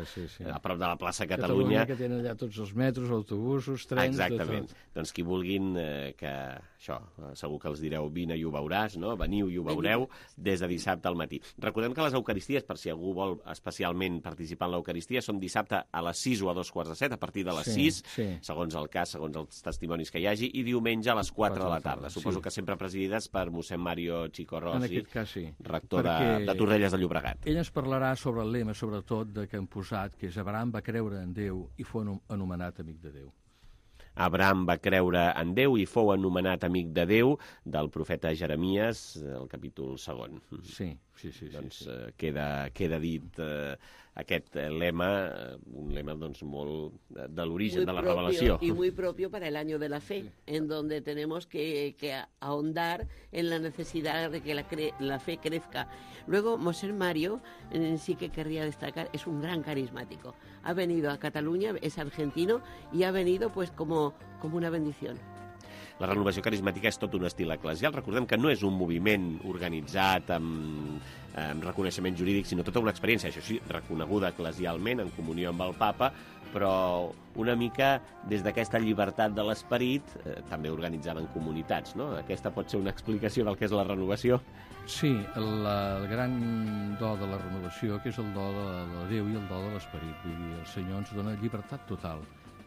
a prop de la plaça Catalunya. Que tenen allà tots els metros, autobusos, trens... Exactament. Doncs qui vulguin, que això, segur que els direu vine i ho veuràs, no? Veniu i ho veureu des de dissabte al matí. Recordem que les Eucaristies, per si algú vol especialment participar en l'Eucaristia, són dissabte a les 6 o a 2:45, a partir de les 6, segons el cas, segons els testimonis que hi hagi, i diumenge a les 4 de la tarda. Suposo que sempre presidides per mossèn Mario Chico Rossi, rector de Torrelles de Llobregat. Ell ens parlarà sobre el lema, sobretot, que hem posat, que és Abraham va creure en Déu i fou anomenat amic de Déu. Abraham va creure en Déu i fou anomenat amic de Déu, del profeta Jeremies, el capítol 2. Sí. Doncs queda dit aquest lema, un lema doncs molt de l'origen de la revelació. Y muy propio para el año de la fe, en donde tenemos que ahondar en la necesidad de que la fe crezca. Luego, Mossèn Mario, sí que querría destacar, es un gran carismático. Ha venido a Cataluña, es argentino, y ha venido pues como una bendición. La renovació carismàtica és tot un estil eclesial. Recordem que no és un moviment organitzat amb reconeixement jurídic, sinó tota una experiència, això sí, reconeguda eclesialment, en comunió amb el Papa, però una mica des d'aquesta llibertat de l'esperit, també organitzada en comunitats, no? Aquesta pot ser una explicació del que és la renovació? Sí, el gran do de la renovació, que és el do de Déu i el do de l'esperit. Vull dir, el Senyor ens dona llibertat total.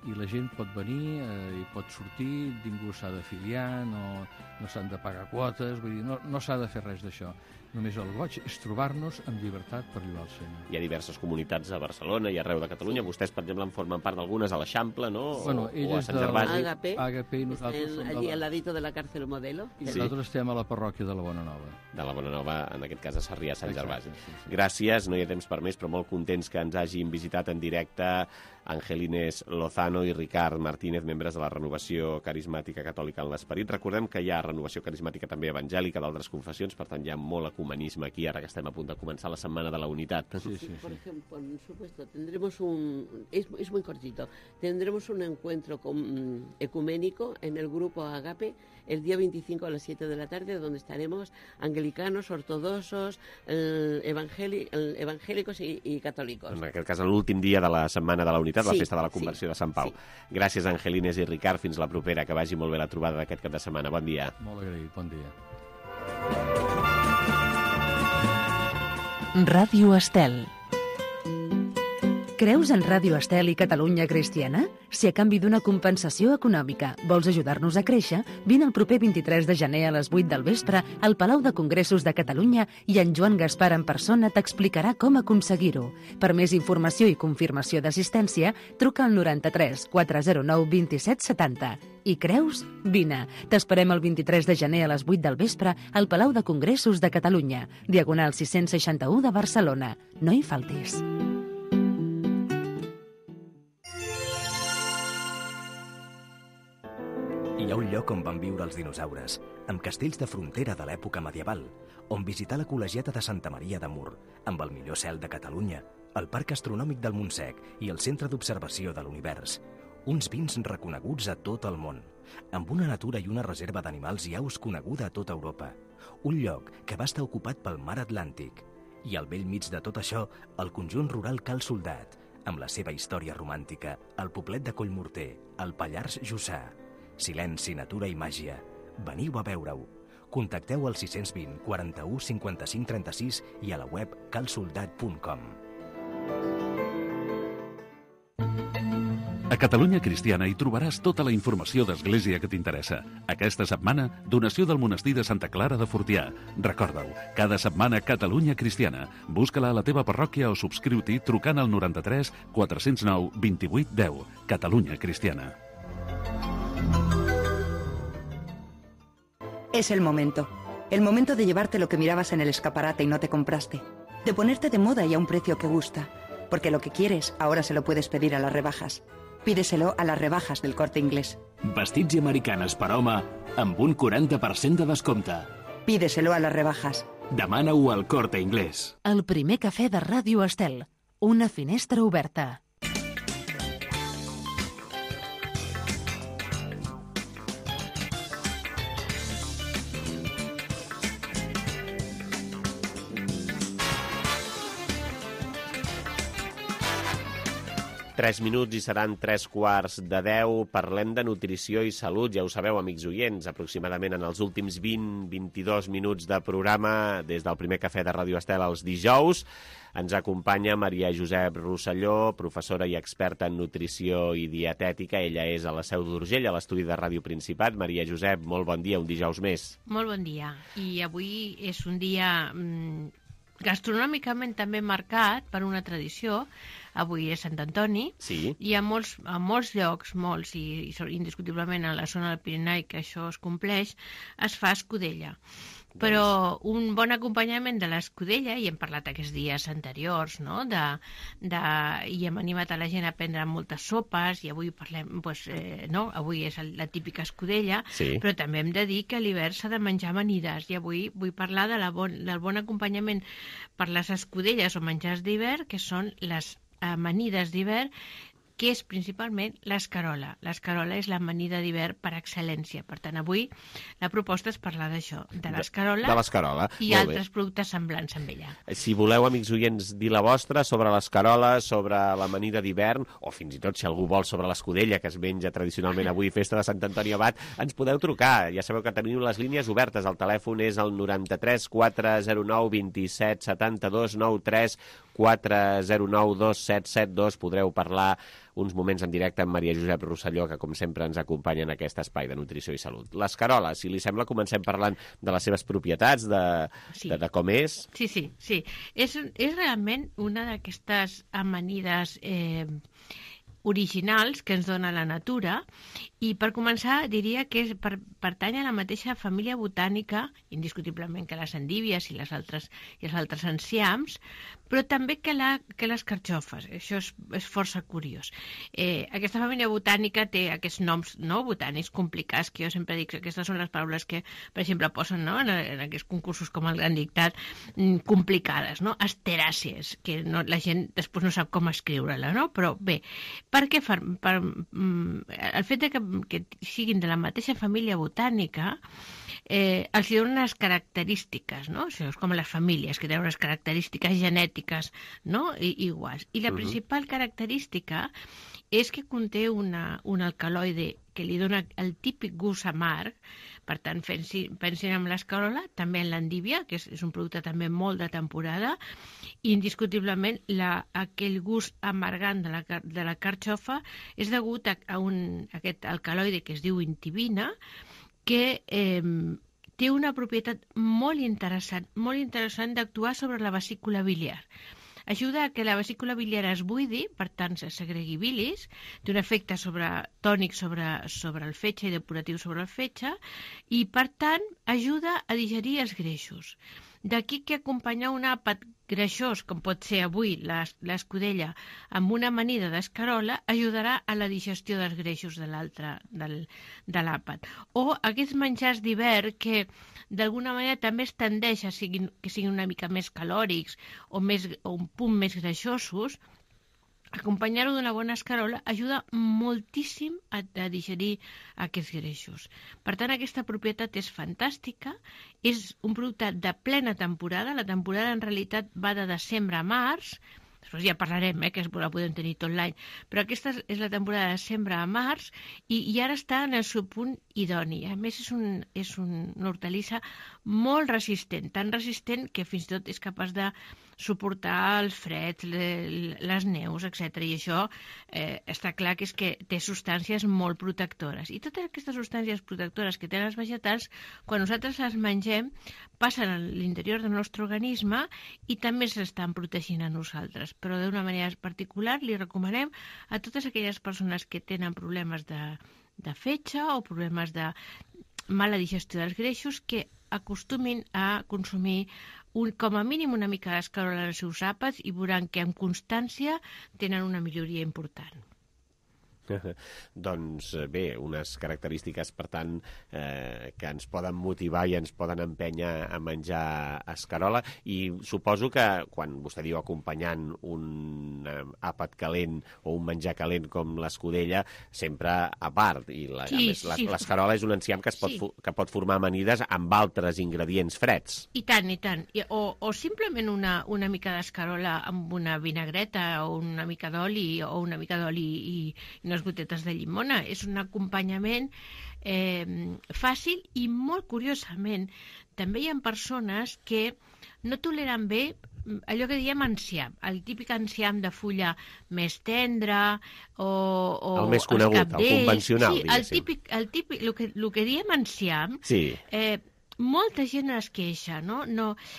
I la gent pot venir i pot sortir, ningú s'ha d'afiliar, no s'han de pagar quotes, vull dir, no s'ha de fer res d'això. Només el goig és trobar-nos amb llibertat per lloar el Senyor. Hi ha diverses comunitats a Barcelona i arreu de Catalunya. Vostès, per exemple, en formen part d'algunes a l'Eixample, no? Bueno, o a Sant Gervasi. Agape i nosaltres som allí al ladito de la cárcel Modelo. Sí. Nosaltres estem a la parròquia de la Bona Nova. De la Bona Nova, en aquest cas a Sarrià, Sant Gervasi. Sí. Gràcies, no hi ha temps per més, però molt contents que ens hagin visitat en directe Angelines Lozano i Ricard Martínez, membres de la Renovació Carismàtica Catòlica en l'Esperit. Recordem que hi ha renovació carismàtica també evangèlica d'altres confessions, per tant hi ha molt ecumenisme aquí, ara que estem a punt de començar la Setmana de la Unitat. Sí. Por ejemplo, por supuesto, tendremos es muy cortito, tendremos un encuentro ecuménico en el grupo Agape el día 25 a las 7 de la tarde, donde estaremos anglicanos, ortodoxos, evangélicos y católicos. En aquest cas, l'últim dia de la Setmana de la Unitat, la festa de la conversió de Sant Pau. Sí. Gràcies, Angelines i Ricard. Fins la propera. Que vagi molt bé la trobada d'aquest cap de setmana. Bon dia. Molt agraït. Bon dia. Ràdio Estel. Creus en Ràdio Estel i Catalunya Cristiana? Si a canvi d'una compensació econòmica vols ajudar-nos a créixer, vine el proper 23 de gener a les 8 del vespre al Palau de Congressos de Catalunya i en Joan Gaspar en persona t'explicarà com aconseguir-ho. Per més informació i confirmació d'assistència, truca al 93 409 27 70. I creus? Vine. T'esperem el 23 de gener a les 8 del vespre al Palau de Congressos de Catalunya, diagonal 661 de Barcelona. No hi faltis. Hi ha un lloc on van viure els dinosaures, amb castells de frontera de l'època medieval, on visitar la col·legiata de Santa Maria de Mur, amb el millor cel de Catalunya, el Parc Astronòmic del Montsec i el Centre d'Observació de l'Univers. Uns vins reconeguts a tot el món, amb una natura i una reserva d'animals i aus coneguda a tota Europa. Un lloc que va estar ocupat pel mar Atlàntic. I al bell mig de tot això, el conjunt rural Cal Soldat, amb la seva història romàntica, el poblet de Collmorter, el Pallars Jussà. Silenci, natura i màgia. Veniu a veure-ho. Contacteu al 620 41 55 36 i a la web calsoldat.com. A Catalunya Cristiana hi trobaràs tota la informació d'Església que t'interessa. Aquesta setmana, donació del monestir de Santa Clara de Fortià. Recorda-ho, cada setmana Catalunya Cristiana. Busca-la a la teva parròquia o subscriu-t'hi trucant al 93 409 28 10. Catalunya Cristiana. Es el momento. El momento de llevarte lo que mirabas en el escaparate y no te compraste. De ponerte de moda y a un precio que gusta. Porque lo que quieres, ahora se lo puedes pedir a las rebajas. Pídeselo a las rebajas del Corte Inglés. Vestits i americanes per home amb un 40% de descompte. Pídeselo a las rebajas. Demana-ho al Corte Inglés. El primer cafè de Ràdio Estel. Una finestra oberta. Tres minuts i seran 9:45. Parlem de nutrició i salut. Ja ho sabeu, amics oients, aproximadament en els últims 20-22 minuts de programa, des del primer cafè de Ràdio Estel els dijous, ens acompanya Maria Josep Rosselló, professora i experta en nutrició i dietètica. Ella és a la Seu d'Urgell, a l'estudi de Ràdio Principat. Maria Josep, molt bon dia, un dijous més. Molt bon dia. I avui és un dia gastronòmicament també marcat per una tradició. Avui és Sant Antoni, sí. I a molts llocs, i indiscutiblement a la zona del Pirineu, que això es compleix, es fa escudella. Però un bon acompanyament de l'escudella, i hem parlat aquests dies anteriors, no? I hem animat a la gent a prendre moltes sopes, i avui parlem, avui és la típica escudella, sí. Però també hem de dir que a l'hivern s'ha de menjar amanides, i avui vull parlar del bon acompanyament per les escudelles o menjars d'hivern, que són les amanides d'hivern que és principalment l'escarola. L'escarola és l'amanida d'hivern per excel·lència. Per tant, avui la proposta és parlar d'això, de l'escarola i altres productes semblants amb ella. Si voleu, amics oients, dir la vostra sobre l'escarola, sobre l'amanida d'hivern, o fins i tot, si algú vol, sobre l'escudella, que es menja tradicionalment avui, festa de Sant Antoni Abat, ens podeu trucar. Ja sabeu que teniu les línies obertes. El telèfon és el 93 409 27 72 93 409 2772. Podreu parlar uns moments en directe amb Maria Josep Rosselló, que com sempre ens acompanya en aquest espai de nutrició i salut. L'escarola, si li sembla, comencem parlant de les seves propietats, de com és. Sí. És realment una d'aquestes amanides originals que ens dona la natura, i per començar diria que pertany a la mateixa família botànica, indiscutiblement, que les endívies i els altres enciams, però també que les carxofes. Això és força curiós. Aquesta família botànica té aquests noms botànics complicats, que jo sempre dic que aquestes són les paraules que, per exemple, posen en aquests concursos com el Gran Dictat, complicades, no? Asteràcies, que la gent després no sap com escriure-la, no? Però bé, per què? El fet que siguin de la mateixa família botànica els donen unes característiques, no? Això és com les famílies, que tenen unes característiques genètiques, no? Iguals. I la principal característica és que conté un alcaloide que li dona el típic gust amarg. Per tant, pensin en l'escarola, també en l'endívia, que és un producte també molt de temporada, i indiscutiblement aquell gust amargant de la carxofa és degut a aquest alcaloide que es diu intibina, que té una propietat molt interessant d'actuar sobre la vesícula biliar. Ajuda a que la vesícula biliar es buidi, per tant se segregui bilis, té un efecte tònic sobre el fetge i depuratiu sobre el fetge, i per tant ajuda a digerir els greixos. D'aquí que acompanyar un àpat greixós, com pot ser avui l'escudella, amb una amanida d'escarola, ajudarà a la digestió dels greixos de l'àpat. O aquests menjars d'hivern que d'alguna manera també es tendeix que siguin una mica més calòrics o un punt més greixosos, acompanyar-ho d'una bona escarola ajuda moltíssim a digerir aquests greixos. Per tant, aquesta propietat és fantàstica, és un producte de plena temporada. La temporada en realitat va de desembre a març, després ja parlarem, que la podem tenir tot l'any, però aquesta és la temporada de desembre a març i ara està en el seu punt idoni. A més, és una hortalissa molt resistent, tan resistent que fins i tot és capaç de suportar els freds, les neus, etc. I això està clar que és que té substàncies molt protectores. I totes aquestes substàncies protectores que tenen els vegetals, quan nosaltres les mengem, passen a l'interior del nostre organisme i també s'estan protegint a nosaltres. Però d'una manera particular li recomanem a totes aquelles persones que tenen problemes de fetge o problemes de mala digestió dels greixos que acostumin a consumir com a mínim una mica d'escarola en els seus àpats i veuran que amb constància tenen una milloria important. Doncs bé, unes característiques, per tant, que ens poden motivar i ens poden empènyer a menjar escarola, i suposo que quan vostè diu acompanyant un àpat calent o un menjar calent com l'escudella, sempre a part, i l'escarola és un enciam que pot formar amanides amb altres ingredients freds. I tant. O simplement una mica d'escarola amb una vinagreta o una mica d'oli i unes gotetes de llimona. És un acompanyament fàcil i molt curiosament també hi ha persones que no toleren bé allò que diem enciam, el típic enciam de fulla més tendra o el més conegut, el convencional. Sí, el típic, el que diem enciam, molta gent es queixa, no?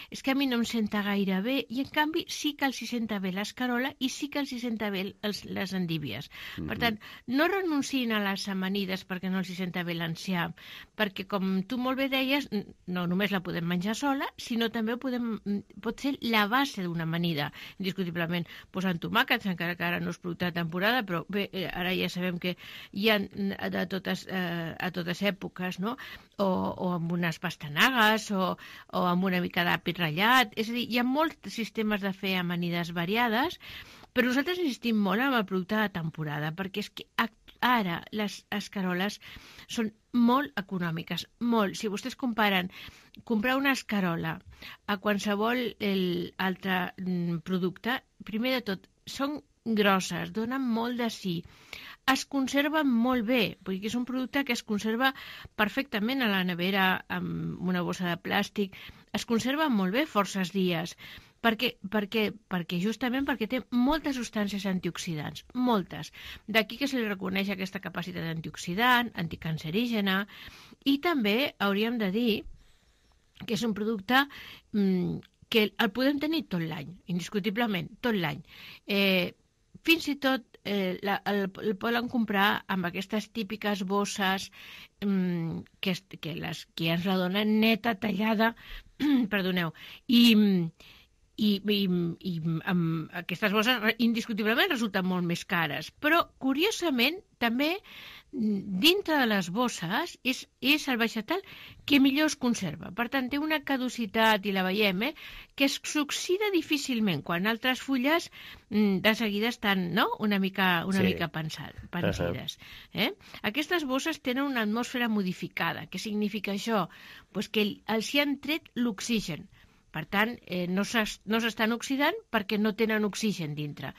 És que a mi no em senta gaire bé, i en canvi sí que els hi senta bé l'escarola i sí que els hi senta bé les endívies. Per tant, no renunciïn a les amanides perquè no els hi senta bé l'enciam, perquè com tu molt bé deies, no només la podem menjar sola, sinó també pot ser la base d'una amanida, indiscutiblement posant tomàquets, encara que ara no és producte de temporada, però bé, ara ja sabem que hi ha a totes èpoques, no? O amb unes pastanagues o amb una mica d'àpid ratllat. És a dir, hi ha molts sistemes de fer amanides variades Però nosaltres insistim molt en el producte de temporada, perquè és que ara les escaroles són molt econòmiques, molt. Si vostès comparen comprar una escarola a qualsevol altre producte, primer de tot, són grosses, donen molt de sí, es conserven molt bé, perquè és un producte que es conserva perfectament a la nevera amb una bossa de plàstic, es conserva molt bé forces dies, perquè justament perquè té moltes substàncies antioxidants, moltes. D'aquí que se li reconeix aquesta capacitat antioxidant, anticancerígena, i també hauríem de dir que és un producte que el podem tenir tot l'any, indiscutiblement, tot l'any. Fins i tot el poden comprar amb aquestes típiques bosses que ens la donen neta, tallada, perdoneu, i amb aquestes bosses indiscutiblement resulten molt més cares. Però, curiosament, també dintre de les bosses és el vegetal que millor es conserva. Per tant, té una caducitat, i la veiem, que s'oxida difícilment, quan altres fulles de seguida estan una mica pensides. Aquestes bosses tenen una atmosfera modificada. Què significa això? Pues que els hi han tret l'oxigen. Per tant, no s'estan oxidant perquè no tenen oxigen dintre.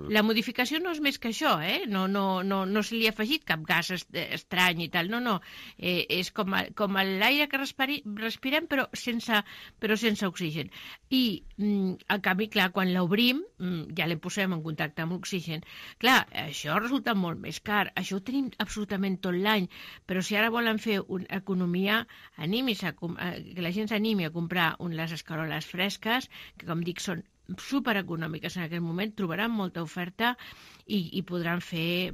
La modificació no és més que això, no se li ha afegit cap gas estrany i tal, no. És com l'aire que respirem però sense oxigen. I, en canvi, clar, quan l'obrim, ja la posem en contacte amb l'oxigen. Clar, això resulta molt més car. Això ho tenim absolutament tot l'any, però si ara volen fer una economia, que la gent s'animi a comprar les escaroles fresques, que com dic són supereconòmiques en aquest moment, trobaran molta oferta i podran fer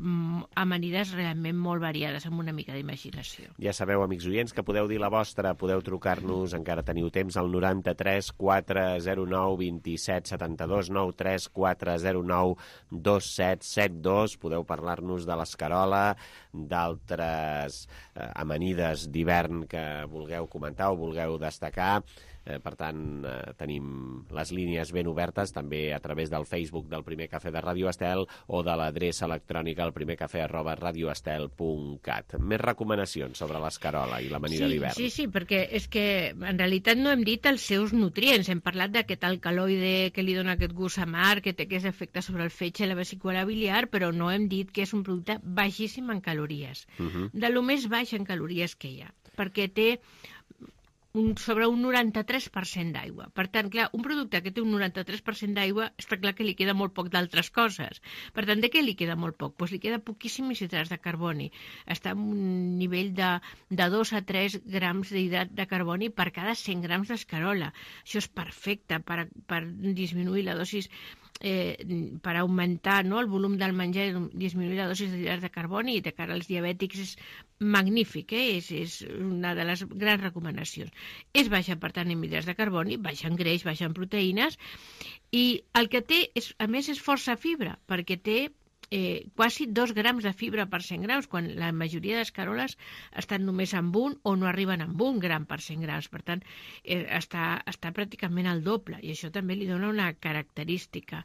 amanides realment molt variades amb una mica d'imaginació. Ja sabeu, amics oients, que podeu dir la vostra, podeu trucar-nos, encara teniu temps, al 93 409 27 72, 93 409 2772. Podeu parlar-nos de l'escarola, d'altres amanides d'hivern que vulgueu comentar o vulgueu destacar. Per tant, tenim les línies ben obertes, també a través del Facebook del Primer Cafè de Ràdio Estel o de l'adreça electrònica elprimercafè@radioestel.cat. Més recomanacions sobre l'escarola i l'amanida d'hivern. Sí, perquè és que en realitat no hem dit els seus nutrients. Hem parlat d'aquest alcaloide que li dona aquest gust amarg, que té aquest efecte sobre el fetge i la vesícula biliar, però no hem dit que és un producte baixíssim en calories. De lo més baix en calories que hi ha, perquè té sobre un 93% d'aigua. Per tant, clar, un producte que té un 93% d'aigua, està clar que li queda molt poc d'altres coses. Per tant, de què li queda molt poc? Doncs li queda poquíssims hidrats de carboni. Està en un nivell de 2 a 3 grams d'hidrat de carboni per cada 100 grams d'escarola. Això és perfecte per disminuir la dosis, per augmentar el volum del menjar, disminuir la dosis d'hidrats de carboni, i de cara als diabètics és magnífic, és una de les grans recomanacions. És baixa, per tant, en hidrats de carboni, baixa en greix, baixa en proteïnes, i el que té, a més, és força fibra, perquè té quasi 2 grams de fibra per 100 grams, quan la majoria d'escaroles estan només amb 1 o no arriben amb 1 gram per 100 grams. Per tant, està pràcticament al doble, i això també li dona una característica.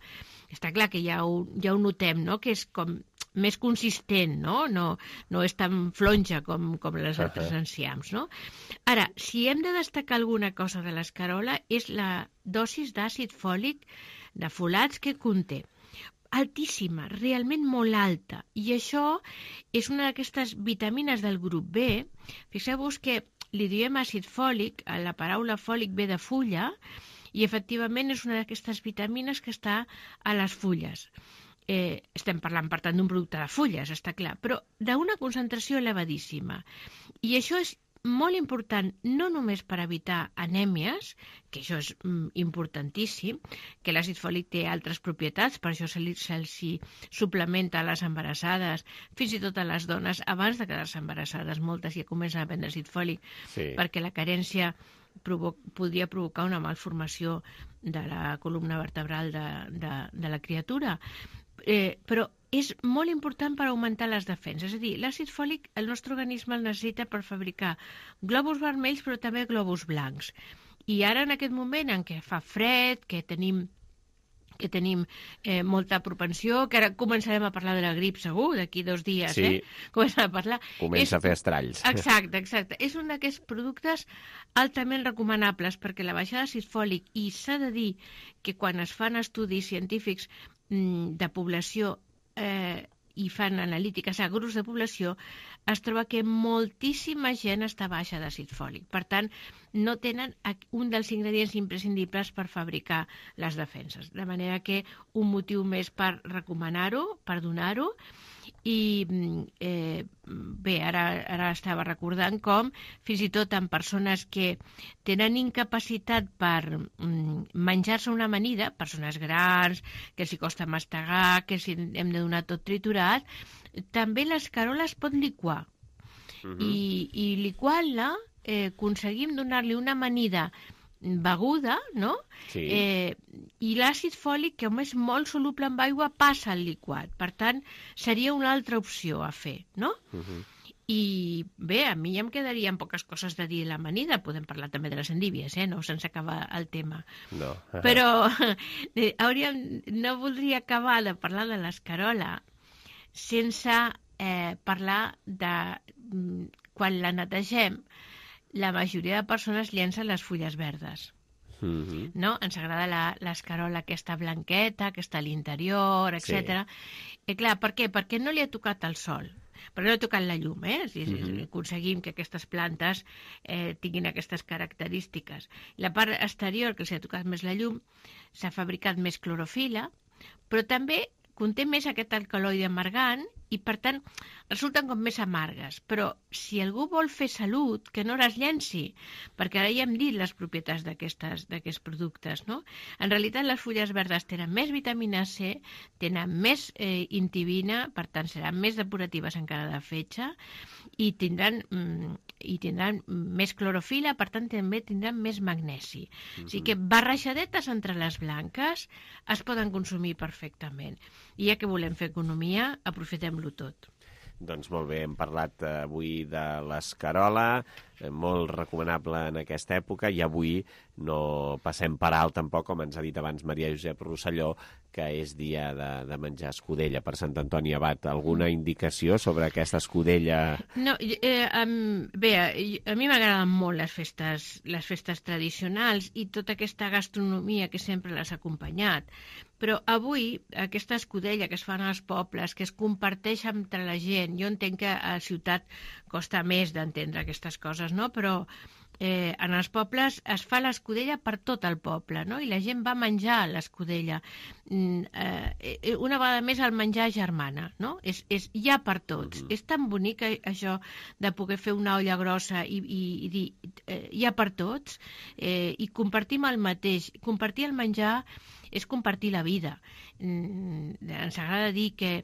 Està clar que ja ho notem, que és com més consistent, no és tan flonja com les altres enciams. Ara, si hem de destacar alguna cosa de l'escarola, és la dosis d'àcid fòlic, de folats que conté. Altíssima, realment molt alta, i això és una d'aquestes vitamines del grup B. Fixeu-vos que li diem àcid fòlic, la paraula fòlic ve de fulla, i efectivament és una d'aquestes vitamines que està a les fulles. Estem parlant, per tant, d'un producte de fulles, està clar, però d'una concentració elevadíssima. I això és molt important, no només per evitar anèmies, que això és importantíssim, que l'àcid fòlic té altres propietats, per això se'ls suplementa a les embarassades, fins i tot a les dones, abans de quedar-se embarassades, moltes ja comencen a prendre àcid fòlic, perquè la carència podria provocar una malformació de la columna vertebral de la criatura. Però és molt important per augmentar les defenses. És a dir, l'àcid fòlic el nostre organisme el necessita per fabricar glòbuls vermells, però també glòbuls blancs. I ara, en aquest moment en què fa fred, que tenim que tenim molta propensió, que ara començarem a parlar de la grip segur, d'aquí 2 dies, sí. Començarem a parlar. Comença a fer estralls. Exacte. És un d'aquests productes altament recomanables, perquè la baixada d'àcid fòlic, i s'ha de dir que quan es fan estudis científics de població i fan analítiques a grups de població, es troba que moltíssima gent està baixa d'àcid fòlic. Per tant, no tenen un dels ingredients imprescindibles per fabricar les defenses. De manera que un motiu més per recomanar-ho, per donar-ho, i bé, ara estava recordant com fins i tot en persones que tenen incapacitat per menjar-se una amanida, persones grans, que els costa mastegar, que hem de donar tot triturat, també l'escarola es pot liquar. I liquant-la aconseguim donar-li una amanida beguda, no? Sí. I l'àcid fòlic, que és molt soluble en aigua, passa al liquat. Per tant, seria una altra opció a fer, no? I bé, a mi ja em quedarien poques coses de dir de l'amanida. Podem parlar també de les endívies, no? Sense acabar el tema. No. Però no voldria acabar de parlar de l'escarola sense parlar de quan la netegem, la majoria de persones llencen les fulles verdes. No? Ens agrada l'escarola aquesta blanqueta, que està a l'interior, etc. I clar, per què? Perquè no li ha tocat el sol, perquè no ha tocat la llum, aconseguim que aquestes plantes tinguin aquestes característiques. La part exterior, que els ha tocat més la llum, s'ha fabricat més clorofila, però també conté més aquest alcaloide amargant i, per tant, resulten com més amargues. Però si algú vol fer salut, que no les llenci, perquè ara ja hem dit les propietats d'aquests productes, no? En realitat, les fulles verdes tenen més vitamina C, tenen més intibina, per tant, seran més depuratives encara de fetge, i tindran més clorofila, per tant, també tindran més magnesi. O sigui que barrejadetes entre les blanques es poden consumir perfectament. I ja que volem fer economia, aprofitem-lo tot. Doncs molt bé, hem parlat avui de l'escarola, molt recomanable en aquesta època, i avui no passem per alt tampoc, com ens ha dit abans Maria Josep Rosselló, que és dia de menjar escudella per Sant Antoni Abat. Alguna indicació sobre aquesta escudella? No, bé, a mi m'agraden molt les festes tradicionals i tota aquesta gastronomia que sempre les ha acompanyat. Però avui, aquesta escudella que es fan als pobles, que es comparteix entre la gent, jo entenc que a la ciutat costa més d'entendre aquestes coses, no? Però en els pobles es fa l'escudella per tot el poble, no? I la gent va menjar l'escudella. Una vegada més el menjar germana, no? Hi ha per tots. És tan bonic això de poder fer una olla grossa i dir hi ha per tots, i compartim el mateix. Compartir el menjar és compartir la vida. Ens agrada dir que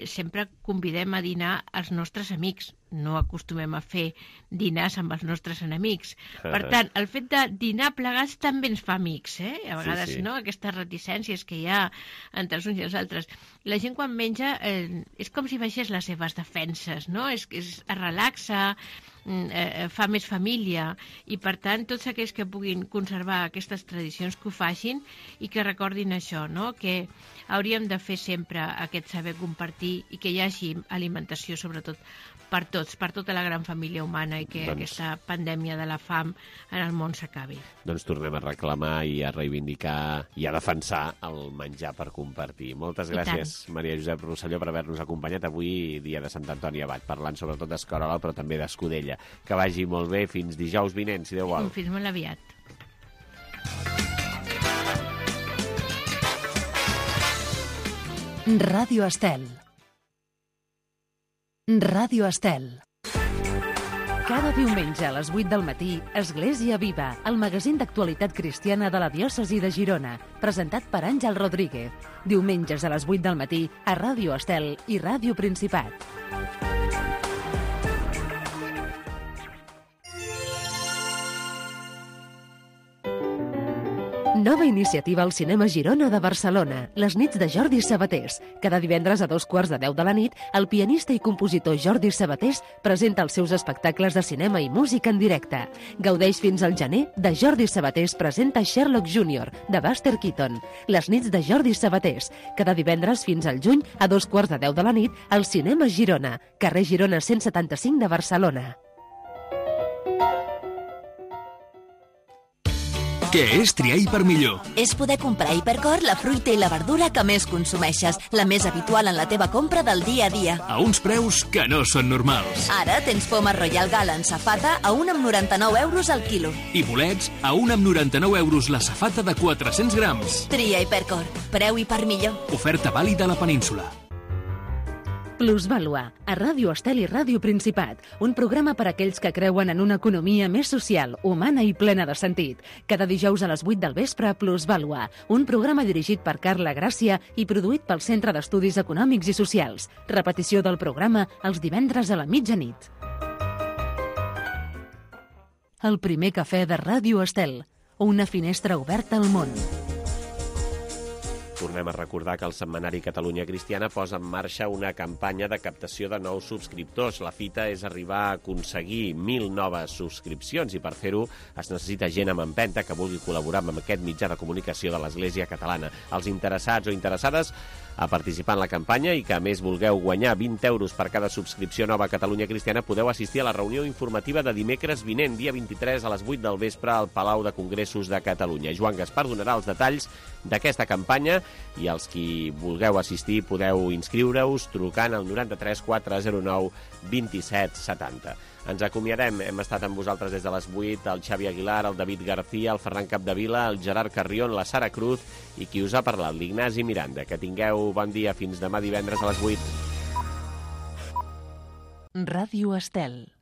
sempre convidem a dinar els nostres amics, no acostumem a fer dinars amb els nostres enemics. Per tant, el fet de dinar plegats també ens fa amics, a vegades, no? Aquestes reticències que hi ha entre els uns i els altres. La gent quan menja és com si baixés les seves defenses, no? Es relaxa, fa més família, i per tant tots aquells que puguin conservar aquestes tradicions que ho facin i que recordin això, no? Que hauríem de fer sempre aquest saber compartir i que hi hagi alimentació sobretot per tots, per tota la gran família humana, i que aquesta pandèmia de la fam en el món s'acabi. Doncs tornem a reclamar i a reivindicar i a defensar el menjar per compartir. Moltes gràcies, Maria Josep Rosselló, per haver-nos acompanyat avui, dia de Sant Antoni Abat, parlant sobretot d'escarola, però també d'escudella. Que vagi molt bé, fins dijous vinent, si Déu vol. Fins molt aviat. Ràdio Estel. Ràdio Estel. Cada diumenge a les 8 del matí, Església Viva, el magazín d'actualitat cristiana de la diòcesi de Girona, presentat per Àngel Rodríguez. Diumenges a les 8 del matí a Ràdio Estel i Ràdio Principat. Nova iniciativa al Cinema Girona de Barcelona, les nits de Jordi Sabatés. Cada divendres a 2:15 de la nit, el pianista i compositor Jordi Sabatés presenta els seus espectacles de cinema i música en directe. Gaudeix fins al gener de Jordi Sabatés presenta Sherlock Jr., de Buster Keaton. Les nits de Jordi Sabatés, cada divendres fins al juny a 2:15 de la nit, al Cinema Girona, carrer Girona 175 de Barcelona. Què és triar Hipermillor? És poder comprar a Hipercor la fruita i la verdura que més consumeixes, la més habitual en la teva compra del dia a dia. A uns preus que no són normals. Ara tens poma Royal Gala en safata a 1,99 € al quilo. I bolets a 1,99 € la safata de 400 grams. Tria Hipercor. Preu Hipermillor. Oferta vàlida a la península. Plusvàlua, a Ràdio Estel i Ràdio Principat, un programa per a aquells que creuen en una economia més social, humana i plena de sentit. Cada dijous a les 8 del vespre, Plusvàlua, un programa dirigit per Carla Gràcia i produït pel Centre d'Estudis Econòmics i Socials. Repetició del programa els divendres a la mitjanit. El primer cafè de Ràdio Estel, una finestra oberta al món. Tornem a recordar que el setmanari Catalunya Cristiana posa en marxa una campanya de captació de nous subscriptors. La fita és arribar a aconseguir 1.000 noves subscripcions i per fer-ho es necessita gent amb empenta que vulgui col·laborar amb aquest mitjà de comunicació de l'Església Catalana. Els interessats o interessades a participar en la campanya i que a més vulgueu guanyar 20 € per cada subscripció nova a Catalunya Cristiana podeu assistir a la reunió informativa de dimecres vinent, dia 23 a les 8 del vespre al Palau de Congressos de Catalunya. Joan Gaspar donarà els detalls d'aquesta campanya i els qui vulgueu assistir podeu inscriure-us trucant al 93 409 27 70. Ens acomiadem. Hem estat amb vosaltres des de les 8, el Xavi Aguilar, el David García, el Ferran Capdevila, el Gerard Carrión, la Sara Cruz i qui us ha parlat, l'Ignasi Miranda. Que tingueu bon dia. Fins demà divendres a les 8. Ràdio Estel.